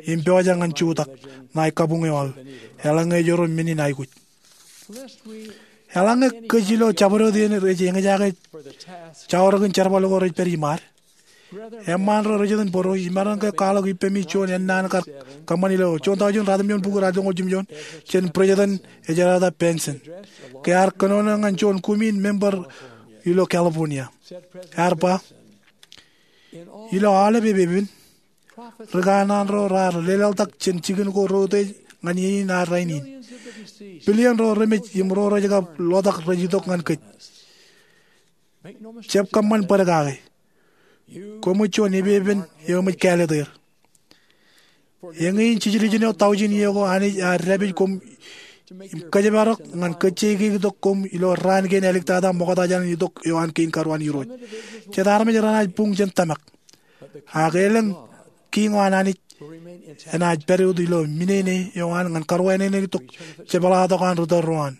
im pojak ñan jutak ṇae kabuñ eo aō eḷaññe erom men in aikuj. Eḷaññe kōj ilo jabdewōt eṇ rej eñjake jaorōkin jerbal ko rej pād iṃaad, eṃṃaan ro rej iten bōro, imaroñ ke kwaḷọk ippemi juon ennaan kar kōṃṃan ilo juon taujin ratimjuon bukwi ratimjuon jān President Ezra Taft Benson ke ear kōnono ñan juon kumi in member ilo California. Ear ba, ilo aolep epepen, ri kanaan ro raar lelaḷtak jān jikin ko reutiej ñan iien in ad rainin. Billion ro remej im ro rej kab ḷotak rej itok ñan kōj. Jab kōṃṃan bōd kake. Koṃij juon epepen eo eṃōj kāālōt er. Eñin jiljilimjuon taujin iiō ko Anij ear dāpij koṃ im kōjparok ñan kōjjeikeitok koṃ ilo raan kein āliktata ṃoktata jān itok eo an kein karuo an Irooj. Jet armej renaaj buñ jān tōmak. Ak elōñ kiiñ eo an Anij enaaj pād wōt ilo minene eo an ñan karuwaineneiktok jepḷaaktok an ri tōl ro an,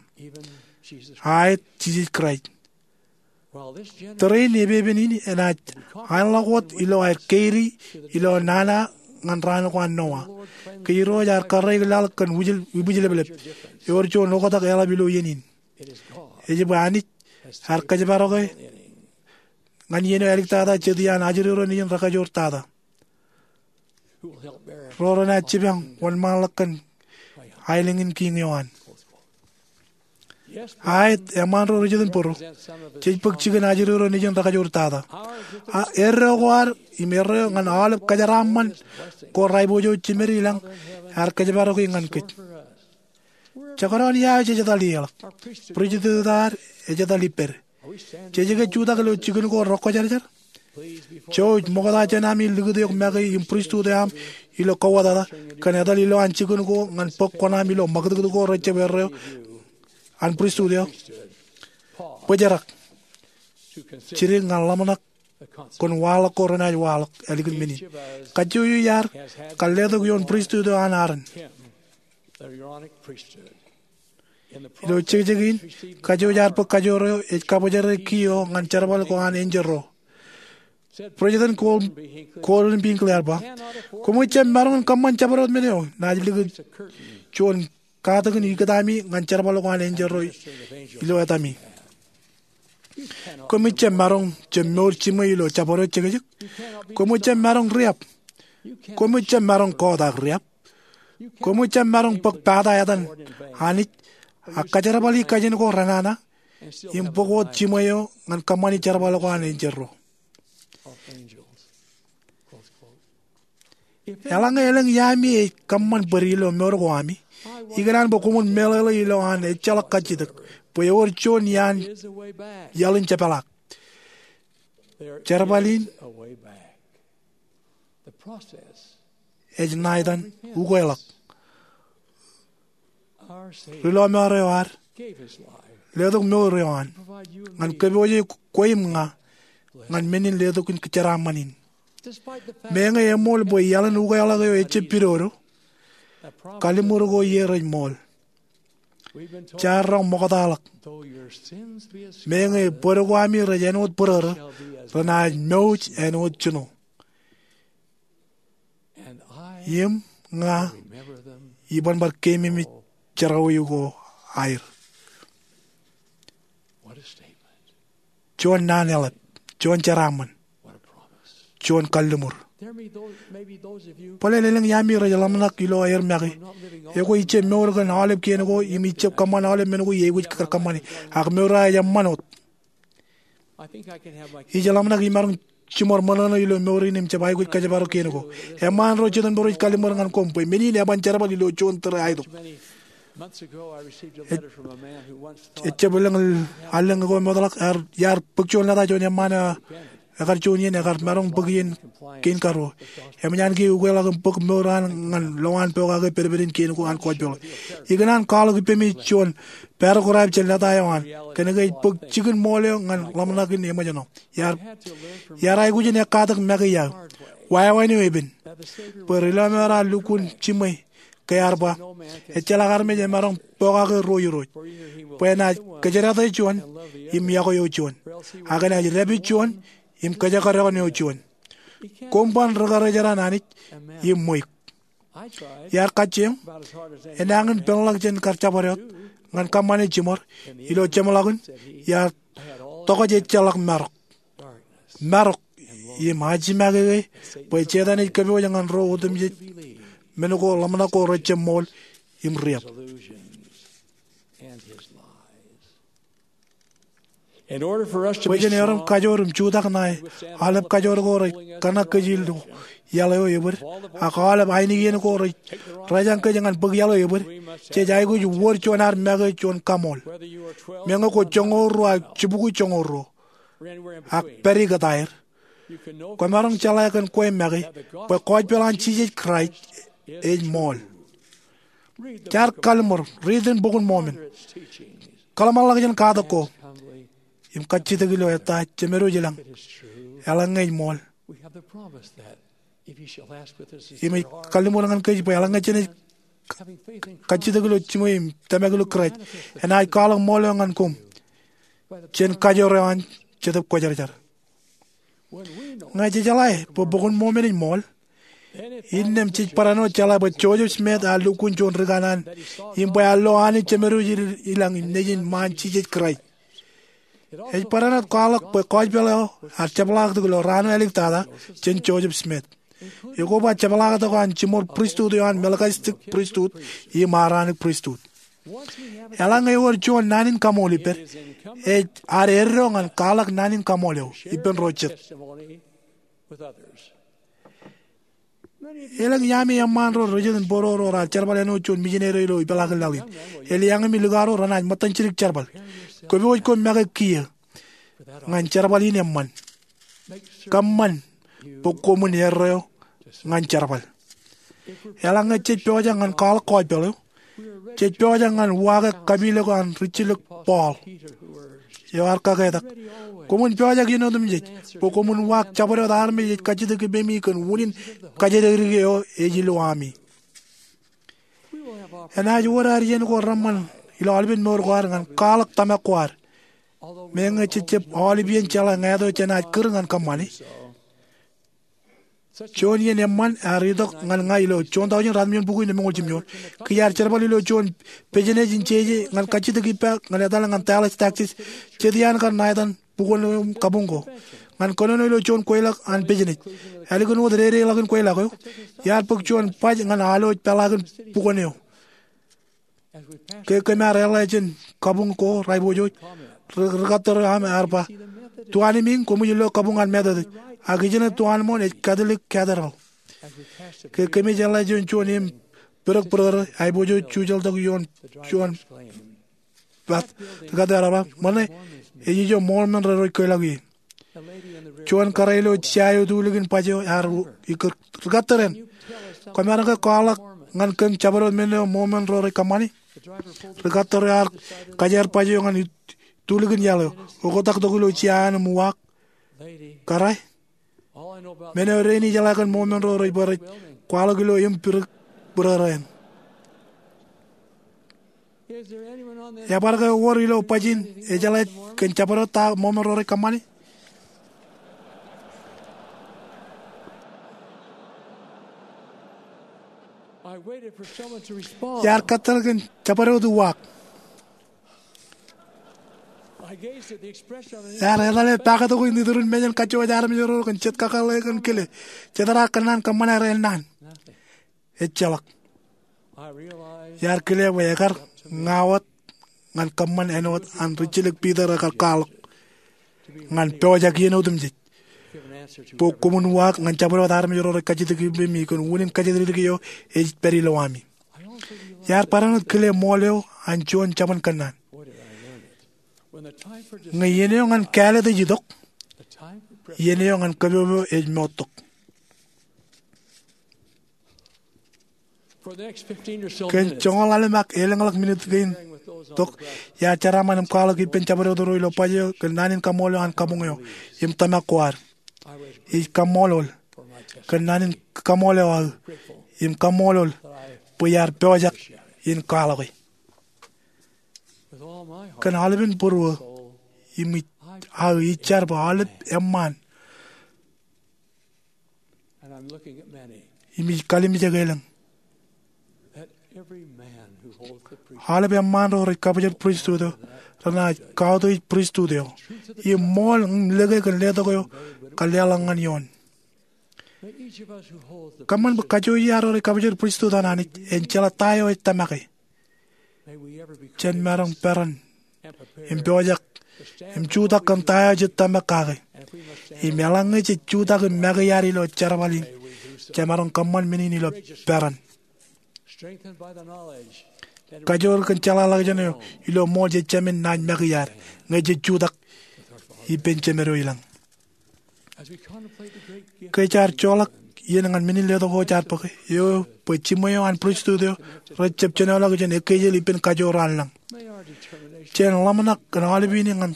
aet, Jisōs Kraist. Tōre in epepen in enaaj aenḷọk wōt ilo aer keidi ilo nana ñan raan ko an Noa, ke Irooj ear karreik laḷ kōn ibwijlepḷep ewōr juon oktak eḷap ilo iien in. Ej bwe Anij ear kōjparoke ñan iien eo āliktata jet iaan ajri ro nejin rekajoor tata. Ro renaaj jipañ wōnṃaanḷọk kōn aelōñ in kiiñ eo an. Aet, eṃṃaan ro ri jet in bōro. Jej bōk jikin ajri ro nejin rekajoor tata. Ak erreo ko ad im erreo ñan aolep kōjeraaṃṃan ko raipojouj jimeer ilañ ear kōjparoki ñan kōj. Jekdọọn ia eo jej etal ieḷọk? Pristut ad ej etal ippād. Jej ke jutak ilo jikin ko rekwōjarjar? Jouj, ṃokta jān ami likūt eok make im pristut eo aṃ ilo kowōtata, kōn etal ilowaan jikin ko ñan bōk kuṇaaṃ ilo ṃakūtkūt ko rejjab erreo an pristut eo. Bōjrak, jidik ñan ḷōmṇak kōn waḷọk ko renaaj waḷọk ālikin men in. Kajjojo iar kar letok ioon pristut eo an Aron. Ilo jekjek in, kajjojo iar bōk kajoor eo ej kabōjrak kiiō ñan jerbal ko an enjeḷ ro. President Gordon B. Hinckley ear ba, koṃij jab maroñ in kōṃṃan jabdewōt men eo naaj likūt juon katakin ikōtaami ñan jerbal ko an enjeḷ ro ilo etami. Koṃij jab maroñ jab mour jiṃwe ilo jabdewōt jekjek. Koṃij jab maroñ riab. Koṃij jab maroñ kọọt ak riab. Koṃij jab maroñ bōk pata etan Anij ak kōjerbali kajin ko renana im bōk wōt jiṃwe eo ñan kōṃṃani jerbal ko an enjeḷ ro. Eḷaññe elōñ iaami ej kōṃṃan bōd ilo mour ko ami, ikōṇaan bwe koṃwin meḷeḷe ilo an ejjeḷọk kajjitōk bwe ewōr juon iaan iaḷ in jepḷaak. Jerbal in ej ṇa etan ukeḷọk. Ri lọmọọr eo ad letok mour eo an ñan kōpooje kwe im ña ñan men in letok in jeraaṃṃan in. Meñe eṃool bwe iaḷ in ukeḷọk eo ejjab pidodo, kalliṃur ko ie rej ṃool. Jaar roñ ṃoktaḷọk. Meñe bōd ko ami rej āinwōt bōrōrō, renaaj mouj āinwōt jino. Im ña iban bar keememej jerọwiwi ko aer. Juon naan eḷap, juon jeraaṃṃan, juon kalliṃur. Bōlen elōñ iaami rej ḷōmṇak ilo aer make. Ekwe ij jab mour kōn aolep kien ko im ij jab kōṃṃan aolep men ko iaikuj kar kōṃṃane, ak mour eo ej eṃṃan wōt. Ij ḷōmṇak imaroñ jiṃor ṃōṇōṇō ilo mour in im jab aikuj kōjparok kien ko. Eṃṃaan ro jet in bōro ej kalliṃur ñan koṃ bwe men in eban jerbal ilo juon tōre aetok. Ejjab elōñ allōñ ko ṃootḷọk, iar bōk juon lōta juon eṃṃaan eo ekar juon iien ekar maroñ bōk iien kein karuo. Eṃōj an kiiō ukeḷọk im bōk mour eo an ñan lowaan pokake pedped in kein ko an gospel. Ikōṇaan kwaḷọk ippemi juon paragraph jān lōta eo an kōnke ej bōk jikin ṃool eo ñan ḷōmṇak in eṃōjṇọ. Iar aikuj in ekkatak make iaō. Wāween eo epen bwe ri lọmọọr eo ad lukkuun jiṃwe ke ear ba, ejjeḷọk armej emaroñ pokake ro irooj, bwe enaaj kōjerata juon im yokwe eo juon, ak enaaj dāpij juon im kōjekdọọn eo juon. Koṃ ban ri karijeran Anij im ṃweik. Iar kajjioñ, enañin peḷḷọk jān kar jabdewōt, ñan kōṃṃane jiṃor. Ilo jeṃḷọkin, iar tokjān ejjeḷọk marok. Marok im ajimake ke bwe Setan ej kōpooj ñan ro otemjej men ko ḷōmṇak ko rejjab ṃool im riab. Bwe jen erom kajoor im jutak ṇae aolep kajoor ko rej kōṇak kōj ilo iaḷ eo ebōd, ak aolep ainikien ko rej rōjañ kōj ñan bōk iaḷ eo ebōd, jej aikuj wōr juon ad make juon kaṃool. Meñe kwō joñoul ruo ak jibukwi joñoul ruo, ak pād ikōtaer, kwōmaroñ jeḷā kōn kwe make bwe gospel an Jisōs Kraist ej ṃool. Jaar kalliṃur, riit in Bok in Mōmon. Kōḷmānḷọkjeṇ katak ko im kajjitōk ilo ettā Jemedwōj i lañ. Eḷaññe ej ṃool, im ej kalliṃur ñan kōj bwe eḷaññe jenaaj kajjitōk ilo jiṃwe im tōmak ilo Kraist, enaaj kwaḷọk ṃool eo ñan koṃ jān kajoor eo an Jetōb Kwōjarjar. Ñe jejeḷā bwe Bok in Mōmon ej ṃool, innām jej barāinwōt jeḷā bwe Joseph Smith ear lukkuun juon ri kanaan im bwe ear lo Anij Jemedwōj i lañ im Nejin ṃaan Jisōs Kraist. Ej barāinwōt kwaḷọk bwe gospel eo ear jepḷaaktok ilo raan eo āliktata jān Joseph Smith. Ekoba jepḷaaktok an jiṃor pristut eo an Melchizedek Pristut im Aaronic Pristut. Eḷaññe ewōr juon naan in kaṃool ippād, ej ad eddo ñan kwaḷọk naan in kaṃool eo ippān ro jet. Elōñ iaami eṃṃaan ro rej jet in būruō ro raar jerbal āinwōt juon mijineri eo ilo ipeḷaakin laḷ in. Elōñ iaami likao ro renaaj ṃōttan jidik jerbal. Kwōpojak make kiiō ñan jerbal in eṃṃan. Kōṃṃan bwe koṃwin eddo ñan jerbal. Eḷaññe jej pojak ñan kwaḷọk gospel eo, jej pojak ñan uwaake kapilōk an rijjilōk Paul eo ear kaketak. Koṃwin pojak iien otemjej bwe koṃwin uwaak jabdewōt armej ej kajjitōk ippemi kōn unin kajjitōk dike eo ej ilo ami. Enaaj wōr ad iien ko reṃṃan ilo aolepen mour ko ad ñan kwaḷọk tōmak ko ad. Meñe jej jab aolep iien jeḷā ñāāt eo jenaaj kūr ñan kōṃṃani, juon iien eṃṃan ear itok ñan ña ilo juon taujin ratimjuon bukwi lemñoul jimjuon. Kiiō iar jerbal ilo juon business in jeje ñan kajjitōk ippa ñan etal ñan Dallas, Texas, jet iaan kar ṇa etan bukwōn kabuñ ko. Ñan kōnono ilo juon kweilọk an business, ālikin wōt dedeḷọkin kweilọk eo, iar bōk juon baj ñan alwōj peḷaakin bukwōn eo. Ke kōm ar eḷḷā jān kabuñ ko rej aiboojoj, ri-, rikattor eo aṃ ear ba, "Tuanmiiñ, koṃij lo kabuñ an Methodist, ak ijeṇe tuanmooṇ ej Catholic Cathedral." Ke kōmij eḷḷā jān juon im bōdōkbōdōkōrā, aiboojoj jujaḷ tok ioon juon bat, rikattor eo ear ba, "Ṃōṇe, ej ijo Mormon ro rej kweilọk ie." Juon kōrā ilo jea eo etulikin baj eo ear ikōr, "Rikattor eṇ, koṃaroñ ke kwaḷọk ñan kōm jabdewōt men eo Mormon ro rej kōṃṃani?" Rikattor eo ear kajeer baj eo ñan etulikin iaḷ eo, oktak tok ilo jea eo an im uwaak, "Kōrā, men eo dein ijeḷā kōn Mormon ro rej ba rej kwaḷọk ilo im bōdōkbōdōkōrā eṇ." Ebar ke ewōr ilo baj in ejeḷā kōn jabdewōt ta Mormon ro rej kōṃṃani? Iar kōttar kōn jabdewōt uwaak. Iar etal e paktok in iturin mejān kajjojo armej ro kōn jet kakōḷḷe kōn kile, jet raar kōnnaan kōṃṃane rael naan. Ejjeḷọk. Iar kile bwe ekar ña wōt ñan kōṃṃan āinwōt an rijjilōk Piter ekar kwaḷọk ñan pojak iien otemjej, bwe koṃwin uwaak ñan jabdewōt armej ro rej kajjitōk ippemi kōn unin kajjitōk dike eo ej pād ilowami. Iar barāinwōt kile ṃool eo an juon jabōn kōnnaan. Ñe iien eo ñan kāālōt ej itok, iien eo ñan kōpopo ej moottok. Kōn joñoul ḷalem ak elōñḷọk minit kein tok, iar jeraaṃṃan im kwaḷọk ippān jabdewōt ro ilo baj eo kōn naan in kaṃṃool eo an kabuñ eo im tōmak ko ad. Ij kaṃṃoolol kōn naan in kaṃṃool eo aō im kaṃṃoolol bwe iar pojak in kwaḷọke. Kōn aolepen būruō im ij, aō ij jar bwe aolep eṃṃaan im ij kalimjek elōñ. Aolep eṃṃaan ro rej kabōjrak pristut eo renaaj kautiej pristut eo im ṃool im lōke kōn letok eo kar leḷọk ñan eoon. Kōṃṃan bwe kajjojo iar ro rej kabōjrak pristut an Anij en jeḷā ta eo ej tōmake. Jen maroñ peran im pojak im jutak kōn ta eo jej tōmak kake. Im eḷaññe jej jutak im make iar ilo jerbal in, jemaroñ kōṃṃan men in ilo peran. Kajoor kōn jeḷāḷọkjeṇ eo ilo ṃool jejāmin naaj make iar ñe jej jutak ippān Jemedwōj i lañ. Ke jaar joḷọk iien ñan men in letok eo jaar bōke, eo bwe jiṃwe eo an pristut eo rej jab jenoḷọk jān ekkejel ippān kajoor an lañ. Jen ḷōmṇak kōn aolepān in ñan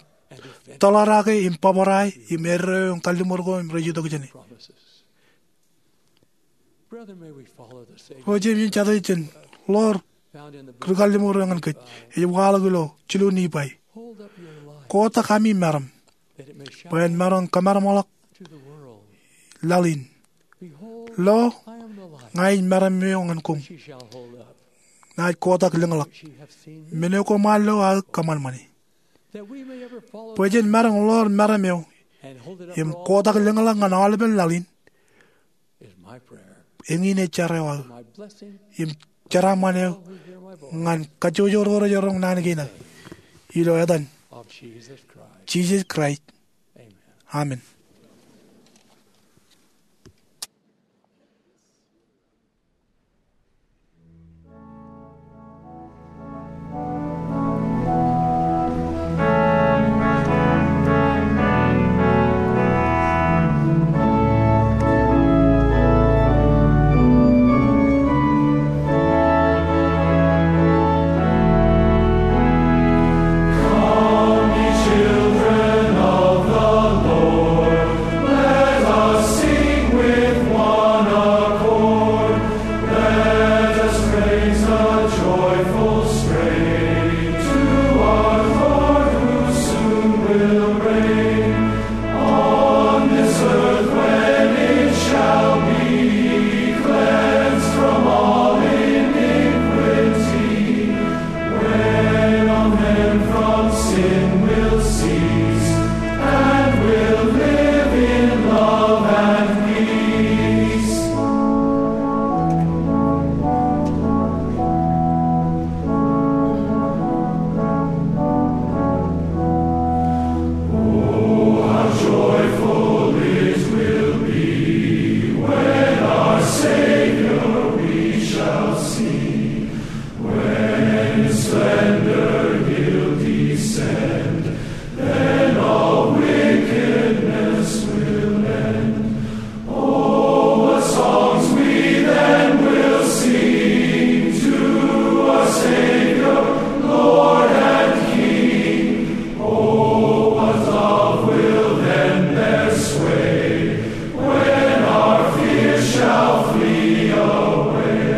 tōḷarake im bōbrae im eddo eo im kalliṃur ko im rej itok jāne. Ro jeiū im jatū, jen ḷoor ri-kalliṃur eo ñan kōj. Ej waḷọk ilo jilu Nifai: Kotak ami meram bwe en maroñ kōmeramḷọk laḷ in. Lo, ña ij meram eo ñan koṃ, naaj kotak lōñḷọk. Men eo koṃ ar lo aō kōṃanṃane. Bwe jen maroñ ḷoor meram eo im kotak lōñḷọk ñan aolepen laḷ in, eñin ej jar eo aō im jeraaṃṃan eo ñan kajjojo ro rej roñ naan kein aō. Ilo etan Jisōs Kraist, amen. Come, ye children of the Lord, let us sing with one accord. Let us raise a joyful strain to our Lord, who soon will reign. On this earth, when it shall be cleansed from all iniquity, when all men from sin will cease and will live in love and peace. Oh, how joyful it will be when our Savior we shall see. When in splendor he'll descend, then all wickedness will end. Oh, what songs we then will sing to our Savior, Lord and King. Oh, what love will then bear sway when our fears shall flee away.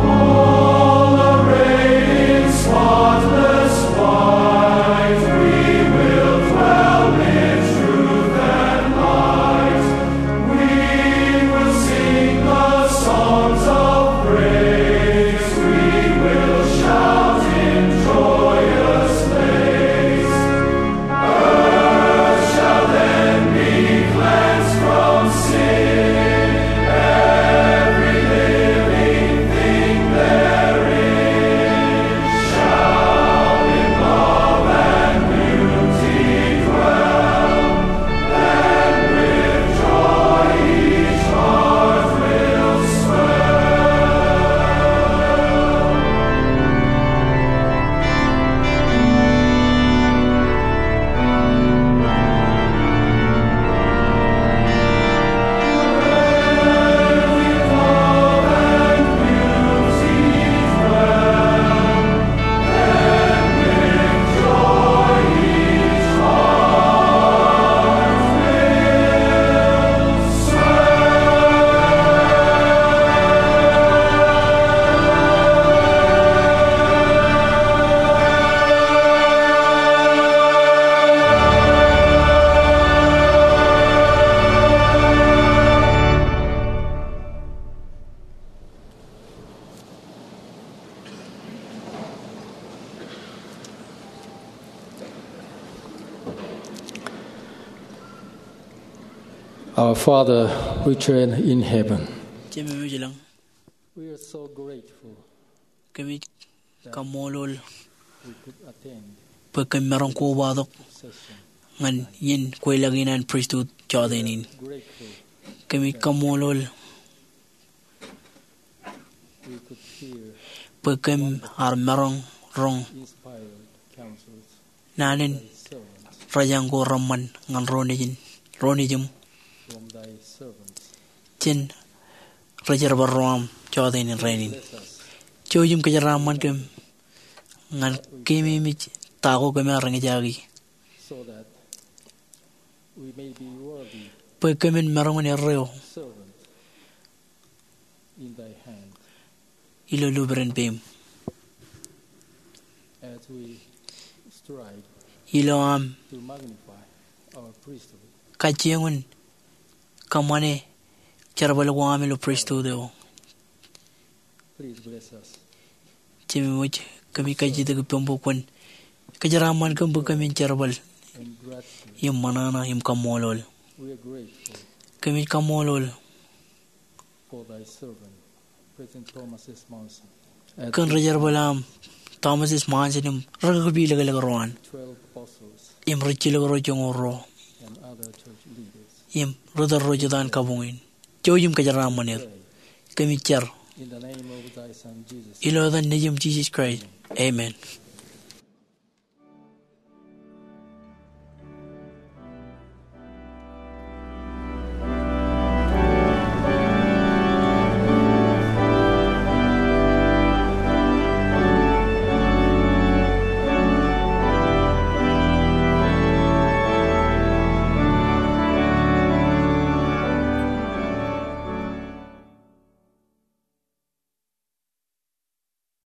All arrayed in spotless white, we will dwell in truth and light. We will sing the songs of praise. We will shout in joyous lays. Earth shall then be cleansed from sin. Every living thing therein shall in love and beauty dwell. Our Father, which art in heaven. Jemem eo ej ilañ. We are so grateful. Kōmij kaṃṃoolol bwe kōm maroñ kobatok ñan iien kweilọk in an pristut jọteen in. Kōmij kaṃṃoolol. We could hear bwe kōm ar maroñ roñ naan in rej jañ ko reṃṃan ñan ro nejin, ro nejūṃ, jān ri-jerbal ro aṃ jọteen in rainin. Jouj im kōjeraaṃṃan kōm ñan keememej ta ko kōm ar eñjake, bwe kōmin maroñ in erreo ilo lubren peiṃ. Ilo aṃ kajjioñ in kōṃṃane jerbal ko aṃ ilo pristut eo, Jemem wōj, kōmij kajjitōk ippaṃ bwe kwōn kōjeraaṃṃan kōm bwe kōmin jerbal im ṃōṇōṇō im kaṃṃoolol. Kōmij kaṃṃoolol kōn ri-jerbal aṃ Thomas S. Monson im ri-kaki ilōklōk ro an, im rijjilōk ro joñoul ruo, im ri-tōl ro jet an kabuñ in. Jouj im kōjeraaṃṃan er. Kōmij jar ilo etan Nejiṃ Jisōs Kraist, amen.